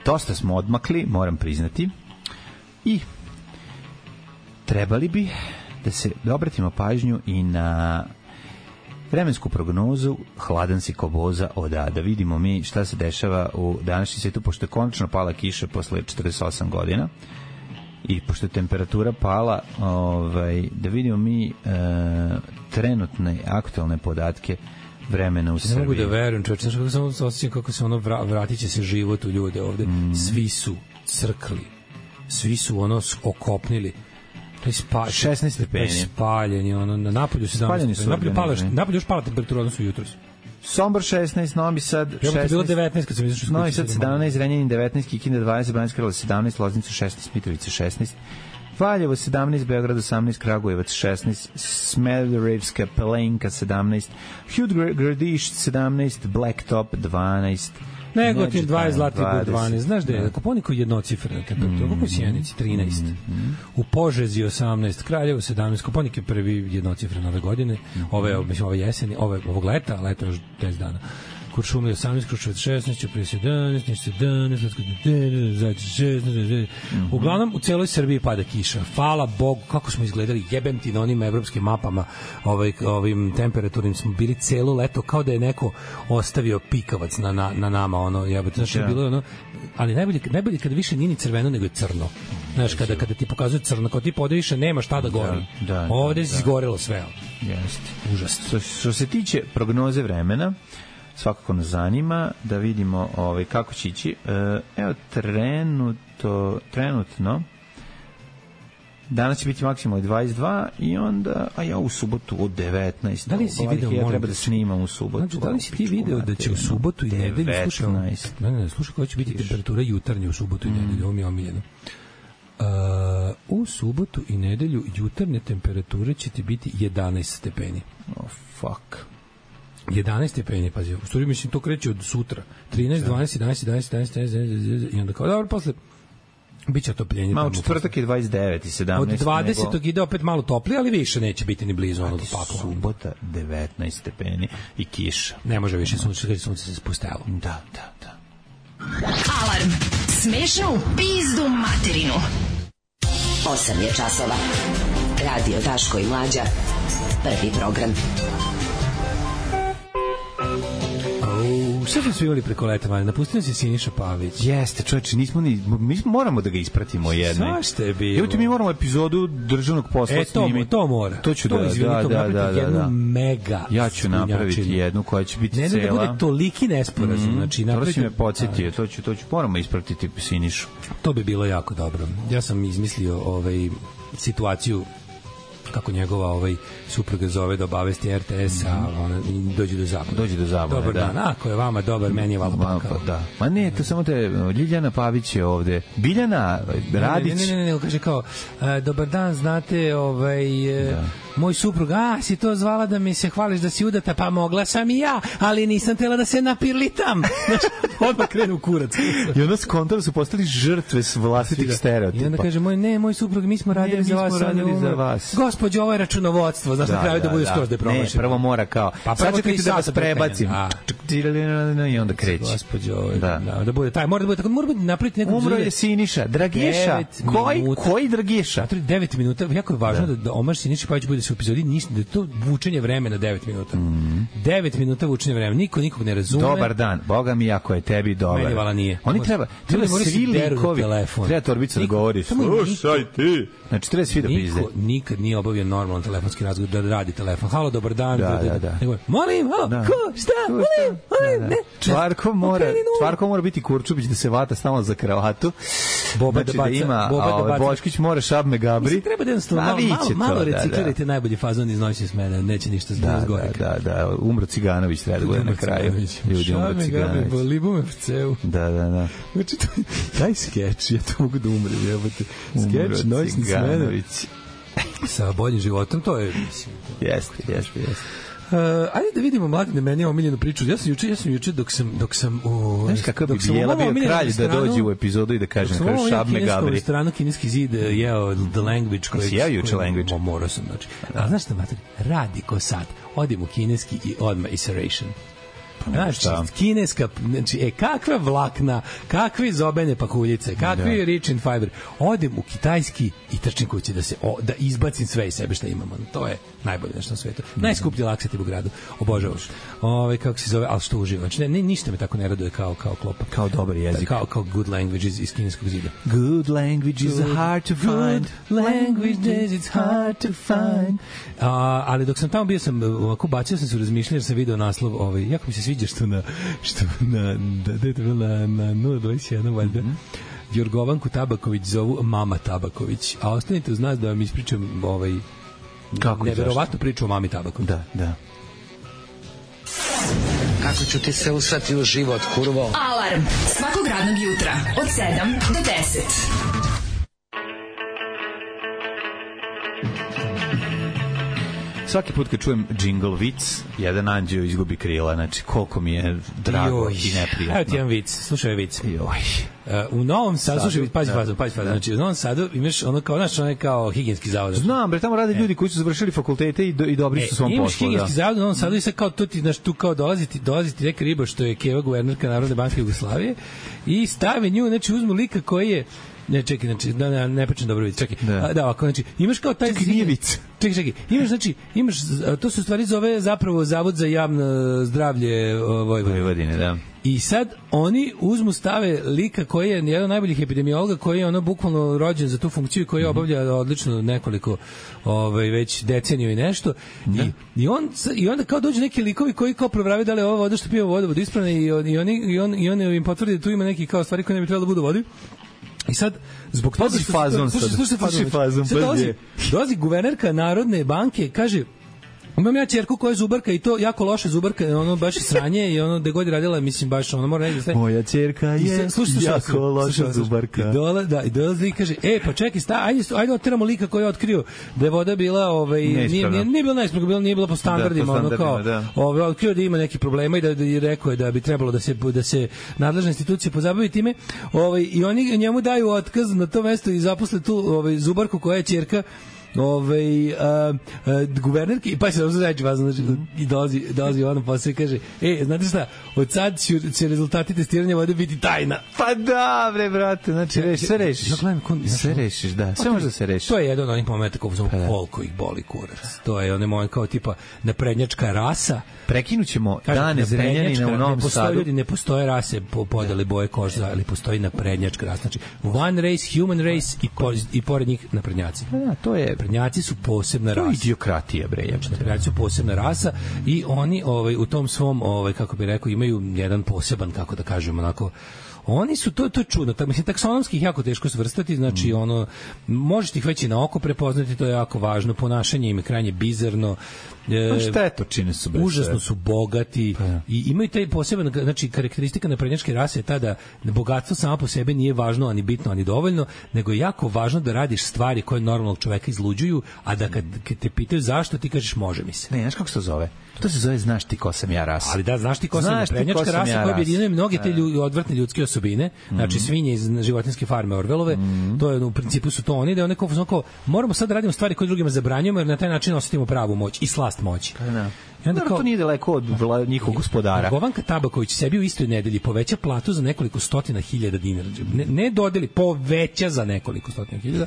dosta smo odmakli, moram priznati, i trebali bi da se da obratimo pažnju i na vremensku prognozu, hladan si ko boza oda, da vidimo mi šta se dešava u današnjem svijetu, pošto je konačno pala kiša posle četrdeset osam godina i pošto je temperatura pala, ovaj, da vidimo mi e, trenutne aktualne podatke vremena u Srbiji. Ne mogu da verujem, čovječ, znaš kako sam osjećam kako se ono vra, vratit će se život u ljude ovde. Mm. Svi su crkli, svi su ono okopnili. To je spa, šesnaest stepeni. Spaljeni, ono, na napolju sedamnaest stepeni. Napolju, pala, napolju još pala temperatura, odnosno jutros. Sombor šesnaest, Novi Sad šesnaest. Ja, bilo devetnaest kad sam izašao s kuće. Novi Sad sedamnaest, Renjanin devetnaest, Kikinda dvadeset, Banjska Karlovac sedamnaest, Loznica šesnaest, Mitrovica šesnaest, Valjevo sedamnaest, Beograd osamnaest, Kragujevac šesnaest, Smederevska Palanka sedamnaest, Hud Gradiš sedamnaest, Blacktop dvanaest, Negotin dvadeset, Zlatibor dvanaest. Znaš da je Koponikov jednocifrena temperatura, mm, kako je Sjenici trinaest, mm, mm. u Požezi osamnaest, Kraljevo sedamnaest, Koponik je prvi jednocifren ove godine, mm. ove, mislim, ove jeseni, ove, ovog leta, leta još deset dana. Kuršumlija osamnaest, Kruševac šesnaest, Ćuprija sedamnaest, Niš sedamnaest, Zajče šesnaest. Uglavnom, u celoj Srbiji pada kiša. Hvala Bogu, kako smo izgledali, jebem ti na onim evropskim mapama, ovaj, ovim temperaturnim smo bili celo leto, kao da je neko ostavio pikavac na, na, na nama, ono, jebate, znaš, je bilo ono, ali najbolje, najbolje kada više nije ni crveno, nego je crno. Znaš, kada, kada ti pokazuje crno, kao ti pode više nema šta da gori. Da, da, ovde si izgorelo sve. Jeste. Užasno. Što, što se tiče prognoze vremena, svakako nas zanima da vidimo ovaj, kako će ići. Evo, trenuto, trenutno danas će biti maksimalno dvadeset dva i onda, a ja u subotu od devetnaest. Da li si video, ja treba da snimam u subotu. Znači, da li si ti video da će u subotu i nedelju, slušaj, ne, ne, slušaj koja će biti temperatura jutarnje u subotu i nedelju, ovo mi je omiljeno. Uh, u subotu i nedelju jutarnje temperature će ti biti jedanaest stepeni. Oh, fuck. jedanaest stepeni, pazi, u stvari mislim to kreće od sutra. trinaest, dvanaest, jedanaest, jedanaest, jedanaest, jedanaest i onda kao, dobro, posle biće otopljenje. Malo četvrtak je dvadeset devet i sedamnaest. Od dvadesetog nego... ide opet malo toplije, ali više neće biti ni blizu onog pakla. Subota devetnaest stepeni i kiša. Ne može više sunce, kada sunce se spustelo. Da, da, da. Alarm. Smešno u pizdu materinu. osam je časova. Radio Daško i Mlađa. Prvi program. Sve smo svivali preko leta, ali napustio se Siniša Pavić. Jeste, čovječe, nismo ni, mi moramo da ga ispratimo jedno. Zašto je bilo? Evo ti mi moramo epizodu državnog posla e, to, snimiti. To mora. To ću to da, izvini, da, to da, da, da, jednu da. mega ja ću napraviti jednu koja će biti ne cela. Ne da bude toliki nesporazum. Mm, znači, napraviti... To si me podsjetio, to ću, to ću, moramo ispratiti Sinišu. To bi bilo jako dobro. Ja sam izmislio ovaj, situaciju kako njegova ovaj supruga zove da obavesti R T S, a ona dođe do zabune. Dođe do zabune, dobar da. Dan, ako je vama dobar, meni je valjda pakao. Da. Ma ne, to samo te, Ljiljana Pavić je ovde. Biljana Radić. Ne, ne, ne, ne, ne, kaže kao, a, dobar dan, znate, ovaj, da. Moj suprug, a, si to zvala da mi se hvališ da si udata, pa mogla sam i ja, ali nisam tela da se napirlitam. Odmah krenu u kurac. I onda skontra su postali žrtve s vlastitih stereotipa. I onda kaže, moj, ne, moj suprug, mi smo radili ne, za vas. Mi smo radili za vas. Gospođo, ovo je računovodstvo, znaš, da, na kraju da, da bude skroz da je promašeno. Ne, prvo mora kao, pa sad čekajte da vas prebacim. I onda kreće. Gospođo, da. Da, da bude taj, mora da bude tako, mora biti napraviti nekom umro je Siniša, Dragiša. Koji, koji Dragiša? devet minuta, jako je važno da, da Omar Siniša Pavić bude se u epizodi, ništa, da je to vučenje vremena devet minuta. Mm. devet minuta vučenje vremena, niko nikog ne razume. Dobar dan, boga mi jako je tebi dobar. Meni vala nije. Oni treba, treba svi likovi, treba Torbica da govori, slušaj ti. Znači, treba svi da pizde. Niko nikad nije obavio normalan telefonski razgovor, da radi telefon. Halo, dobar dan. Da, da, da. Nego, molim, halo, da. Ko, šta, molim, molim, ne. Čvarko mora, Čvarko mora biti Kurčubić da se vata stalno za kravatu. Boba znači, da baca, da ima, Boba da baca. Boškić mora šab me gabri. Mislim, treba da jednostavno malo, malo, malo reciklirajte najbolji fazon iz Noći smene, neće ništa zgoreka. Da, da, da, umro Ciganović treba da bude na kraju. Ljudi, umro Ciganović. Boli bu me v ceu. Da, da, da. Znači, taj skeč, ja to mogu da umrem, jebote. Skeč Noćni smene sa boljim životom, to je, mislim... Jeste, jeste, jeste. Uh, ajde da vidimo mladine meni omiljenu priču. Ja sam juče, ja sam juče dok sam dok sam u znaš kako bi Bijela bio kralj da dođe u epizodu i da kaže na kraju šab me gabri. U stranu kineski zid jeo The Language koji ja juče Language. Morao sam znači. A znaš šta mater? Radi ko sad. Odim u kineski i odmah Iteration. Znači, kineska, znači, e, kakva vlakna, kakve zobene pakuljice, kakvi da. Rich in fiber. Odem u kitajski i trčim kući da se, o, da izbacim sve iz sebe što imamo. To je najbolje nešto na svetu. Mm. Najskuplji laksativ u gradu. Obožavaš. Ove, kako se zove, ali što uživam. Znači, ne, ne, ništa me tako ne raduje kao, kao klopa. Kao dobar jezik. Kao, kao good language iz, iz kineskog zida. Good language is good, hard to find. Good language is it's hard to find. A, ali dok sam tamo bio sam, ovako bacio sam se u razmišljanje jer sam video naslov, ovaj, jako mi se sviđa što na, što na, da, da je to bilo na, na nula dvadeset jedan, valjda. Mm -hmm. Jorgovanku Tabaković zovu Mama Tabaković. A ostanite uz nas da vam ispričam ovaj, kako neverovatnu priču o Mami Tabaković. Da, da. Kako ću ti se usrati u život, kurvo? Alarm svakog radnog jutra od sedam do deset. svaki put kad čujem jingle vic, jedan anđeo izgubi krila, znači koliko mi je drago Joj. i neprijatno. Evo ti jedan vic, slušaj vic. Joj. Uh, u Novom Sadu, slušaj, pazi fazom, pazi fazom, znači u Novom Sadu imaš ono kao, znaš, ono kao higijenski zavod. Znam, bre, tamo rade ljudi koji su završili fakultete i, do, i dobri e, su svom poslu. Imaš higijenski zavod u Novom Sadu i sad kao tu ti, znaš, tu kao dolaziti, dolaziti neka riba što je Keva, guvernerka Narodne banke Jugoslavije i stave nju, znači uzmu lika koji je ne, čekaj, znači, da, ne, ne pričam dobro vic, čekaj. Da, a, da ovako, znači, imaš kao taj... Čekaj, nije vic. Čekaj, čekaj, imaš, znači, imaš, to se u stvari zove zapravo Zavod za javno zdravlje Vojvodine. Vojvodine, da. I sad oni uzmu stave lika koji je jedan od najboljih epidemiologa, koji je ono bukvalno rođen za tu funkciju i koji mm-hmm. obavlja odlično nekoliko ovaj, već deceniju i nešto. Da. I, i, on, I onda kao dođu neki likovi koji kao provravaju da li je ova voda što pije voda voda ispravna i, on, i, oni, i, on, i on im potvrdi da tu ima neki kao stvari koje ne bi trebalo da budu vodi. I sad, zbog toga što... Fazon sad. Slušaj fazon. fazon. Sad dolazi, dolazi guvernerka Narodne banke, kaže, imam ja ćerku koja je zubarka i to jako loše zubarka, ono baš sranje i ono gde god je radila, mislim baš ono mora negde sve. Moja ćerka je slušaj, jako loša zubarka. I dola, da, i dolazi i kaže, e, pa čekaj, sta, ajde, ajde oteramo lika koji je otkrio da je voda bila, ovaj, nije, nije, nije bila neispravna, bila, nije bila po standardima, da, po standardima ono kao, da. ovaj, otkrio da ima neki problema i da, da je rekao je da bi trebalo da se, da se nadležne institucije pozabavi time, ovaj, i oni njemu daju otkaz na to mesto i zaposle tu ovaj, zubarku koja je ćerka ovaj a, a, guvernerki, pa se znači vas znači i dolazi dolazi ono posle kaže ej, znate šta, od sad će, će rezultati testiranja vode biti tajna. Pa da, bre, brate, znači reši, sve rešiš. Sve rešiš, da, sve može da se reši. To je jedan od onih momenta kako zove koliko ih boli kurac. To je onaj moment kao tipa naprednjačka rasa. Prekinućemo dane Zrenjanina u Novom Sadu. Ljudi, ne postoje rase po podeli boje kože, ali postoji naprednjačka rasa. Znači, one race, human race i, po, i pored njih naprednjaci. Da, to je... Naprednjaci su posebna rasa. To je idiokratija, bre. Znači, naprednjaci su posebna rasa i oni ovaj, u tom svom, ovaj, kako bi rekao, imaju jedan poseban, kako da kažemo, onako, oni su, to, to je čudno, tak, mislim, taksonomski ih jako teško svrstati, znači, mm. ono, možete ih već i na oko prepoznati, to je jako važno, ponašanje im je krajnje bizarno, E, šta je to čine su bre? Užasno su bogati pa ja. I imaju taj poseban, znači karakteristika naprednjačke rase je ta da bogatstvo samo po sebi nije važno, ani bitno, ani dovoljno, nego je jako važno da radiš stvari koje normalnog čoveka izluđuju, a da kad, kad te pitaju zašto, ti kažeš može mi se. Ne, znaš kako se to zove? To se zove znaš ti ko sam ja rasa. Ali da, znaš ti ko sam naprednjačka rasa ja koja objedinjuje mnoge te lju, odvrtne ljudske osobine, mm-hmm. znači svinje iz životinjske farme Orvelove, mm-hmm. to je u principu su to oni, da one kao, kao moramo sad da radimo stvari koje drugima zabranjujemo jer na taj način osetimo pravu moć i slast moći. Da. I onda kao, to nije daleko od vla, njihovog gospodara. Govanka Tabaković sebi u istoj nedelji poveća platu za nekoliko stotina hiljada dinara. Ne, ne dodeli, poveća za nekoliko stotina hiljada.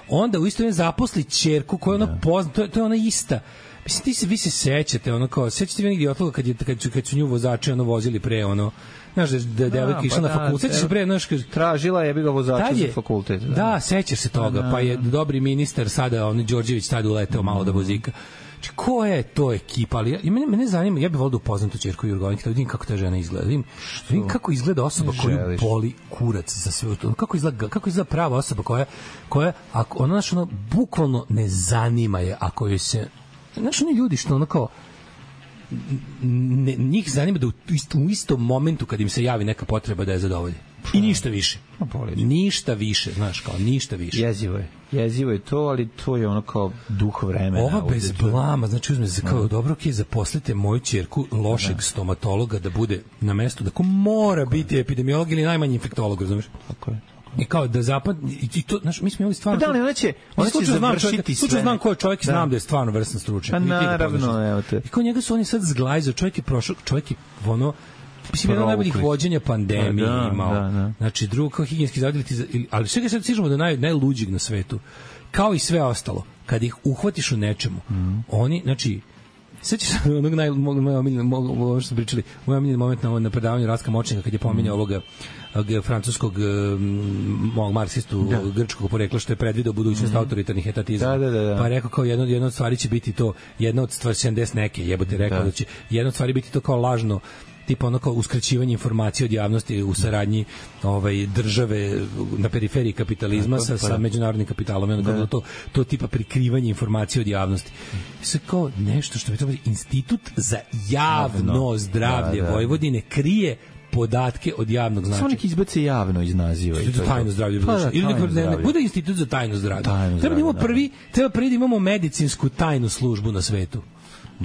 Onda u istoj ne zaposli ćerku koja ona no. pozna, to je, to je ona ista. Mislim, ti se, vi se sećate, ono kao, sećate vi negdje otloga kad, je, kad, su, kad su nju vozači ono vozili pre, ono, znaš, da devojka išla pa na fakultet, sećaš se pre, znaš, tražila je bi ga vozača za fakultet. Da, da sećaš se toga, pa, pa je dobri ministar sada, on Đorđević tada uleteo malo da vozika. Znači, ko je to ekipa? Ali ja, mene, mene zanima, ja bih volio da upoznam tu ćerku Jurgovanke, da vidim kako ta žena izgleda. Vidim, vidim kako izgleda osoba koju boli kurac za sve to. Kako izgleda, kako izgleda prava osoba koja, koja ako, ona, znaš, ono, bukvalno ne zanima je ako joj se... Znaš, oni ljudi što ono kao... Ne, njih zanima da u, u istom momentu kad im se javi neka potreba da je zadovolje. I ništa više. Ništa više, znaš, kao ništa više. Jezivo je. Jezivo je to, ali to je ono kao duh vremena. Ova bez blama, znači uzme se kao, dobro, ok, zaposlite moju ćerku lošeg da. stomatologa da bude na mestu, da ko mora tako biti je. epidemiolog ili najmanji infektolog, razumiješ? Tako je. I kao da zapad i to, znaš, mi smo imali stvarno. Pa da li ona će, ona će završiti sve. Slučajno znam ko je čovjek i da. znam da je stvarno vrstan stručnjak. Pa naravno, evo te. I kao njega su oni sad zglajzali, čovjek je prošao, čovjek je ono, mislim, jedan od najboljih vođenja pandemije da, imao. Da, da. Znači, drugo kao higijenski zavod, ali sve ga sad sižemo da naj, najluđig na svetu. Kao i sve ostalo, kad ih uhvatiš u nečemu, mm. oni, znači, sećaš se onog naj, moj omiljeni, ovo što smo pričali, moj omiljeni moment na, na predavanju Rastka Močnika, kad je pominjao mm. ovoga francuskog um, marksistu da. grčkog porekla što je predvideo budućnost mm. autoritarnih etatizma. Da, da, da. Pa je rekao kao jedno, jedno od stvari će biti to, jedna od stvari sedamdeset neke, jebote rekao da. da će jedna od stvari biti to kao lažno tipa ono kao uskraćivanje informacije od javnosti u saradnji ovaj države na periferiji kapitalizma da, sa, sa međunarodnim kapitalom, ono kao to to tipa prikrivanje informacije od javnosti. Sve kao nešto što bi trebalo Institut za javno zdravlje da, da. Vojvodine krije podatke od javnog značaja. Samo neki izbace javno iz naziva. Institut za tajno zdravlje. Pa, da, ili neko, ne, ne, bude institut za tajno zdravlje. Tajno treba da imamo prvi, treba prvi da imamo medicinsku tajnu službu na svetu.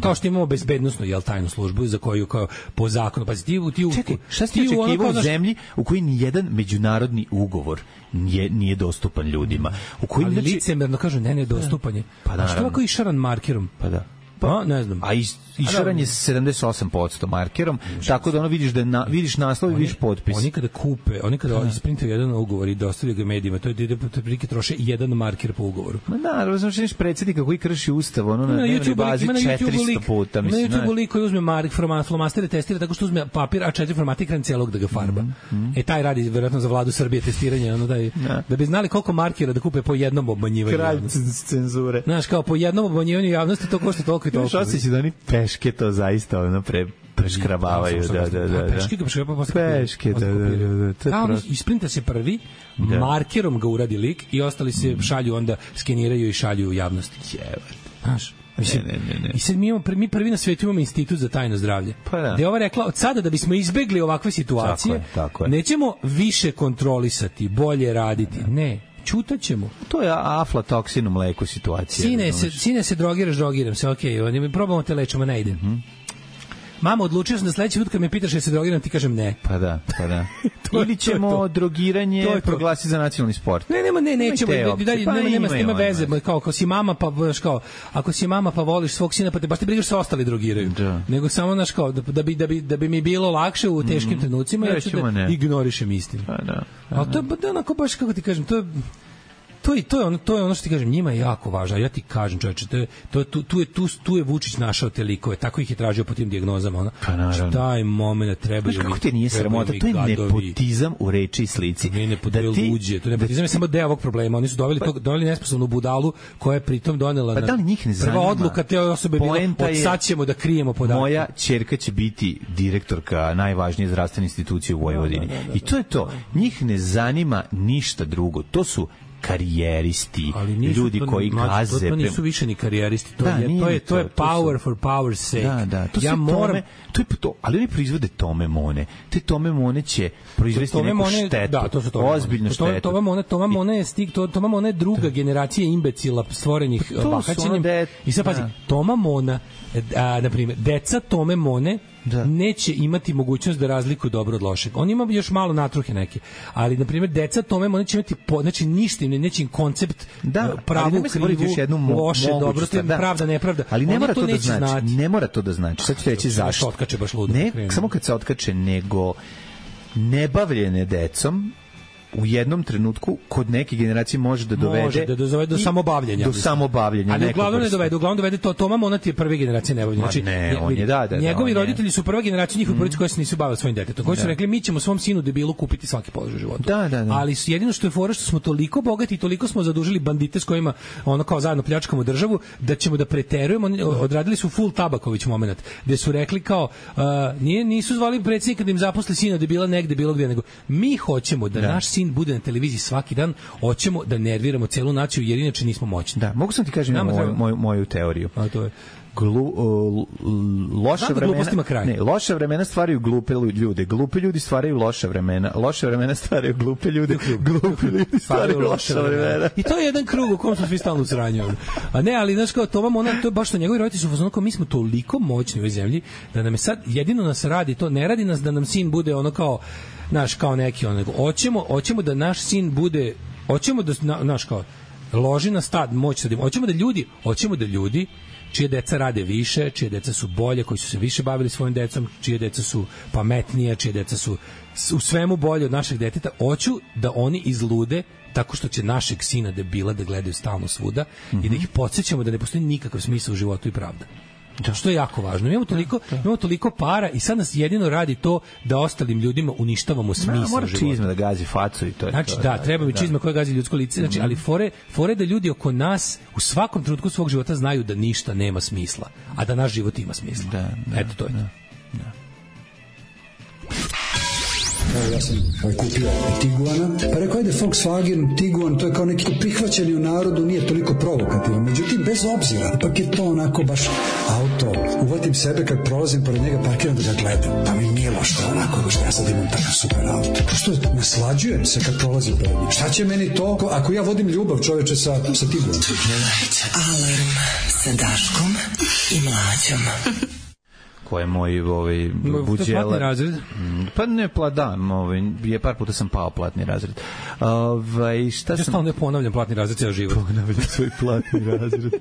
Kao što imamo bezbednosnu, jel, tajnu službu za koju kao po zakonu, pa ti u ti u Čekaj, šta ste očekivao u zemlji u kojoj ni jedan međunarodni ugovor nije nije dostupan ljudima. U kojim ali znači licemerno kažu ne ne dostupan je. Pa da, što ovako išaran markerom? Pa da. Pa ne znam. A iz išaran je sedamdeset osam posto markerom, tako da ono vidiš da na, vidiš naslov i vidiš potpis. Oni kada kupe, oni kada isprintaju jedan ugovor i dostavljaju ga medijima, to je ide po prilike troše jedan marker po ugovoru. Ma da, razumiješ predsjednika koji krši ustav, ono na dnevnoj bazi četiristo puta, mislim. Na YouTube lik koji uzme mark flomastere testira tako što uzme papir A četiri format ekran celog da ga farba. Mm, mm. E taj radi verovatno za vladu Srbije testiranje, ono da je, da bi znali koliko markera da kupe po jednom obmanjivanju. Kralj cenzure. Znaš, kao po jednom obmanjivanju javnosti to košta toliko i toliko. Osjećaj da oni peške to zaista ono pre preškrabavaju, da, da, da. Peške ga preškrabavaju posle. Peške, da, da, da. Kao ono, isprinta se prvi, markerom ga uradi lik i ostali se šalju, onda skeniraju i šalju u javnosti. Jebate. Znaš, mislim, ne, ne, ne. I sad mi, imamo, mi prvi na svetu imamo institut za tajno zdravlje. Pa da. Gde je ova rekla, od sada da bismo izbegli ovakve situacije, tako je, tako je. Nećemo više kontrolisati, bolje raditi. Ne. Ćutaćemo. To je aflatoksin u mleku situacija. Sine se, sine se drogiraš, drogiram se, okej, okay, mi probamo te lečimo, ne ide. Mm -hmm. Mama, odlučio sam da sledeći put kad me pitaš je se drogiram, ti kažem ne. Pa da, pa da. Ili ćemo to to. drogiranje proglasiti za nacionalni sport. Ne, nema, ne, nećemo, dalje, pa nema, nema s time veze, kao ako si mama, pa baš kao, ako si mama pa voliš svog sina, pa te baš te brigaš se ostali drogiraju. Da. Nego samo naš kao, da, da, bi, da, bi, da bi mi bilo lakše u teškim mm, trenucima, ja ću da ne. ignorišem istinu. Pa da. Ali to je da, onako baš, kako ti kažem, to je to je to je ono to je ono što ti kažem, njima je jako važno. Ja ti kažem, čoveče, to je to tu tu je tu tu je Vučić našao te likove, tako ih je tražio po tim dijagnozama, ona. Pa taj momenat treba ju. Kako ti nije sramota, to je nepotizam u reči i slici. Ne, ne da ti luđe, to nepotizam je samo deo ovog problema. Oni su doveli to doveli nesposobnu budalu koja je pritom donela. Pa da li njih ne zanima? Prva odluka te osobe bila, od sad ćemo da krijemo podatke. Moja ćerka će biti direktorka najvažnije zdravstvene institucije u Vojvodini. I to je to. Njih ne zanima ništa drugo. To su karijeristi, ljudi to, koji gaze. To nisu više ni karijeristi, to da, je to je to je power to for power's sake. Da, da, to ja moram tome, to je to, ali oni proizvode tome mone. Te tome mone će proizvesti neku mone, štetu. Da, to su to. Ozbiljnu to, štetu. Tome mone, tome mone je stig, to tome mone je druga da. generacija imbecila stvorenih bahaćenjem. I sad pazi, Toma Mona, a, na primjer, deca Tome Mone da. neće imati mogućnost da razlikuju dobro od lošeg. On ima još malo natruhe neke, ali na primjer deca Tome Mone će imati po, znači ništa im neće im koncept da, pravu, krivu, loše, dobro, to je da. pravda, nepravda. Ali ne mora to, to da znači, znati. ne mora to da znači. Sad ću reći zašto. Otkače baš ludo. Ne, samo kad se otkače, nego nebavljene decom u jednom trenutku kod neke generacije može da dovede može da dovede do samobavljenja. Do samobavljenja. Ali uglavnom ne dovede, uglavnom dovede to Toma Mona je prve generacije nebavljenja. Znači ne, on je da, da, njegovi da, roditelji su prva generacija njihovi porodice koji se nisu bavili svojim detetom. Koji su rekli mi ćemo svom sinu debilu kupiti svaki položaj života. Da, da, da. Ali jedino što je fora što smo toliko bogati i toliko smo zadužili bandite s kojima ono kao zajedno pljačkamo državu da ćemo da preterujemo. Odradili su full Tabaković momenat gde su rekli kao uh, nije nisu zvali predsjednika da im zaposli sina debila negde bilo gde, nego mi hoćemo da, da. naš sin bude na televiziji svaki dan, hoćemo da nerviramo celu naciju jer inače nismo moćni. Da, mogu sam ti kažem moju, treba... moju, moju teoriju. A to je Glu, uh, loša da vremena ne, loša vremena stvaraju glupe ljude, glupi ljudi stvaraju loša vremena, loša vremena stvaraju glupe ljude, glupi ljudi stvaraju loša vremena. I to je jedan krug u kom smo svi stalno u sranju. A ne, ali znaš kao, to vam ona, to je baš što njegovi roditelji su fazonu kao mi smo toliko moćni u ovoj zemlji da nam je sad, jedino nas radi to, ne radi nas da nam sin bude ono kao, naš kao neki ono, nego hoćemo, hoćemo da naš sin bude, hoćemo da, naš kao, loži na stad, moć sad, hoćemo da ljudi, hoćemo da ljudi čije deca rade više, čije deca su bolje, koji su se više bavili svojim decom, čije deca su pametnije, čije deca su u svemu bolje od našeg deteta, hoću da oni izlude tako što će našeg sina debila da gledaju stalno svuda mm -hmm. i da ih podsjećamo da ne postoji nikakav smisao u životu i pravda. Da. Što je jako važno. Imamo toliko, da, da. imamo toliko para i sad nas jedino radi to da ostalim ljudima uništavamo smisao života. Mora čizma da gazi facu i to je znači, to. Da, treba mi da. čizma koja gazi ljudsko lice. Znači, ali fore, fore da ljudi oko nas u svakom trenutku svog života znaju da ništa nema smisla, a da naš život ima smisla. Da, da, Eto, to je da, to. Da. Evo, ja sam ovaj, kupio Tiguana, pa rekao ajde Volkswagen, Tiguan, to je kao neki prihvaćeni u narodu, nije toliko provokativan. Međutim, bez obzira, ipak je to onako baš auto. Uvatim sebe kad prolazim pored njega, parkiram da ga gledam, pa mi nije lošto onako, što ja sad imam takav super auto. Prosto naslađujem se kad prolazim pored njih. Šta će meni to ako ja vodim ljubav, čoveče, sa, sa Tiguanom? Alarm sa Daškom i Mlađom. Ko je moj ovaj buđela. Platni razred? Pa ne pladam, ovaj je par puta sam pao platni razred. Ovaj šta ja sam stalno ponavljam platni razred ceo život. Ponavljam svoj platni razred.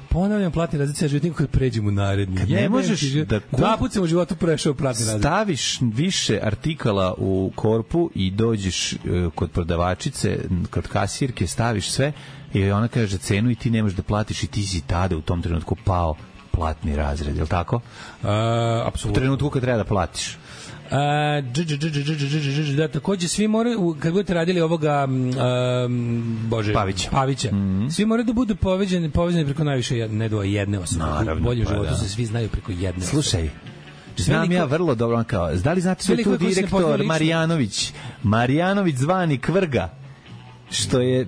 Ponavljam platni razred ceo život, nikad pređem u naredni. Kad ne možeš da dva puta sam u životu prešao platni razred. Staviš više artikala u korpu i dođeš uh, kod prodavačice, kod kasirke, staviš sve i ona kaže cenu i ti ne možeš da platiš i ti si tada u tom trenutku pao platni razred, je li tako? Uh, apsolutno. U trenutku kad treba da platiš. Uh, dž, dž, dž, dž, dž, dž, dž, da, takođe svi moraju, kad budete radili ovoga um, Bože, Pavića, Pavića mm-hmm. svi moraju da budu povezani, povezani preko najviše ne do jedne osobe. U boljem pa, životu da. Se svi znaju preko jedne Slušaj, osobe. Znam veliko, ja vrlo dobro, kao, da li znate što je tu direktor Marjanović? Marjanović zvani Kvrga, što je,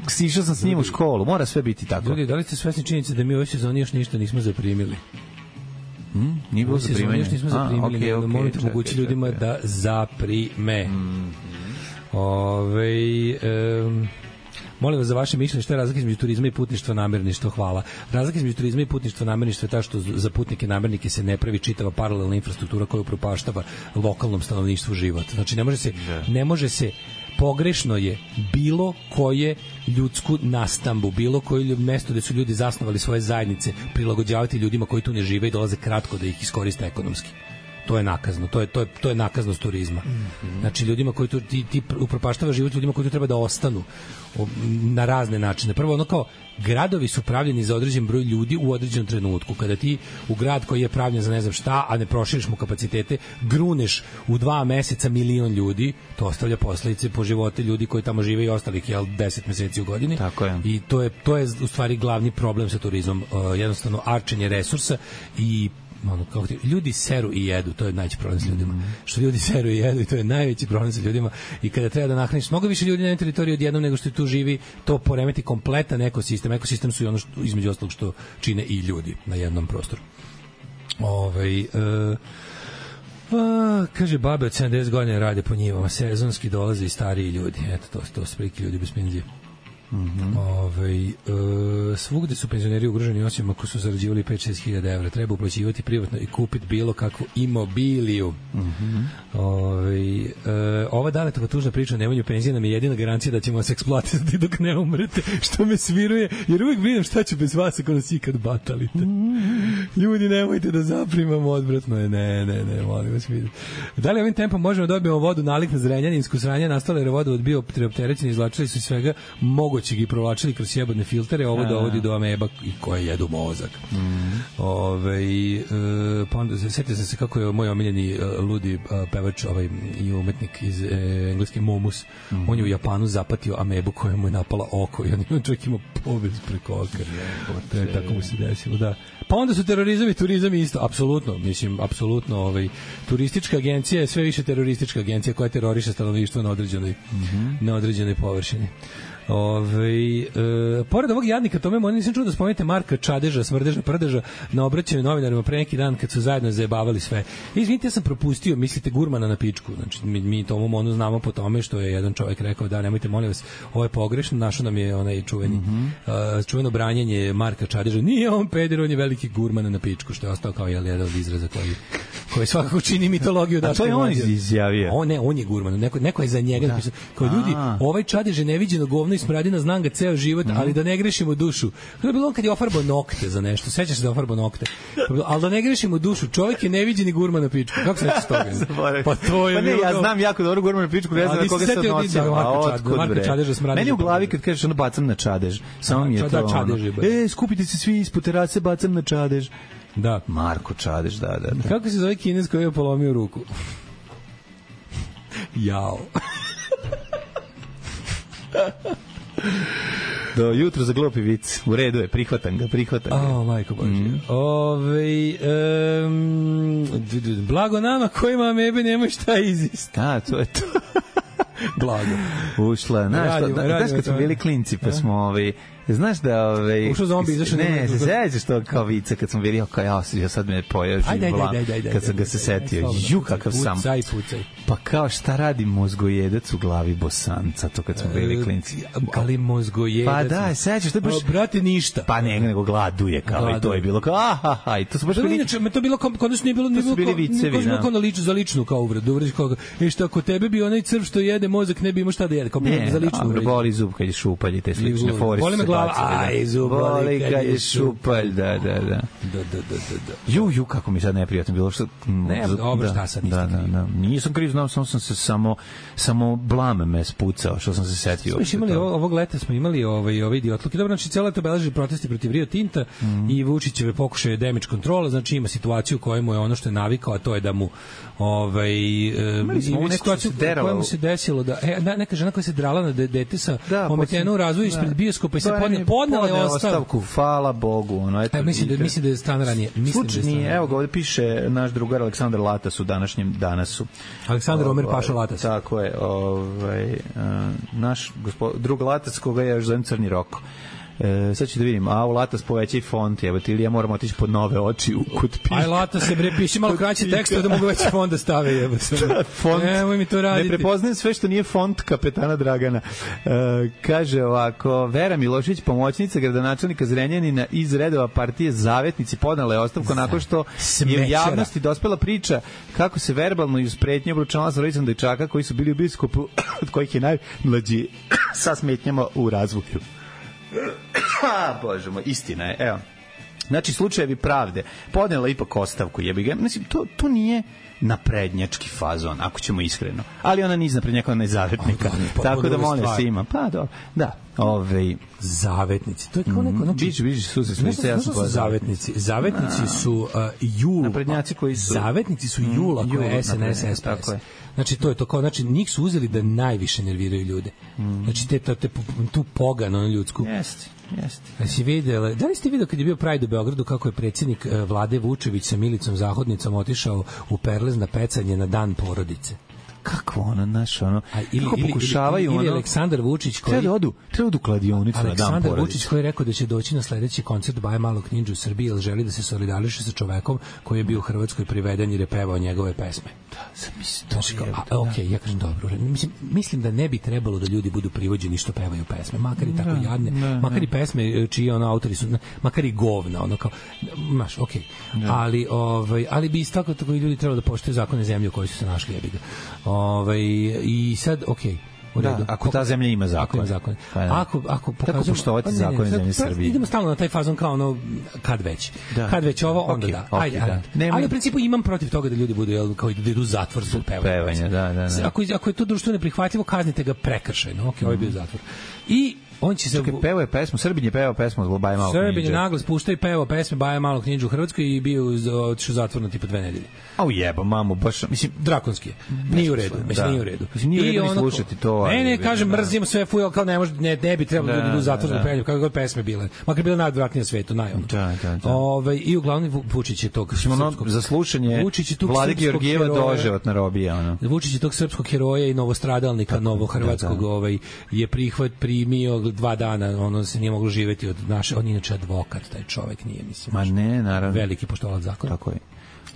sišao sam s njim u školu, mora sve biti tako. Ljudi, da li ste svesni činjenice da mi u ovoj sezoni još ništa nismo zaprimili? Hmm? Nije bilo zaprimanje? Još nismo zaprimili, okay, okay, molite okay, mogući ljudima okay. da zaprime. Mm-hmm. Ove, um, molim vas za vaše mišljenje šta je razlika između turizma i putništva namirništva. Hvala. Razlika između turizma i putništva namirništva je ta što za putnike namernike se ne pravi čitava paralelna infrastruktura koja upropaštava lokalnom stanovništvu život. Znači ne može se, ne može se pogrešno je bilo koje ljudsku nastambu, bilo koje mesto gde su ljudi zasnovali svoje zajednice prilagođavati ljudima koji tu ne žive i dolaze kratko da ih iskoriste ekonomski. To je nakazno, to je to je to je nakaznost turizma. Mm-hmm. Znači ljudima koji tu ti, ti upropaštava život ljudima koji tu treba da ostanu na razne načine. Prvo ono kao gradovi su pravljeni za određen broj ljudi u određenom trenutku. Kada ti u grad koji je pravljen za ne znam šta, a ne proširiš mu kapacitete, gruneš u dva meseca milion ljudi, to ostavlja posledice po živote ljudi koji tamo žive i ostalih jel deset meseci u godini. Tako je. I to je to je u stvari glavni problem sa turizmom, uh, jednostavno arčenje resursa i ono, kako ti, ljudi seru i jedu, to je najveći problem sa ljudima. Mm. Što ljudi seru i jedu i to je najveći problem sa ljudima i kada treba da nahraniš mnogo više ljudi na teritoriji odjednom nego što tu živi, to poremeti kompletan ekosistem. Ekosistem su i ono što, između ostalog što čine i ljudi na jednom prostoru. Ovaj uh, A, kaže, babe od sedamdeset godina rade po njivama, sezonski dolaze i stariji ljudi. Eto, to, to su prilike ljudi bez penzije. Mm-hmm. Ove, e, svugde su penzioneri ugroženi osim ako su zarađivali pet do šest hiljada evra. Treba uplaćivati privatno i kupiti bilo kakvu imobiliju. Mm-hmm. Ove, e, ova daletova tužna priča o nemanju penzije nam je jedina garancija da ćemo vas eksploatisati dok ne umrete, što me sviruje, jer uvijek brinem šta ću bez vas ako nas ikad batalite. Mm-hmm. Ljudi, nemojte da zaprimamo, odvratno je. Ne, ne, ne, molim vas vidjeti. Da li ovim tempom možemo da dobijemo vodu nalik na Zrenjaninsku sranje, nastale jer vodovod bio preopterećen, izvlačili su svega mogo će ga provlačili kroz sjebodne filtere, ovo dovodi do ameba i koje jedu mozak. Mm. Ove, e, pa onda setio sam se kako je moj omiljeni uh, ludi uh, pevač ovaj, i umetnik iz e, engleske Momus. Mm. On je u Japanu zapatio amebu koja mu je napala oko i on čovjek ima povez preko oka. Je, tako mu se desilo, da. Pa onda su terorizam i turizam isto, apsolutno, mislim, apsolutno, ovaj, turistička agencija je sve više teroristička agencija koja teroriše stanovništvo na određenoj, mm-hmm. na određenoj površini. Ove, e, pored ovog jadnika tome možda nisam čuo da spomenete Marka Čadeža, smrdeža prdeža na obraćanju novinarima pre neki dan kad su zajedno zajebavali sve. Izvinite, ja sam propustio, mislite gurmana na pičku. Znači mi, mi tomu onu znamo po tome što je jedan čovjek rekao da nemojte molim vas, ovo je pogrešno, našo nam je onaj čuveni mm-hmm. uh, čuveno branjenje Marka Čadeža. Nije on peder, on je veliki gurman na pičku, što je ostao kao jel, jedan od izraza koji koji svakako čini mitologiju Daška. A to je on izjavio. On ne, on je gurman, neko neko je za njega napisao. Kao ljudi, ovaj Čadež je neviđeno govno i smradina, znam ga ceo život, mm. ali da ne grešimo dušu. To je bilo on kad je ofarbao nokte za nešto. Sećaš se da ofarbao nokte. Ali da ne grešimo dušu. Čovjek je neviđeni gurman na pičku. Kako se neće toga? Pa to je. Pa ne, ja znam jako dobro gurman na pičku, ne znam na koga se odnosi. Marka Čadeža smradina. Meni u glavi kad kažeš ono bacam na Čadež, samo mi je to. E, skupite se svi ispod terase, bacam na Čadež. Da. Marko Čadež, da, da, da. Kako se zove Kinez koji je polomio ruku? Jao. Do jutro za glupi vic. U redu je, prihvatam ga, prihvatam ga. O, majko Bože. Mm. Ove, um, blago nama kojima amebe nemoj šta izist. A, to je to. Blago. Ušla. Znaš, znaš kad smo bili klinci, pa smo ovi... Znaš da ove ušao zombi izašao ne se sećaš što kao vice kad sam vidio kao ja ja sad me pojeo živ blam kad sam ga se setio ju kakav sam pucaj pucaj pa kao šta radi mozgojedac u glavi Bosanca to kad smo bili klinci ali mozgojedac pa da sećaš to baš brate ništa pa ne nego gladuje kao i to je bilo kao aha i to su baš bili inače me to bilo kao kod nas nije bilo ni bilo vicevi kao na ličnu za ličnu kao uvredu uvređi kao e šta kod tebe bi onaj crv što jede mozak ne bi imao šta da jede kao za ličnu uvredu boli zub kad je šupalj i te slične fore aj zuboli kad je šupalj, da, da, da. Da, da, da, da, da. Ju, ju, kako mi sad neprijatno bilo. Što, ne, dobro, šta sad niste da, da, da. Nisam kriv, znam, samo sam se samo, samo blame me spucao, što sam se setio. Smo imali, ovog leta smo imali ovaj, ovaj idiotluke. Dobro, znači, cijelo to beleži protesti protiv Rio Tinta mm. i Vučićeve pokušaje damage kontrola, znači ima situaciju u kojoj mu je ono što je navikao, a to je da mu ovaj, imali smo ima situaciju u kojoj mu se desilo da, e, neka žena koja se drala na dete sa da, ometenu u razvoju ispred bioskopa i se podne, podnela je ostavku. Hvala Bogu, ono eto. E, mislim da mislim da je stan ranije. Mislim da je stan. Evo ga ovde piše naš drugar Aleksandar Latas u današnjem Danasu. Aleksandar Omer Paša Latas. Tako je, ovaj naš gospod drug Latas koga ja još zovem Crni Roko. E, sad ću da vidim, a u Latas povećaj font, evo ti ili ja moram otići pod nove oči u kod piše. Aj Latas se bre piše malo kraći tekst da mogu veći font da stave, jebo se. Font. Nemoj mi to raditi. Ne prepoznajem sve što nije font kapetana Dragana. E, kaže ovako, Vera Milošević, pomoćnica gradonačelnika Zrenjanina iz redova partije Zavetnici podnela je ostavku nakon što je u javnosti dospela priča kako se verbalno i uz pretnje obručavala sa rodicom dečaka koji su bili u biskopu od kojih je najmlađi sa smetnjama u razvoju. Bože moj, istina je, evo. Znači, slučajevi pravde. Podnela ipak ostavku, jebi ga. Mislim, to, to nije naprednjački fazon, ako ćemo iskreno. Ali ona niz naprednjaka, ona je zavetnika. Pa, tako da molim se ima. Pa, dobro. Da, ovej... Zavetnici. To je kao neko... Znači, biće, biće, su se smice, ja sam poznao. Zavetnici. Zavetnici su uh, jul. Naprednjaci koji su... Zavetnici su jula, mm, koje je S N S, S P S. Tako je. Znači, to je to kao, znači, njih su uzeli da najviše nerviraju ljude. Mm. Znači, te, te, te, tu pogano ljudsku. Jeste. Jeste. Da si videla, da li ste vidio kad je bio Pride u Beogradu kako je predsjednik Vlade Vučević sa Milicom Zahodnicom otišao u Perlez na pecanje na dan porodice? Kako ono, naš, ono, A, ili, kako pokušavaju ili, ili, ili ono... Aleksandar Vučić koji... Treba da odu, treba odu kladionicu na dan porodice. Aleksandar Vučić koji je rekao da će doći na sledeći koncert Baje Malog Ninđu u Srbiji, jer želi da se solidariše sa čovekom koji je bio u Hrvatskoj priveden jer je pevao njegove pesme. Da, sam mislim, znači, kao, a, ok, ja kažem dobro. Mislim, mislim da ne bi trebalo da ljudi budu privođeni što pevaju pesme, makar i tako jadne, ne, makar i pesme čiji ono autori su, makar i govna, ono kao, maš, ok, ali, ovaj, ali bi isto tako tako i ljudi trebalo da poštuju zakone zemlje u kojoj su se našli, jebi ga. Ovaj, i sad, ok, u redu. Da, ako ta zemlja ima zakon. zakon. Ako, ako pokazujemo... Kako poštovati zakone zemlje Srbije? Idemo stalno na taj fazon kao ono, kad već. Da. Kad već ovo, onda okay, da. Okay, ajde, da. ajde. Nema... Ali u principu imam protiv toga da ljudi budu, jel, kao da idu u zatvor zbog pevanja. Pevanja, da, da, da. Ako, ako je to društvo neprihvatljivo, kaznite ga prekršajno. Ok, mm. ovo je bio zatvor. I on će se Čekaj, pevao je pesmu, Srbin je pevao pesmu od Baje Malog Ninđe. Srbin je naglas puštao i pevao pesme Baje Malog Ninđe u Hrvatskoj i bio otišao zatvor na tipa dve nedelje. Au jeba, mamu, baš, mislim, drakonski je. Nije u redu, mislim, da. nije u redu. Mislim, nije u redu ni slušati to. Ne, ne, kažem, mrzim sve fuj, kao ne može, ne, ne bi trebalo da, ljudi u zatvor zbog pevanja, kako god pesme bile. Makar bile najodvratnije na svetu, naj ono. Da, da, da. Ovaj i uglavnom Vučić je tog srpskog za slušanje Vlade Georgijeva doživotna robija, ono. Vučić je tog srpskog heroja i novostradalnika novohrvatskog, ovaj je prihvat primio dva dana, ono se nije moglo živeti od naše, on je inače advokat, taj čovjek nije, mislim. Ma ne, naravno. Veliki poštolac zakona. Tako je.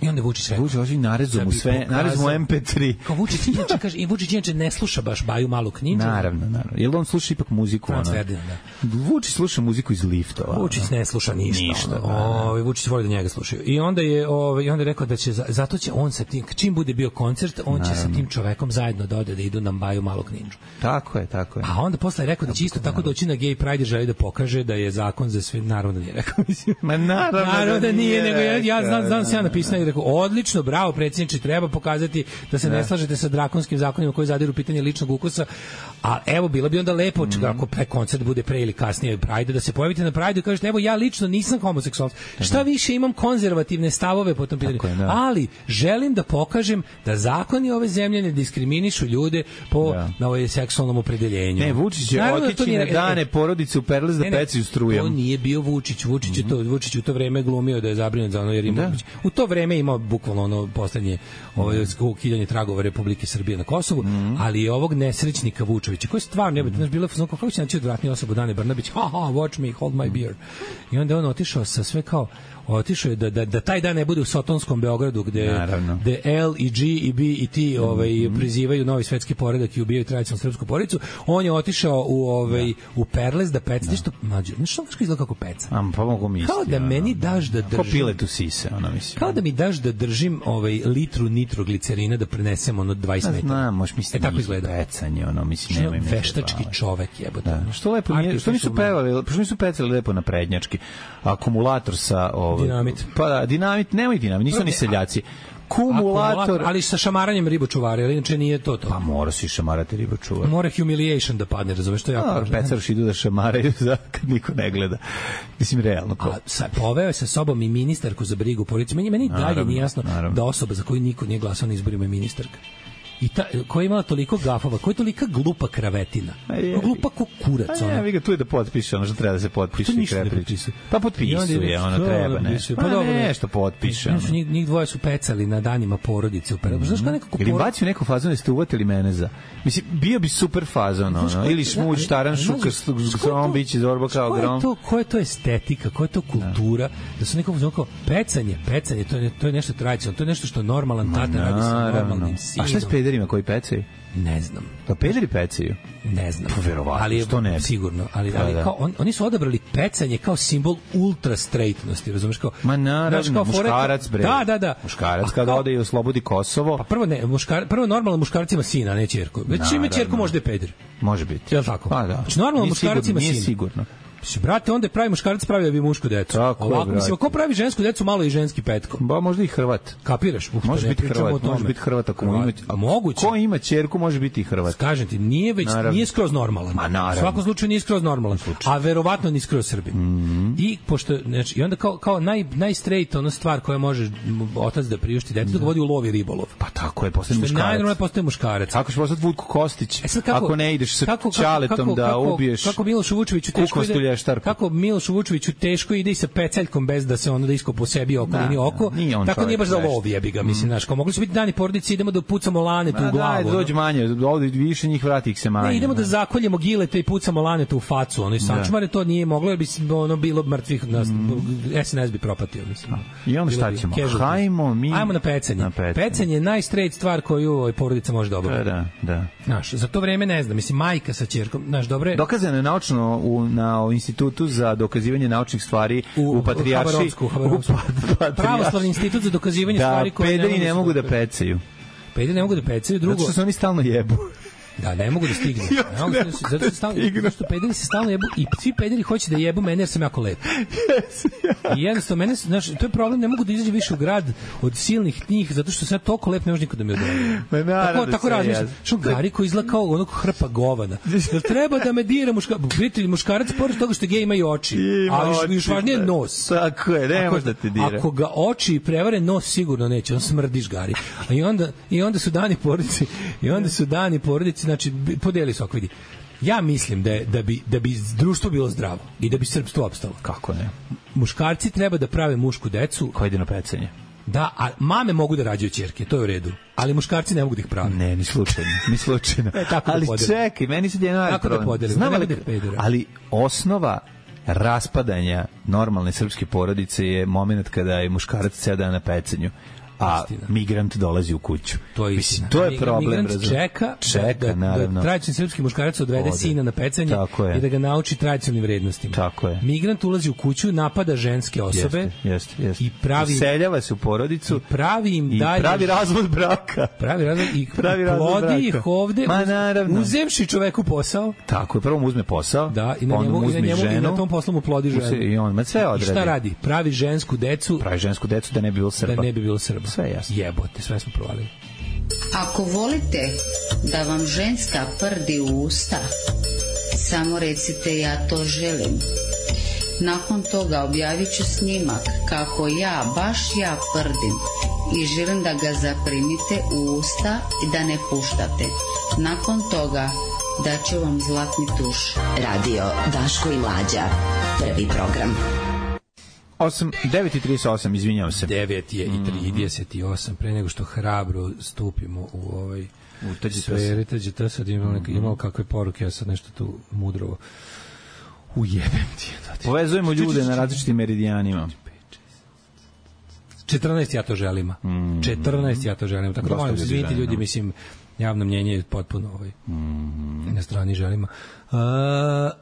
I onda Vučić rekao. Vučić hoće narezu mu sve, narezu mu em pe tri. Kao Vučić inače kaže, i Vučić inače ne sluša baš Baju Malog Ninđu. Naravno, naravno. Jel on sluša ipak muziku, ona? Da. Vučić sluša muziku iz liftova. Vučić ne sluša ništa. Ništa. Ovaj Vučić voli da njega slušaju. I onda je ovaj i onda je rekao da će zato će on sa tim čim bude bio koncert, on naravno. će sa tim čovekom zajedno da ode da idu na Baju Malog Ninđu. Tako je, tako je. A onda posle je rekao da će isto tako doći na Gay Pride, želi da pokaže da je zakon za sve, naravno nije rekao, mislim. Ma naravno, naravno da nije, nego ja, ja znam, znam se ja napisao i rekao odlično, bravo predsjedniče, treba pokazati da se ne, ne slažete sa drakonskim zakonima koji zadiru pitanje ličnog ukusa. A evo bilo bi onda lepo mm. ako pre koncert bude pre ili kasnije Pride, da se pojavite na Pride i kažete evo ja lično nisam homoseksualac. Šta više imam konzervativne stavove po tom pitanju. Je, ali želim da pokažem da zakoni ove zemlje ne diskriminišu ljude po da. na ovoj seksualnom opredeljenju. Ne, Vučić je otići na dane porodice u Perlez da pecaju strujom. To nije bio Vučić. Vučić je to, Vučić u to vreme glumio da je zabrinut za ono jer ima. U to vreme vreme imao bukvalno ono poslednje ovaj ukidanje tragova Republike Srbije na Kosovu, mm. ali i ovog nesrećnika Vučevića, koji stvarno jebote, znaš, bilo fazon kako će naći odvratniju osobu Dane Brnabić, ha ha, watch me, hold my beer. I onda on otišao sa sve kao otišao je da, da, da taj dan ne bude u Sotonskom Beogradu gde, gde L i G i B i T ovaj, mm. prizivaju novi svetski poredak i ubijaju tradicionalnu srpsku porodicu. On je otišao u, ovaj, da. u Perles da peca. Nešto mlađe. Znaš što izgleda kako peca? Am, pa mogu mi kao da meni daš da držim... Ko piletu sise, ono mislim. Kao da mi daš da držim ovaj, litru nitroglicerina da prenesem ono dvadeset metara. Znam, možeš misliti e, tako izgleda. Pecanje, ono, mislim, nema im veštački čovek jebote. Da. Što lepo, nije, što nisu pevali, što nisu pecali lepo na prednjački. Akumulator sa... Ovaj, dinamit. Pa da, dinamit, nemoj dinamit, nisu ni seljaci. Kumulator, ali sa šamaranjem ribočuvara, ali inače nije to to. Pa mora si šamarati ribočuvar. Mora humiliation da padne, razumeš, što je jako važno. Pecaroši idu da šamaraju za kad niko ne gleda. Mislim, realno. A sa, poveo je sa sobom i ministarku za brigu policije. Meni, meni dalje nije jasno naravno. Da osoba za koju niko nije glasao na izborima je ministarka. I ta, koja je imala toliko gafova, koja je tolika glupa kravetina. Je, glupa ko kurac. A ja, vi ga tu je da potpiše, ono što treba da se potpiše. Pa ništa ne potpisuje. Pa potpisuje, ono treba, ne. Pa, pa dobro, nešto potpiše. Ono. Njih, njih dvoje su pecali na danima porodice. U mm-hmm. Znaš kao nekako... Ili bacio neku fazon da ste uvatili mene za... Mislim, bio bi super fazon, ono. Ili šmuđ, štaran, šuka, grom, biće zorba kao grom. Koja je to estetika, koja je to kultura, da su nekom kao pecanje, pecanje, to je, to je nešto tradicionalno, to je nešto što normalan tata radi sa normalnim sinom. A šta je s pederima koji pecaju? Ne znam. Da pederi pecaju? Ne znam. Pa verovatno, ali što ne? Sigurno, ali, ali da. Kao, on, oni su odabrali pecanje kao simbol ultra straightnosti, razumeš kao? Ma naravno, kao muškarac bre. Da, da, da. Muškarac kada ode i oslobodi Kosovo. Pa prvo ne, muškar, prvo normalno muškarac ima sina, ne ćerku. Već ima ćerku možda je peder. Može biti. Je li tako? Pa da. Znači normalno muškarac ima sina. Nije sigurno. Mislim, brate, onda pravi muškarac pravi da bi mušku decu. Tako ovako, je, mislim, ako pravi žensku decu, malo i ženski petko. Ba, možda i Hrvat. Kapiraš? Uf, može biti Hrvat, može biti Hrvat ako mu ima. A moguće. Ko ima ćerku, može biti i Hrvat. Kažem ti, nije već, naravno. Nije skroz normalan. Ma naravno. U svakom slučaju nije skroz normalan. A verovatno ni skroz Srbin. Mm-hmm. I, pošto, znači, i onda kao, kao naj, najstraight ona stvar koja može otac da priušti detetu, da ga vodi u lov i ribolov. Pa tako je, postane muškarac. Najnormalno postaje muškarac. Kako ćeš postati Vuk Kostić, e kako, ako ne ideš sa kako, čaletom kako, da kako, ubiješ kako Miloš Vučević teško ide, kako Miloš Vučeviću teško ide i sa peceljkom bez da se ono da iskopa po sebi oko da, ili oko. Da, tako nije baš za lov, jebi ga, mislim, znaš, kao mogli su biti dani porodice, idemo da pucamo lanetu u glavu. Daj, dođe manje, ovde više njih vrati ih se manje. Ne, idemo da zakoljemo gilete i pucamo lanetu u facu, ono i sačmare to nije moglo, jer bi ono bilo mrtvih nas, S N S bi propatio, mislim. I onda šta ćemo? Hajmo mi Hajmo na pecanje. Na pecanje. Pecanje je najstraight stvar koju ovaj porodica može da obavi. Da, da. Znaš, za to vreme ne znam, mislim majka sa ćerkom, znaš, dobre. Dokazano je naučno u na institutu za dokazivanje naučnih stvari u, u patrijaršiji, u Pravoslavni institut za dokazivanje da, stvari koje pederi ne, ne mogu da pecaju. Pederi ne mogu da pecaju, drugo. Zato što se oni stalno jebu. Da, ne mogu da stignu. Ne mogu da stignu. Zato, stalno, zato što pederi se stalno jebu i svi pederi hoće da jebu mene jer sam jako lep. Yes, ja. I jednostavno, mene, znaš, to je problem, ne mogu da izađe više u grad od silnih njih, zato što sam toliko lep, ne može niko da mi odredi. Tako, tako razmišljam. Što Gari koji izgleda kao onog hrpa govana. Jel treba da me dira muškarac? Vidite, muškarac pored toga što gej ima i oči. Ali još važnije je nos. Tako je, ne može da te dira. Ako ga oči prevare, nos sigurno neće, on smrdiš, Gari. A i onda, i onda su dani porodici, i onda su dani porodici, znači podeli se ako vidi. Ja mislim da je, da bi da bi društvo bilo zdravo i da bi srpstvo opstalo. Kako ne? Muškarci treba da prave mušku decu koja ide na pecanje. Da, a mame mogu da rađaju ćerke, to je u redu. Ali muškarci ne mogu da ih prave. Ne, ni slučajno, ni slučajno. E, tako ali da čekaj, meni se djeno ali problem. Da Znam, ali, da ali osnova raspadanja normalne srpske porodice je moment kada je muškarac ceo dan na pecanju. A istina. Migrant dolazi u kuću. To je istina. Mislim, to je problem. Migrant razum. čeka, čeka da, da, naravno. Da tradicionalni srpski muškarac odvede Ode. sina na pecanje i da ga nauči tradicionalnim vrednostima. Tako je. Migrant ulazi u kuću, napada ženske osobe jeste, jeste, jeste. i pravi seljava se u porodicu i pravi im i dalje pravi razvod braka. Pravi razvod i pravi plodi ih ovde Ma, naravno. uzevši čoveku posao. Tako je, prvo mu uzme posao, da, i na njemu, i na njemu ženu, i na tom poslu mu plodi ženu. I on ma sve odradi. I šta radi? Pravi žensku decu. Pravi žensku decu da ne bi bilo Srba. Da ne bi bilo Srba. Sve jasno. Jebote, sve smo provalili. Ako volite da vam ženska prdi u usta, samo recite ja to želim. Nakon toga objavit ću snimak kako ja, baš ja prdim i želim da ga zaprimite u usta i da ne puštate. Nakon toga daću vam zlatni tuš. Radio Daško i Mlađa, prvi program. osam, devet i trideset osam, izvinjavam se. devet je i trideset osam, pre nego što hrabro stupimo u ovaj sferi, tađe ta sad imao, neka, imao kakve poruke, ja sad nešto tu mudrovo ujebem ti. Povezujemo ljude na različitim meridijanima. četrnaest ja to želim. četrnaest ja to želim. Tako da molim se, izvinite ljudi, mislim, javno mnjenje je potpuno ovaj, na strani želima. A,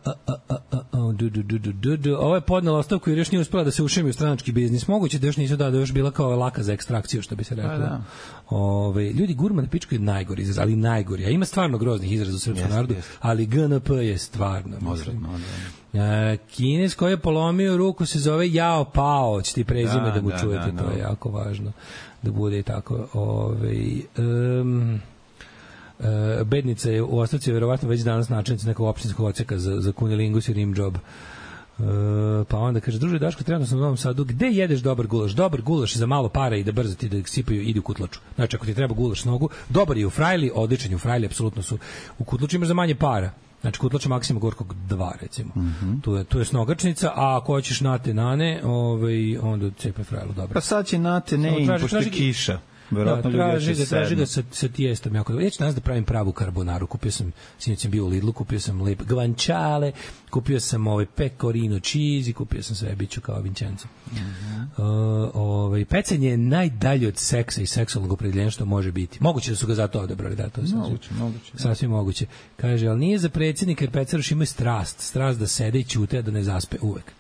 a, a, a, a, du, du, du, du, du. Ovo je podnela ostavku jer još nije uspela da se ušemi u stranački biznis. Moguće da još nisu da, da još bila kao laka za ekstrakciju, što bi se reklo. Da. Ove, ljudi, gurma na pičku je najgori izraz, ali najgori. A ima stvarno groznih izraza u srpskom yes, narodu, yes. ali G N P je stvarno. A, Kines koji je polomio ruku se zove Jao Pao, će ti prezime da, da mu da, čujete, da, to je jako važno da bude i tako. Ove, um, Uh, bednica je u ostavci verovatno već danas načelnica nekog opštinskog odseka za, za kunilingus i rim job. Uh, pa onda kaže, druže Daško, trenutno sam u Novom Sadu, gde jedeš dobar gulaš? Dobar gulaš za malo para i da brzo ti da sipaju, idi u Kutlaču. Znači, ako ti treba gulaš nogu, dobar je u Frajli, odličan je u Frajli, apsolutno su. U Kutlaču imaš za manje para. Znači, Kutlača Maksima Gorkog dva, recimo. Mm-hmm. Tu, je, tu je snogačnica, a ako hoćeš nate nane, ovaj, onda cepaj Frajlu, dobro. Pa sad će nate ne im, pošto je kiša. Da, traži ga, traži ga sa, sa tijestom jako dobro. Ja ću danas da pravim pravu karbonaru. Kupio sam, sinoć sam bio u Lidlu, kupio sam lep guanciale, kupio sam ovaj pecorino cheese, kupio sam sve, bit ću kao Vincenzo. Mm-hmm. uh, ovaj, pecanje je najdalje od seksa i seksualnog opredeljenja što može biti. Moguće da su ga zato odabrali, da, to je moguće, moguće. Sasvim moguće. Kaže, ali nije za predsjednika jer pecaroš ima strast, strast da sede i ćute, da ne zaspe uvek.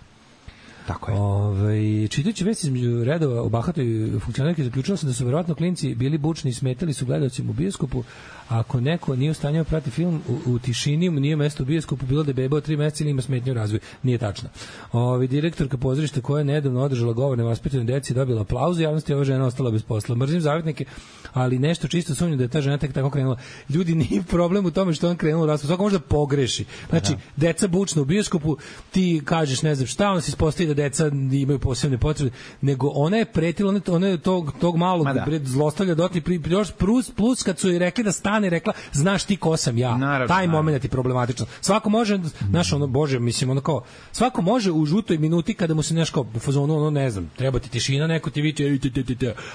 Tako je. Ove, čitajući vesti između redova o bahatoj funkcionerki, zaključila sam da su verovatno klinci bili bučni i smetali su gledalcima u bioskopu. Ako neko nije u stanju prati film u, u tišini, mu nije mesto u bioskopu, bilo da je beba od tri meseca ili ima smetnju u razvoju. Nije tačno. Ove, direktorka pozorišta koja je nedavno održala govor nevaspitanoj deci dobila aplauz, javnosti ova žena ostala bez posla. Mrzim zavetnike, ali nešto čisto sumnjam da je ta žena tek tako krenula. Ljudi, nije problem u tome što on krenuo u raspravu. Svako može da pogreši. Znači, deca bučna u bioskopu, ti kažeš ne znam šta, on se ispostavi da deca imaju posebne potrebe, nego ona je pretila, ona je tog, tog malog zlostavlja dotli, plus, plus kad su joj rekli da stane, rekla, znaš ti ko sam ja. Naravno, taj moment je problematičan. Svako može, znaš, ono, bože, mislim, ono kao, svako može u žutoj minuti kada mu se nešto u fazonu, ono, ne znam, treba ti tišina, neko ti viče,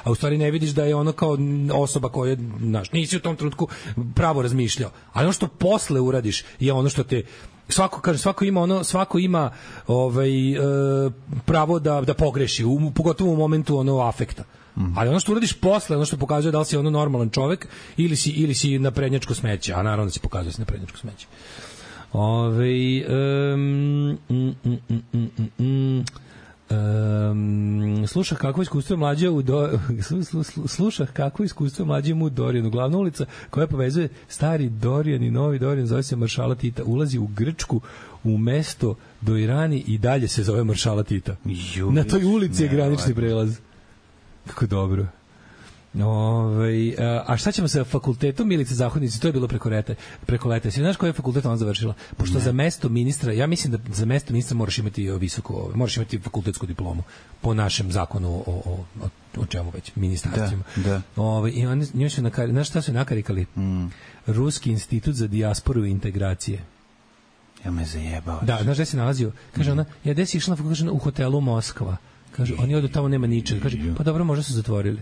a u stvari ne vidiš da je ono kao osoba koja, znaš, nisi u tom trenutku pravo razmišljao. Ali ono što posle uradiš je ono što te svako kaže, svako ima ono, svako ima ovaj e, pravo da da pogreši, u, pogotovo u momentu ono afekta. Mm. Ali ono što uradiš posle, ono što pokazuje da li si ono normalan čovek ili si ili si naprednjačko smeće, a naravno da se pokazuje da si naprednjačko smeće. Ovaj um, mm, mm, mm, mm, mm. Um, sluša kako iskustvo mlađe u do, sluša kako iskustvo mlađe mu Dorijanu, glavna ulica koja povezuje stari Dorijan i novi Dorijan zove se Maršala Tita, ulazi u Grčku u mesto do Irani i dalje se zove Maršala Tita. Jubić, na toj ulici je granični prelaz. Kako dobro. Ove, a šta ćemo sa fakultetom Milice Zahodnice? To je bilo preko leta. Preko leta. Znaš koji je fakultet ona završila? Pošto ne. Za mesto ministra, ja mislim da za mesto ministra moraš imati visoko, moraš imati fakultetsku diplomu po našem zakonu o, o, o, o čemu već, ministarstvima. Da, da. Ove, i oni, njoj su nakari, znaš šta su nakarikali? Mm. Ruski institut za dijasporu i integracije. Ja me zajebao. Da, znaš gde se nalazio? Kaže mm. ona, ja gde si išla kaže, u hotelu Moskva. Kaže, oni odu tamo, nema ničega. Kaže, pa dobro, možda su zatvorili.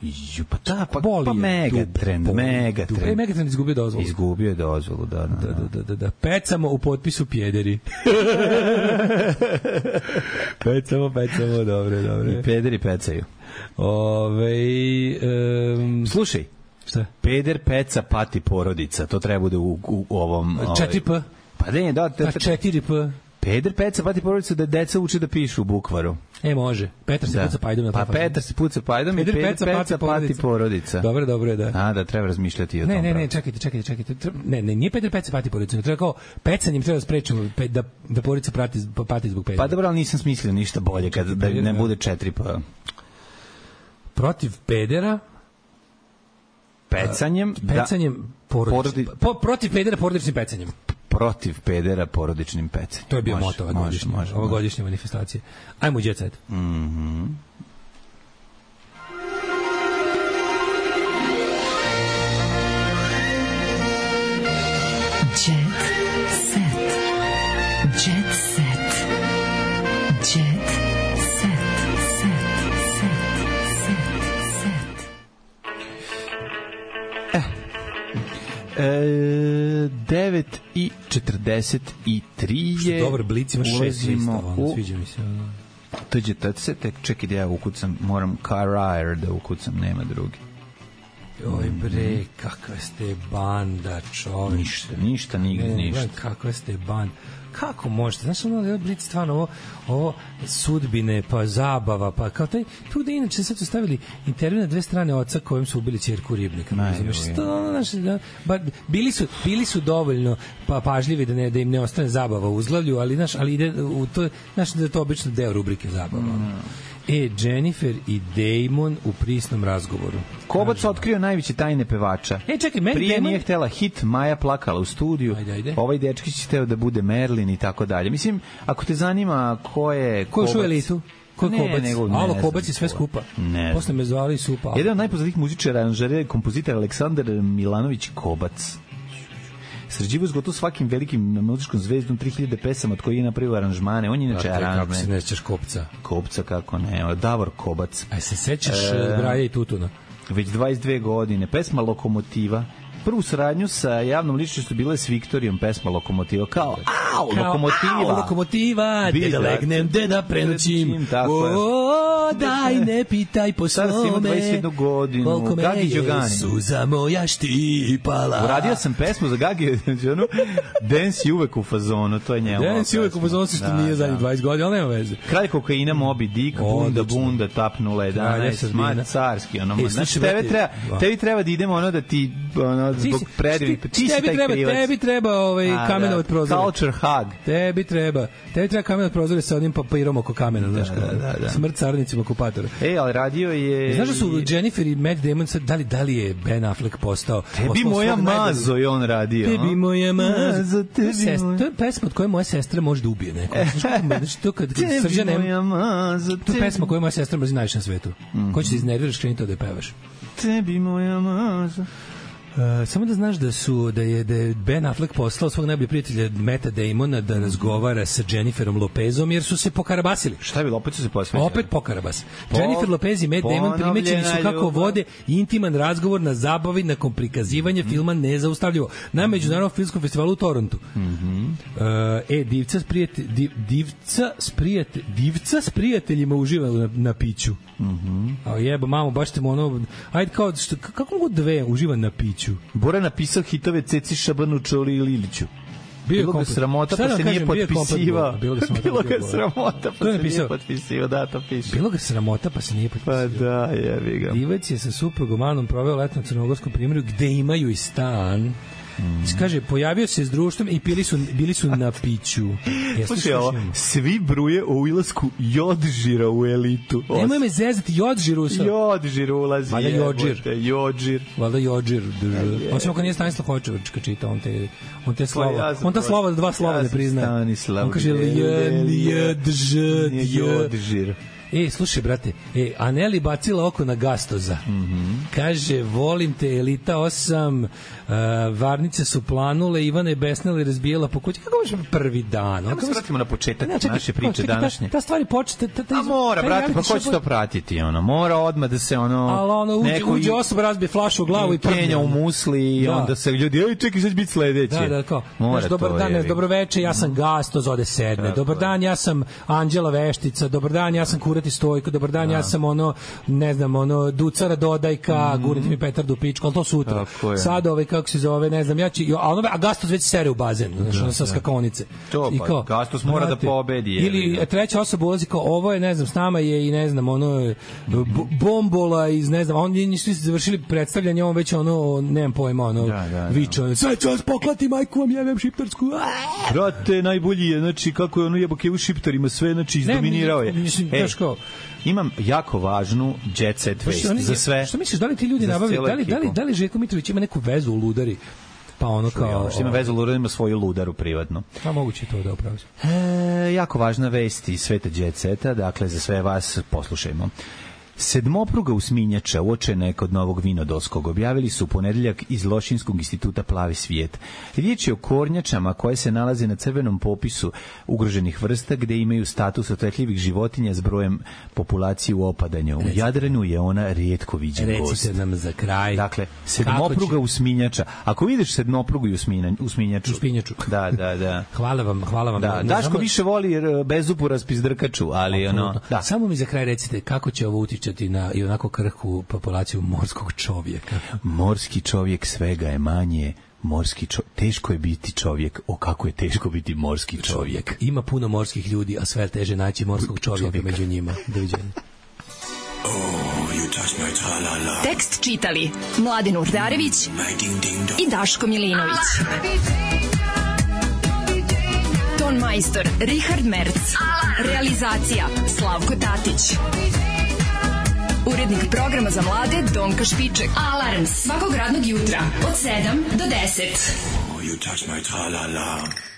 Ju, pa da, pa, pa Megatrend, Megatrend. E, Megatrend izgubio dozvolu. Izgubio je dozvolu, da, da, da. da, da, da, da. Pecamo u potpisu pjederi. pecamo, pecamo, dobre, dobre. I pederi pecaju. Ove, um, slušaj, šta? Peder peca pati porodica, to treba bude u, u, u ovom... četiri P? Pa ne, da. Te, te, četiri P? Peder peca pati porodica da deca uče da pišu u bukvaru. E, može. Petar se da. puca pajdom na Pa Petar se puca pajdom Peder i Peder peca, peca pati porodica. Dobro, dobro je, da. A, da, treba razmišljati o ne, tom. Ne, ne, ne, čekajte, čekajte, čekajte. Ne, ne, nije Peder peca pati porodica. Treba kao, pecanjem treba da sprečimo da, da porodica prati, pati zbog pedera. Pa dobro, ali nisam smislio ništa bolje kad da ne bude četiri pa. Protiv pedera pecanjem, pecanjem da, porodičnim. Porodi... Po, protiv pedera porodičnim pecanjem. Protiv pedera porodičnim pecanjem. To je bio moto ove godišnje, ove godišnje manifestacije. Ajmo u Jet Set. Mhm. Jet Set. Jet Set. Jet E, devet i četrdeset tri je... Dobar blic, ima šest lista, ono, sviđa mi se. To je T C, tek čekaj da ja ukucam, moram Carrier da ukucam, nema drugi. Oj bre, kakva ste banda, čovječ. Ništa, ništa, nigde, ništa. Kakva ste banda. Kako možete? Znaš, ono, Blic, stvarno, ovo, ovo sudbine, pa zabava, pa kao taj, tu da inače sad su stavili intervju na dve strane oca kojim su ubili ćerku Ribnika. Što, ono, znaš, da, ba, bili, su, bili su dovoljno pa, pažljivi da, ne, da im ne ostane zabava u uzglavlju, ali, znaš, ali ide u to, znaš, da je to obično deo rubrike zabava. Mm. E, Jennifer i Damon u prisnom razgovoru. Kobac otkrio najveće tajne pevača. E, čekaj, meni Prije Damon... nije htela hit, Maja plakala u studiju. Ajde, ajde. Ovaj dečkić hteo da bude Merlin i tako dalje. Mislim, ako te zanima ko je Ko je u elitu? Ko je Kobac? Alo, Kobac je sve skupa. Ne. Posle me zvali Supa. Jedan od najpoznatijih muzičara, aranžera, kompozitor Aleksandar Milanović Kobac. Sređivo s gotovo svakim velikim muzičkom zvezdom tri hiljade pesama od kojih je napravio aranžmane. On je inače aranžman. Kako se ne sećaš Kopca? Kopca, kako ne. Davor Kobac. A se sećaš e, Braja i Tutuna? Već dvadeset dve godine. Pesma Lokomotiva. Prvu saradnju sa javnom ličnošću bila je s Viktorijom, pesma Lokomotiva. Kao, au, kao, Lokomotiva. Au, Lokomotiva, gde da legnem, gde da prenoćim. O, daj, ne pitaj po svome. Sada si ima dvadeset jednu godinu. Koliko me Gagi Đogani. je suza moja štipala. Uradio sam pesmu za Gagi Đogani. Dance je uvek u fazonu, to je njemu. Dance je uvek u fazonu, što nije zadnjih dvadeset godina, ali nema veze. Kralj kokaina, Moby Dick, Bunda, Bunda, Tapnula jedanaest, Mad carski. Znači, tebi treba da idemo ono da ti zbog predivnih, ti si taj treba, krivac. Tebi treba ovaj kamenovat prozor. Culture hug. Tebi treba. Tebi treba kamenovat prozor sa onim papirom oko kamena, znaš kako. Da, da, da. Smrt carnicima okupatora. Ej, ali radio je... Znaš da su Jennifer i Matt Damon sad, da li, da li je Ben Affleck postao... Tebi moja mazo je on radio. Tebi moja mazo, tebi moja... To je pesma od koje moja sestra može da ubije neko. Znači, to kad Srđan... Tebi moja mazo, to je pesma koju moja sestra mrzi najviše na svetu. Ko će se iznerviraš, kreni to da je pevaš. Tebi moja mazo... Uh, samo da znaš da su da je da je Ben Affleck poslao svog najboljeg prijatelja Matta Damona da razgovara sa Jenniferom Lopezom jer su se pokarabasili. Šta je bilo, opet su se posvetili? Opet pokarabas. Po, Jennifer Lopez i Matt Damon primećeni su kako ljubav. Vode intiman razgovor na zabavi nakon prikazivanja mm. filma Nezaustavljivo na Međunarodnom filmskom festivalu u Torontu. Mm-hmm. Uh, e, divca s prijatelj, div, divca s prijatelj, divca s prijateljima uživa na, na piću. Mhm. A jeba, mamo, baš te mu ono... Ajde, kao, što, kako mogu dve uživa na piću? Bora napisao hitove Ceci Šabanu, Čoli i Liliću. Bilo ga sramota, pa se nije potpisivao. Bilo ga sramota, pa se nije potpisivao. Da, to piše. Bilo ga sramota, pa se nije potpisivao. Pa da, jebi ga. Divac je sa suprugom Anom proveo leto na crnogorskom primjeru, gde imaju i stan. Mm. Kaže, pojavio se s društvom i bili su, bili su na piću. Slušaj, ovo, svi bruje o ulasku Jodžira u elitu. Nemoj me zezati, Jodžir usa. Jodžir ulazi. Valjda Jodžir. Jodžir. Valjda Jodžir. Osim ako nije Stanislav Hočević čita, on te, on te slova, on ta slova, dva slova ne priznaje. On kaže, Jodžir. E, slušaj, brate, e, Aneli bacila oko na Gastoza. Mm-hmm. Kaže, volim te, Elita osam, uh, varnice su planule, Ivana je besnila i razbijela po kući. Kako možemo prvi dan? Kako se vratimo na početak ne, čekaj, naše priče čekaj, današnje? Ta, ta stvari počete... Ta, ta, A mora, brate, pa ko će to pratiti? Ono? Mora odmah da se ono... Ali ono, uđe, neko uđe osoba, razbije flašu u glavu i prdne. Kenja u musli i da. Onda se ljudi, ej, čekaj, sad će biti sledeće. Da, da, kao. Mora znaš, dobar dan, je, dobro veče, ja sam Gastoz, ode sedne. Dobar dan, ja sam Anđela Veštica. Dobar dan, ja sam Kurati Stojko. Dobar dan, ja sam ono, ne znam, ono, Ducara Dodajka, mm. gurite mi Petar Dupičko, ali to sutra. Sad ovaj, kako se zove, ne znam, ja ću, a ono, a Gastos već sere u bazen, znači, ono, sa skakonice. To, pa, kao, Gastos mora brate, da pobedi. Je, ili je, treća osoba ulazi kao, ovo je, ne znam, s nama je i, ne znam, ono, bombola iz, ne znam, oni nisu završili predstavljanje, on već, ono, nemam pojma, ono, da, da, da. viče, ono, sve ću vas poklati, majku vam jebem šiptarsku. Brate, najbolji je, znači, kako je ono jeboke u šiptarima, sve, znači, izdominirao je. Imam jako važnu jet set vest za sve. Što misliš, da li ti ljudi nabavljaju, da li, da li, da li Željko Mitrović ima neku vezu u Ludari? Pa ono kao... Što ima vezu u Ludari, ima svoju Ludaru privatno. Pa moguće to da upraviš. E, jako važna vest iz sveta jet seta, dakle za sve vas poslušajmo. Sedmopruga usminjača uočena je kod Novog Vinodolskog. Objavili su u ponedeljak iz Lošinskog instituta Plavi svijet. Riječ je o kornjačama koje se nalaze na crvenom popisu ugroženih vrsta gde imaju status otetljivih životinja s brojem populacije u opadanju. U Jadranu je ona rijetko viđen gost. Recite nam za kraj. Dakle, sedmopruga će... usminjača. Ako vidiš sedmoprugu i usminjaču. Usminjaču. Da, da, da. Hvala vam, hvala vam. Da, Daško samo... više voli bezupu raspizdrkaču, ali ono... Da. Samo mi za kraj recite kako će ovo utičati na i onako krhku populaciju morskog čovjeka. Morski čovjek svega je manje, morski čo... teško je biti čovjek, o kako je teško biti morski čovjek. čovjek. Ima puno morskih ljudi, a sve je teže naći morskog čovjeka, čovjeka među njima. Doviđenja. Oh, you touch my tra-la-la. Tekst čitali Mladin Urdarević i Daško Milinović. Ton majstor Richard Merc. Realizacija Slavko Tatić. Urednik programa za mlade Donka Špiček. Alarms svakog radnog jutra od sedam do deset. Oh, you touch my tra-la-la.